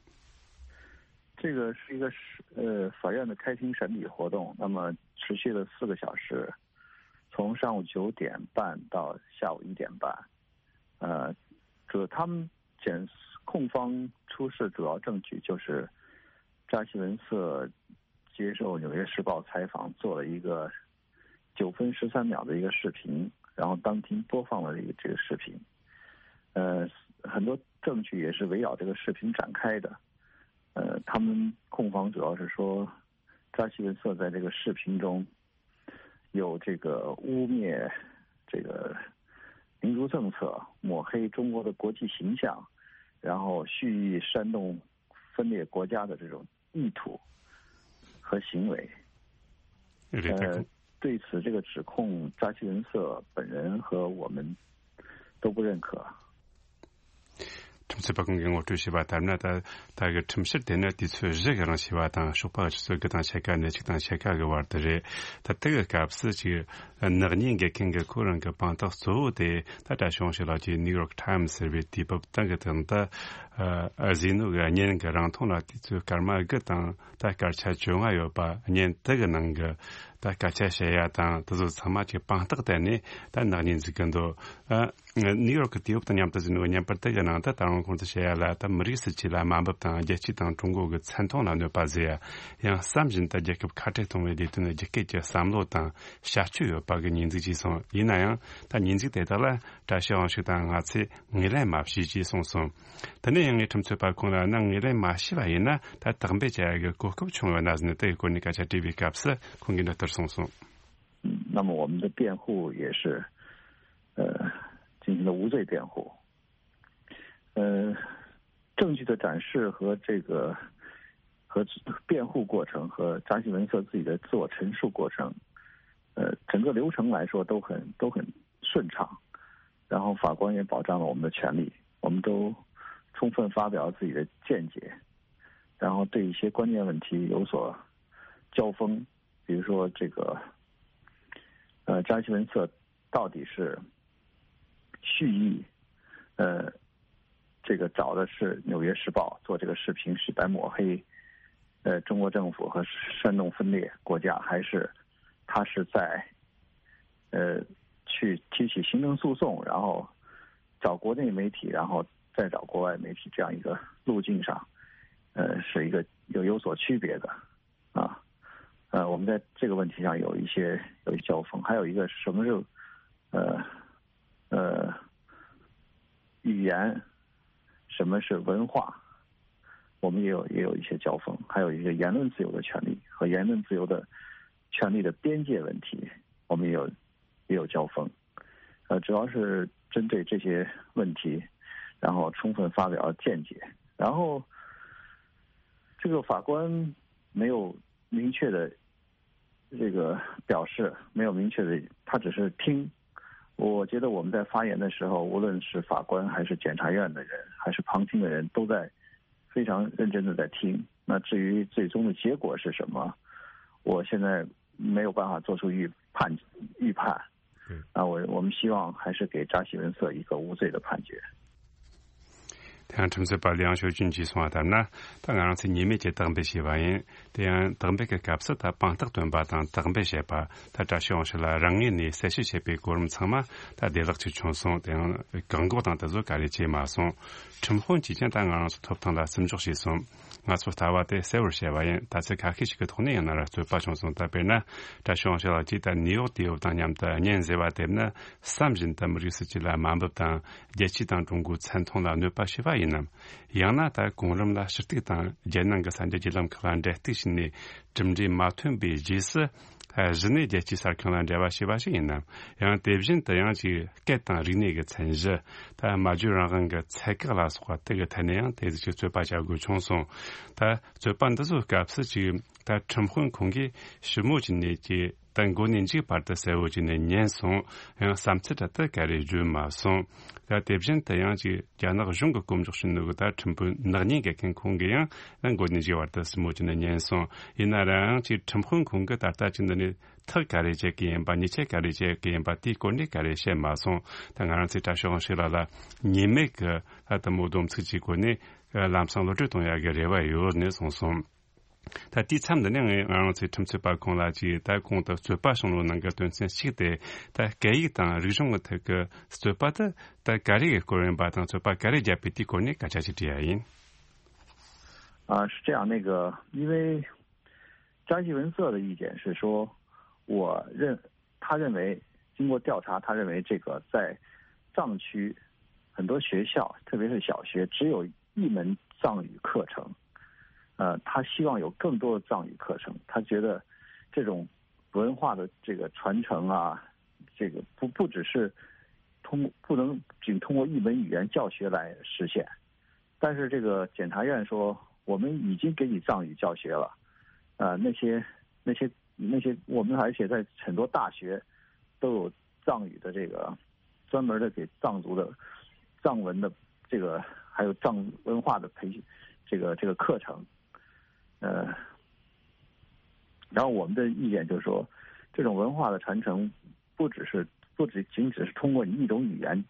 这个是一个是呃法院的开庭审理活动，那么持续了四个小时，从上午九点半到下午一点半。呃，主他们检控方出示主要证据就是扎西文瑟接受《纽约时报》采访，做了一个九分十三秒的一个视频，然后当庭播放了这个这个视频。呃，很多证据也是围绕这个视频展开的。呃，他们控方主要是说，扎西文瑟在这个视频中有这个污蔑这个民族政策、抹黑中国的国际形象，然后蓄意煽动分裂国家的这种意图和行为。 呃，对此这个指控，扎西文瑟本人和我们都不认可。ཁྲིམས་རྩོད་པ་ཁོང་གིས་ངོ་སྤྲོད་བྱས་པ་ལྟར་ན། ད་ད་གི་ཁྲིམས་བཤེར་དེ་ནི་དུས་ཚོད་བཞི་གི་རིང་བྱས་པ་དང་། ཞོགས་པ་ཆུ་ཚོད་དགུ་དང་ཕྱེད་ཀ་ནས་ཆིག་དང་ཕྱེད་ཀ་གི་བར་དུ་རེད། ད་དེ་གི་སྐབས་སུ་ཅིག་ནག་ཉེས་འགེལ་མཁན་གྱི་ཁོ་རང་གི་དཔང་རྟགས་གཙོ་བོ་དེ། ད་བཀྲ་ཤིས་དབང་ཕྱུག་ལགས་ཀྱིས་ནིའུ་ཡོག་ཊའིམ་ཟེར་བའི་དུས་བབ་སྟེང་གི་སྟེང་དུ་ཨ་ཨ་ཟས་ནོར་གྱི་གཉེན་གྱི་རིང་ཐུང་ལ་དུས་ཚོད་སྐར་མ་དགུ་དང་ད་སྐར་ཆ་བཅོ་ལྔ་ཡོད་པ། གཉེན་དེ་གི་ནང་གི་ད་སྐད་ཆ་བཤད་ཡ་དང་དེ་ཚོ་ཚང་མ་ཅིག་དཔང་རྟགས་བསྟན་ནས་ད་ནག་ཉེས་འཛུགས་ཀྱི་འདུག་ཨ། ནིའུ་ཡོག་གི་དུས་བབ་དང་མཉམ་དུ་བཟོས་ནོ་བརྙན་པར་དེ་གི་ནང་དུ། ད་རུང་ཁོང་ཚོས་བཤད་ཡ་ལ། ད་མི་རིགས་སྲིད་ཇུས་ལ་དམའ་འབེབས་དང་རྒྱལ་སྤྱི་དང་ཀྲུང་གོ་གི་མཚན་མཐོང་ལ་གནོད་པ་བཟོ་ཡ། ཡང་བསམ་བཞིན་དུ་རྒྱལ་ཁབ་ཁ་བྲལ་གཏོང་བའི་ལས་དོན་ལ་རྒྱུད་སྐྱེད་ཀྱི་བསམ་བློ་དང་བྱ་སྤྱོད་ཡོད་པ་གི་ཉེས་འཛུགས་བྱས་སོང་། ཡིན་ན་ཡང་ད་ཉེས་འཛུགས་དེ་དག་ལ་བཀྲ་ཤིས་དབང་ཕྱུག་དང་ང་ཚོས་ངོས་ལེན་མ་བྱས་ཅེས་གསུངས་སོང་། དེ་ནས་ཡང་ངས་ཁྲིམས་རྩོད་པ་ཁོང་ལ་ནི་ངོས་ལེན་མ་བྱས་པ་ཡིན་ན་ད་དག་འབེབས་བྱ་ཡ་གི་གོ་སྐབས་བྱུང་ཡོད་ན་ཟེར་ནས་དེ་གི་སྐོར་ནས་སྐད་ཆ་དྲིས་པའི་སྐབས་སུ་ཁོང་གིས་འདི་ལྟར་གསུངས་སོང་། 那么我们的辩护也是，呃，进行了无罪辩护。呃，证据的展示和这个和辩护过程和扎西文瑟自己的自我陈述过程，呃，整个流程来说都很都很顺畅。然后法官也保障了我们的权利，我们都充分发表自己的见解，然后对一些关键问题有所交锋，比如说这个，呃，扎西文瑟到底是蓄意，呃，这个找的是《纽约时报》做这个视频，是在抹黑，呃，中国政府和煽动分裂国家，还是他是在，呃，去提起行政诉讼，然后找国内媒体，然后再找国外媒体这样一个路径上，呃，是一个有有所区别的。啊，呃，我们在这个问题上有一些有一些交锋，还有一个是什么是呃呃语言，什么是文化，我们也有也有一些交锋，还有一个言论自由的权利和言论自由的权利的边界问题，我们也有也有交锋。呃，主要是针对这些问题，然后充分发表见解，然后这个法官没有明确的这个表示，没有明确的，他只是听。我觉得我们在发言的时候，无论是法官还是检察院的人，还是旁听的人，都在非常认真的在听。那至于最终的结果是什么，我现在没有办法做出预判预判。啊，我我们希望还是给扎西文瑟一个无罪的判决。 དེ་ཡང་ཁྲིམས་རྩོད་པ་ལིའང་ཞོ་ཅུན་གྱིས་གསུངས་པ་ལྟར་ན། ད་ང་རང་ཚོས་ཉེས་མེད་ཀྱི་དག་འབེབས་བྱས་པ་ཡིན། དེ་ཡང་དག་འབེབས་ཀྱི་སྐབས་སུ་ད་དཔང་རྟགས་བཏོན་པ་དང་དག་འབེབས་བྱས་པ། ད་བཀྲ་ཤིས་དབང་ཕྱུག་ལ་རང་ངོས་ནས་གསལ་བཤད་བྱས་པའི་གོ་རིམ་ཚང་མ་ད་བདེ་བླག་ཅིག་བྱུང་སོང་། དེ་ཡང་བཀག་འགོག་དང་དེ་ཚོ་ག་རེ་བྱས་མ་སོང་། ཁྲིམས་དཔོན་གྱིས་ཀྱང་ད་ང་རང་ཚོའི་ཐོབ་ཐང་ལ་བརྩི་འཇོག་བྱས་སོང་། ང་ཚོ་ལྟ་བ་དེ་གསལ་བོར་བཤད་པ་ཡིན། ད་ཚོད་ཁ་ཤས་ཤིག་གི་ཐོག་ནས་ཡང་ན་ར་རྩོད་པ་བྱུང་སོང་། ད་དཔེར་ན་བཀྲ་ཤིས་དབང་ཕྱུག་ལགས་ཀྱིས་ད་ནིའུ་ཡོག་དུ་ཡོད་དང་མཉམ་དུ་གཉེན་ཟེར་བ་དེ་ནི་བསམ་བཞིན་དུ་མི་རིགས་སྲིད་ཇུས་ལ་དམའ་འབེབས་དང་རྒྱལ་སྤྱི་དང་ཀྲུང་གོའི་མཚན་མཐོང་ལ་གནོད་པ་བྱས་པ་ཡིན་ནམ། ཡང་ན་ད་གོང་རིམ་ལ་ཞུ་གཏུག་དང་རྒྱལ་ནང་གི་གསར་འགྱུར་བརྒྱུད་ལམ་ཁག་ལ་འབྲེལ་གཏུག་བྱས་ནས་གྲུབ་འབྲས་མ་ཐོན་པའི་རྗེས་སུ། གཞི་ནས་རྒྱལ་སྤྱིའི་གསར་ཁང་ལ་འབྲེལ་བ་བྱས་པ་ཞིག་ཡིན་ནམ། ཡང་དེ་བཞིན་དུ་ཡང་ཅིག་སྐད་དང་རིག་གནས་ཀྱི་མཚན་གཞི། ད་སྨྲ་བརྗོད་རང་དབང་གི་ཚད་བཀག་ལ་སོགས་པ་དེ་གི་ཐད་ནས་ཡང་དེ་ཟིག་ཅིག་རྩོད་པ་བྱ་དགོས་བྱུང་སོང་། ད་རྩོད་པ་འདི་ཚོའི་སྐབས་སུ་ཅིག་ད་ཁྲིམས་དཔོན་ཁོང་གིས་ཞིབ་མོ་བྱས་ནས་ཀྱི་ད་མགོ་ནས་མཇུག་བར་དུ་གསལ་བོ་བྱས་ནས་ཉན་སོང་། ཡང་བསམ་ཚུལ་འདྲ་དེ་ག་རེ་བརྗོད་མ་སོང་། ད་དེ་བཞིན་དུ་ཡང་ཅིག་རྒྱ་ནག་གཞུང་གི་སྐོམ་འཇོག་བྱེད་ནོ་གི་ད་ཁྲིམས་དཔོན་ནག་ཉེས་འགེལ་མཁན་ཁོང་གིས་ཡང་ད་མགོ་ནས་མཇུག་བར་དུ་ཞིབ་མོ་བྱས་ནས་ཉན་སོང་། ཡིན་ན་རང་ཅིག་ཁྲིམས་དཔོན་ཁོང་གིས་ད་ལྟ་ཅིག་འདི་ནས་ཐག་ག་རེ་བཅད་ཀྱི་ཡིན་པ། ཉེས་ཆད་ག་རེ་བཅད་ཀྱི་ཡིན་པ། དེའི་སྐོར་ནས་ག་རེ་བཤད་མ་སོང་། ད་ང་རང་ཚོས་བཀྲ་ཤིས་དབང་ཕྱུག་ལགས་ལ་ཉེས་མེད་ཀྱི་ད་དེ་མོ་སྡོམ་ཚིག་ཅིག་སྐོར་ནས་ལམ་སང་གློད་གྲོལ་གཏོང་ཡག་གི་རེ་བ་ཡོད་ནས་གསུངས་སོང་། ད་དེའི་མཚམས་འདི་ནས་ངས་ང་རང་ཚོའི་ཁྲིམས་རྩོད་པ་ཁོང་ལ་ཅིག་ད་གོང་དུ་རྩོད་པ་བྱུང་ལོ་ནང་གི་དོན་ཚན་གཅིག་དེ་ད་སྐད་ཡིག་དང་རིག་གཞུང་གི་ཐད་ཀྱི་རྩོད་པ་དེ་ད་ག་རེ་གི་སྐོར་ཡིན་པ་དང་རྩོད་པ་ག་རེ་བརྒྱབ་པའི་དེའི་སྐོར་ནས་སྐད་ཆ་ཅིག་དྲིས་ཡ་ཡིན། 啊，是这样，那个，因为扎西文瑟的意见是说，我认他认为经过调查，他认为这个在藏区很多学校，特别是小学，只有一门藏语课程。呃，他希望有更多的藏语课程。他觉得这种文化的这个传承啊，这个不不只是通不能仅通过一门语言教学来实现。但是这个检察院说，我们已经给你藏语教学了，呃，那些那些那些我们而且在很多大学都有藏语的这个专门的给藏族的藏文的这个还有藏文化的培这个这个课程，呃，然后我们的意见就是说，这种文化的传承不只是不只仅只是通过你一种语言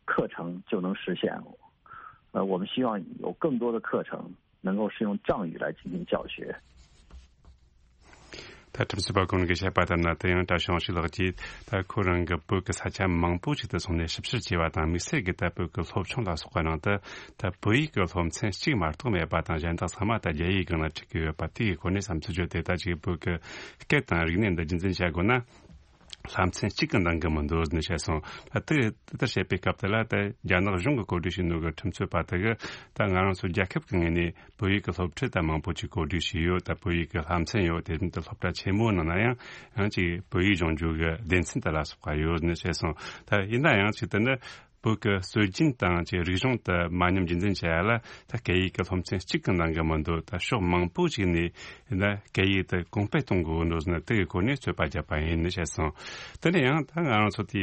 课程就能实现，呃，我们希望有更多的课程能够是用藏语来进行教学。 ད་ཁྲིམས་སྲིད་པ་ཁོང་གིས་བཤད་པ་ལྟར་ན། དེ་ཡང་བཀྲ་ཤིས་དབང་ཕྱུག་ལགས་ཀྱིས་ད་ཁོ་རང་གི་བོད་ཀྱི་ས་ཆ་མང་པོ་ཞིག་ཏུ་སོང་ནས་ཞིབ་བཤེར་བྱས་པ་དང་། དམིགས་བསལ་གྱིས་ད་བོད་ཀྱི་སློབ་ཆུང་ལ་སོགས་པ་ནང་དུ་ད་བོད་ཡིག་གི་སློབ་ཚན་གཅིག་མ་གཏོགས་མེད་པ་དང་། གཞན་དག་ཚང་མ་ད་རྒྱ་ཡིག་སྒང་ལ་ཁྲིད་ཀྱི་ཡོད་པ་དེའི་སྐོར་ནས་བསམ་ཚུལ་བརྗོད་དེ། ད་ཅིག་བོད་ཀྱི་སྐད་དང་རིག་གནས་འདི་རྒྱུན་འཛིན་བྱ་དགོས་ན། ལྷ་མཚན་གཅིག་གི་འདང་གི་མི་འདུག་ཟེར་ནས་བཤད་སོང་། ད་དེ་དེ་ལྟར་བཤད་པའི་སྐབས་དེ་ལ། ད་རྒྱ་ནག་གཞུང་གིས་གོ་སྒྲིག་བྱས་ནོ་གི་ཁྲིམས་རྩོད་པ་དེ་གིས་ད་ང་རང་ཚོ་རྒྱལ་ཁབ་ཀྱི་ངོས་ནས་བོད་ཡིག་གི་སློབ་ཁྲིད་ད་མང་པོ་ཅིག་གོ་སྒྲིག་བྱས་ཡོད། ད་བོད་ཡིག་གི་ལྷ་མཚན་ཡོད། དེ་བཞིན་དུ་སློབ་གྲྭ་ཆེན་མོའི་ནང་ན་ཡང་ཡང་ཅིག་བོད་ཡིག་སྦྱོང་རྒྱུ་གི་སྡེ་ཚན་དེ་ལ་སོགས་པ་ཡོད་ཟེར་ནས་བཤད་སོང་། ད་ཡིན་ན་ཡང་ཅིག་དེ་ནི་བོད་ཀྱི་སྲོལ་རྒྱུན་དང་ཅིག་རིག་གཞུང་དེ་མ་ཉམས་རྒྱུན་འཛིན་བྱ་ཡ་ལ། ད་སྐད་ཡིག་གི་སློབ་ཚན་གཅིག་གི་འདང་གི་མི་འདུག་ད་ཕྱོགས་མང་པོ་ཞིག་ནས་ཡིན་ན་སྐད་ཡིག་དེ་གོང་སྤེལ་གཏོང་དགོས་འདུག་ཟེར་ནས་དེ་གི་སྐོར་ནས་རྩོད་པ་བརྒྱབ་པ་ཡིན་ནས་བཤད་སོང་། དེ་ནས་ཡང་ད་ང་རང་ཚོ་དེ་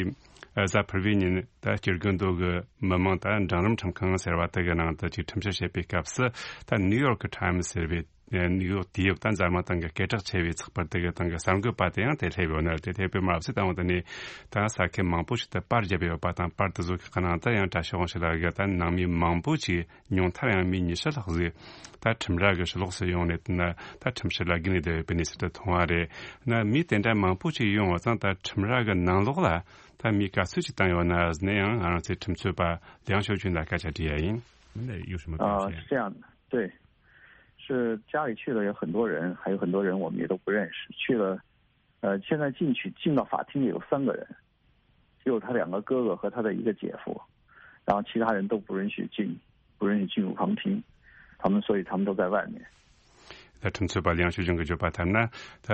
གཟའ་ཕུར་བུའི་ཉིན་ད་སྤྱི་རྒྱུ་མདོ་གི་མི་མང་ད་འབྲིང་རིམ་ཁྲིམས་ཁང་ཟེར་བ་དེ་གི་ནང་དུ་ཅིག་ཁྲིམས་བཤེར་བྱེད་པའི་སྐབས་སུ། ད་ནིའུ་ཡོག་གི་ཊའིམ་སི་ཟེར་བའི་ནིའུ་ཡོག་དུས་ཡོད་ད་འཛམ་གླིང་སྟེང་གི་སྐད་གྲགས་ཆེ་བའི་ཚགས་པར་དེ་གི་སྟེང་གི་གསར་འགོད་པ་དེ་ཡང་དེ་སླེབས་ཡོད་ནི་རེད། དེ་སླེབས་པའི་མ་ཟད་ད་འོང་དེ་ནས་ད་ས་ཁུལ་མང་པོ་ཞིག་ཏུ་པར་བརྒྱབ་ཡོད་པ་དང་། པར་དེ་ཚོ་གི་ནང་དུ་ཡང་བཀྲ་ཤིས་དབང་ཕྱུག་ལགས་ཀྱིས་ད་ནང་མི་མང་པོ་ཅིག་ཉུང་མཐར་ཡང་མི་ཉི་ཤུ་ལྷག་ཟིག་ད་ཁྲིམས་ར་གི་ཕྱི་ལོགས་སུ་ཡོང་ནས་ན་ད་ཁྲིམས་བཤེར་ལ་བརྒྱུད་ནས་བསྡད་ཡོད་པའི་གནས་ཚུལ་དེ་མཐོང་བ་རེད། ན་མི་དེ་འདྲ་མང་པོ་ཅིག་ཡོང་བ་ཙང་ད་ཁྲིམས་ར་གི་ནང་ལོགས་ལ་ད་མི་ག་ཚོད་ཅིག་བཏང་ཡོད་ན་ཟེར་ནས་ཡང་ང་རང་ཚོའི་ཁྲིམས་རྩོད་པ་ལིའང་ཞའོ་ཅུན་ལ་སྐད་ཆ་དྲིས་ཡ་ཡིན། 那有什么表现？ 啊，是这样的，对，是家里去的有很多人，还有很多人我们也都不认识。去了，呃，现在进去进到法庭也有三个人，只有他两个哥哥和他的一个姐夫，然后其他人都不允许进，不允许进入旁听，他们所以他们都在外面。 ད་ཁྲིམས་རྩོད་པ་ལིའང་ཞའོ་ཅུན་གྱིས་བརྗོད་པ་ལྟར་ན། ད་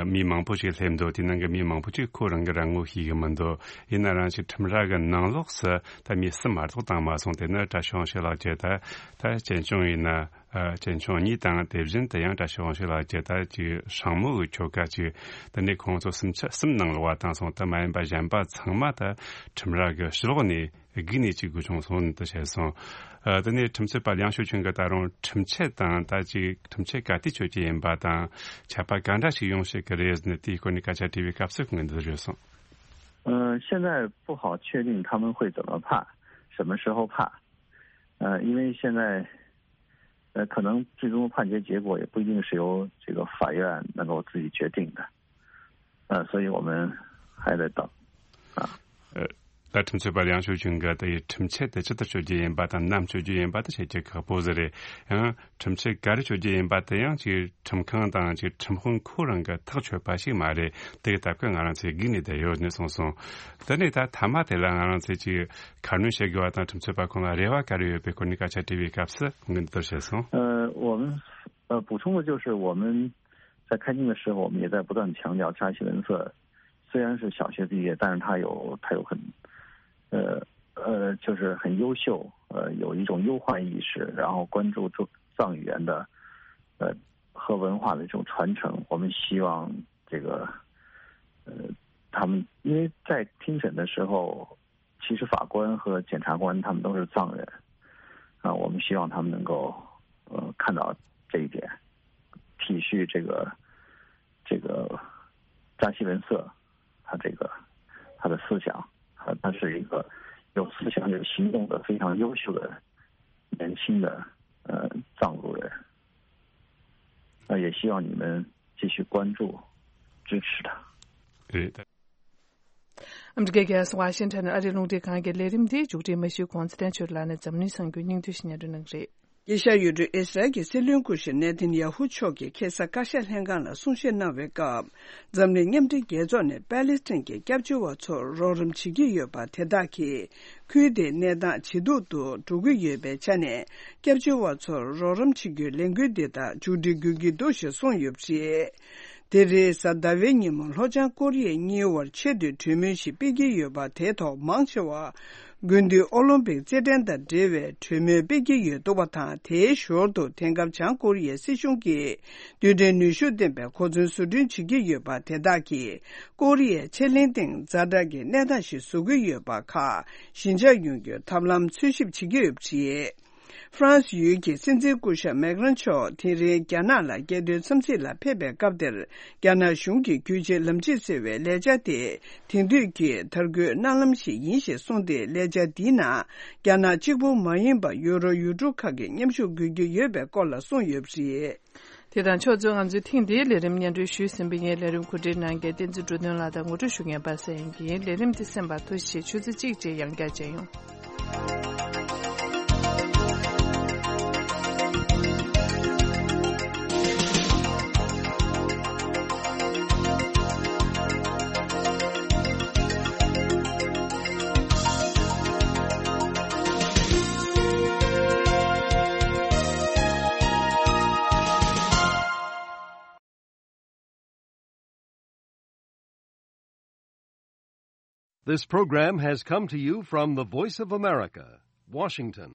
མི་མང་པོ་ཞིག་སླེབས་འདུག་དེ་ནང་གི་མི་མང་པོ་ཅིག་ཁོ་རང་གི་རང་ངོ་ཤེས་ཀྱི་མི་འདུག་ཡིན་ན་རང་ཅིག་ཁྲིམས་ར་གི་ནང་ལོགས་སུ་ད་མི་གསུམ་མ་གཏོགས་བཏང་མ་སོང་། དེ་ནི་བཀྲ་ཤིས་དབང་ཕྱུག་ལགས་ཀྱིས་ད་ད་གཅེན་གཅུང་ཡིན་ན། ཨ། གཅེན་གཅུང་གཉིས་དང་། དེ་བཞིན་དུ་ཡང་བཀྲ་ཤིས་དབང་ཕྱུག་ལགས་ཀྱི་ད་ཅིག་སྲིང་མོ་གི་ཁྱོ་ག་ཅིག་དེ་ནས་ཁོང་ཚོ་སུམ་ཆ་གསུམ་ནང་ལོགས་པ་བཏང་སོང་། དེ་མ་ཡིན་པ་གཞན་པ་ཚང་མ་ད་ཁྲིམས་ར་གི་ཕྱི་ལོགས་ནས་སྒུག་ནས་ཅིག་སྒུག་བྱུང་སོང་དུ་བཤད་སོང་། ཨ། དེ་ནས་ཁྲིམས་རྩོད་པ་ལིའང་ཞའོ་ཅུན་གྱིས་ད་རུང་ཁྲིམས་ཆད་དང་ད་ཅིག་ཁྲིམས་ཆད་ག་དུས་གཅོད་རྒྱུ་ཡིན་པ་དང་། ཆད་པ་ག་འདྲ་ཞིག་ཡོང་སྲིད་ཀྱི་རེད་ཟེར་ནས་དེའི་སྐོར་ནས་སྐད་ཆ་དྲིས་པའི་སྐབས་སུ་ཁོང་གིས་འདི་ལྟར་བརྗོད་སོང་། 呃，现在不好确定他们会怎么判，什么时候判。呃，因为现在，呃，可能最终判决结果也不一定是由这个法院能够自己决定的。呃，所以我们还在等。啊。 ད་ཁྲིམས་རྩོད་པ་ལིའང་ཞའོ་ཅུན་གྱིས་དེ་ཡི་ཁྲིམས་ཆད་དེ་ཇི་ལྟར་གཅོད་རྒྱུ་ཡིན་པ་དང་། ནམ་གཅོད་རྒྱུ་ཡིན་པ་དེ་བཤད་རྒྱུ་ཁག་པོ་ཟིག་རེད། ཡང་ཁྲིམས་ཆད་ག་རེ་གཅོད་རྒྱུ་ཡིན་པ་དེ་ཡང་ཅིག་ཁྲིམས་ཁང་དང་ཅིག་ཁྲིམས་དཔོན་ཁོ་རང་གིས་ཐག་ཆོད་པ་ཞིག་མ་རེད། དེ་གི་སྟབས་ཀྱིས་ང་རང་ཚོས་སྒུག་ནས་བསྡད་ཡོད་ནས་གསུངས་སོང་། དེ་ནས་ད་མཐའ་མ་དེ་ལ་ང་རང་ཚོས་ཅིག་ཁ་སྣོན་བྱེད་དགོས་པ་དང་། ཁྲིམས་རྩོད་པ་ཁོང་ལ་རེ་བ་ག་རེ་ཡོད་པའི་སྐོར་ནས་སྐད་ཆ་དྲིས་པའི་སྐབས་སུ་ཁོང་གིས་འདི་ལྟར་བཤད་སོང་། 呃，我们呃补充的就是我们在开庭的时候，我们也在不断强调扎西文瑟虽然是小学毕业，但是他有他有很呃呃就是很优秀，呃有一种忧患意识，然后关注藏藏语言的呃和文化的这种传承。我们希望这个呃他们因为在听审的时候，其实法官和检察官他们都是藏人啊，我们希望他们能够呃看到这一点，体恤这个这个扎西文瑟他这个他的思想啊，他是一个有思想有行动的非常优秀的年轻的呃藏族人。那也希望你们继续关注、支持他。 ཨ་མི་རི་ཀའི་རྒྱལ་ས་ཝ་ཤིང་ཊོན་ཨ་རིའི་རླུང་འཕྲིན་ཁང་གི་ལས་རིམ་འདིའི་མཇུག་སྒྲིལ་མ་ཞུས་གོང་ཚེ་བརྟན་ཆོས་ལགས་ནས་འཛམ་གླིང་གསར་འགྱུར་སྙིང་བསྡུས་ཤིག་སྙན་སྒྲོན་གནང་གི་རེད། དཀྱིལ་ཤར་ཡུལ་གྲུའི་ཨི་སི་རལ་གྱི་སྲིད་བློན་སྐུ་ཞབས་ནེ་ཐན་ཡ་ཧུ་མཆོག་གིས་ཁ་སང་བཀའ་ཤག་ལྷན་ཁང་ལ་གསུང་བཤད་གནང་བའི་སྐབས། འཛམ་གླིང་མཉམ་འབྲེལ་རྒྱལ་ཚོགས་ནས་པ་ལི་སི་ཐན་གྱི་སྐྱབས་བཅོལ་བ་ཚོར་རོགས་རམ་བྱེད་ཀྱི་ཡོད་པ་དེ་དག་གིས། ཁུལ་དེའི་གནས་སྟངས་ཇེ་སྡུག་ཏུ་འགྲོ་གི་ཡོད་པའི་ཆ་ནས། སྐྱབས་བཅོལ་བ་ཚོར་རོགས་རམ་བྱེད་རྒྱུའི་ལས་འགུལ་འདི་དག་མཇུག་སྒྲིལ་དགོས་ཀྱི་འདུག་ཞེས་གསུངས་ཡོད་པ་རེད། དེ་རིང་གཟའ་ཟླ་བའི་ཉིན་མོ་ལྷོ་བྱང་ཀོ་རི་ཡའི་གཉིས་དབར་ཆེད་དུ་གྲོས་མོལ་ཞིག་སྤེལ་གྱི་ཡོད་པ། དེའི་ཐོག་མང་ཆེ་བ་དགུན་དུས་ཨོ་ལིམ་པིག་རྩེད་འགྲན་དང་འབྲེལ་བའི་གྲོས་མོལ་སྤེལ་གྱི་ཡོད་འདུག་པ་དང་། དེའི་ཞོར་དུ་དེང་སྐབས་བྱང་ཀོ་རི་ཡའི་སྲིད་གཞུང་གིས་རྡུལ་ཕྲན་ནུས་ཤུགས་ལྡན་པའི་གོ་མཚོན་བཟོ་སྐྲུན་བྱེད་ཀྱི་ཡོད་པ། དེ་དག་གིས་ཀོ་རི་ཡའི་ཆེ་གླིང་སྟེང་ཛ་དྲག་གི་གནས་སྟངས་ཤིག་བཟོ་གི་ཡོད་པ་ཁག་ཞི་འཇགས་ཡོང་རྒྱུའི་ཐབས་ལམ་འཚོལ་ཞིབ་བྱེད་ཀྱི་ཡོད་པ་རེད། ཧྥ་རན་སི་ཡུལ་གྱི་སྲིད་འཛིན་སྐུ་ཞབས་མེག་རན་མཆོག་དེ་རིང་རྒྱ་ནག་ལ་རྒྱལ་དོན་འཚམས་གཟིགས་ལ་ཕེབས་པའི་སྐབས་དེར། རྒྱ་ནག་གཞུང་གི་རྒྱུད་གཅིག་ལམ་གཅིག་ཟེར་བའི་ལས་འཆར་དེ། དེང་དུས་ཀྱི་དར་རྒུད་གནའ་ལམ་ཞིག་ཡིན་ཞེས་གསུངས་ཏེ། ལས་འཆར་འདིའི་ནང་རྒྱ་ནག་གཅིག་པུ་མ་ཡིན་པར་ཡུ་རོབ་ཡུལ་གྲུ་ཁག་གི་མཉམ་ཞུགས་དགོས་ཀྱི་ཡོད་པའི་སྐོར་ལ་གསུངས་ཡོད་པ་རེད། དེ་དང་ཕྱོགས་མཚུངས། ང་ཚོའི་ཐེངས་འདིའི་ལས་རིམ་སྙན་སྒྲོན་ཞུས་ཟིན་པ་ཡིན། ལས་རིམ་གོ་སྒྲིག་གནང་མཁན་བསྟན་འཛིན་འགྲོ་དོན་ལགས་དང་ངོ་སྤྲོད་ཞུ་མཁན་པ་སངས་དབྱངས་ཡིན། ལས་རིམ་འདི་གསན་པར་ཐུགས་རྗེ་ཆེ། ཆུ་ཚོད་གཅིག་རྗེས་ཡང་བསྐྱར་མཇལ་ཡོང་། This program has come to you from the Voice of America, Washington.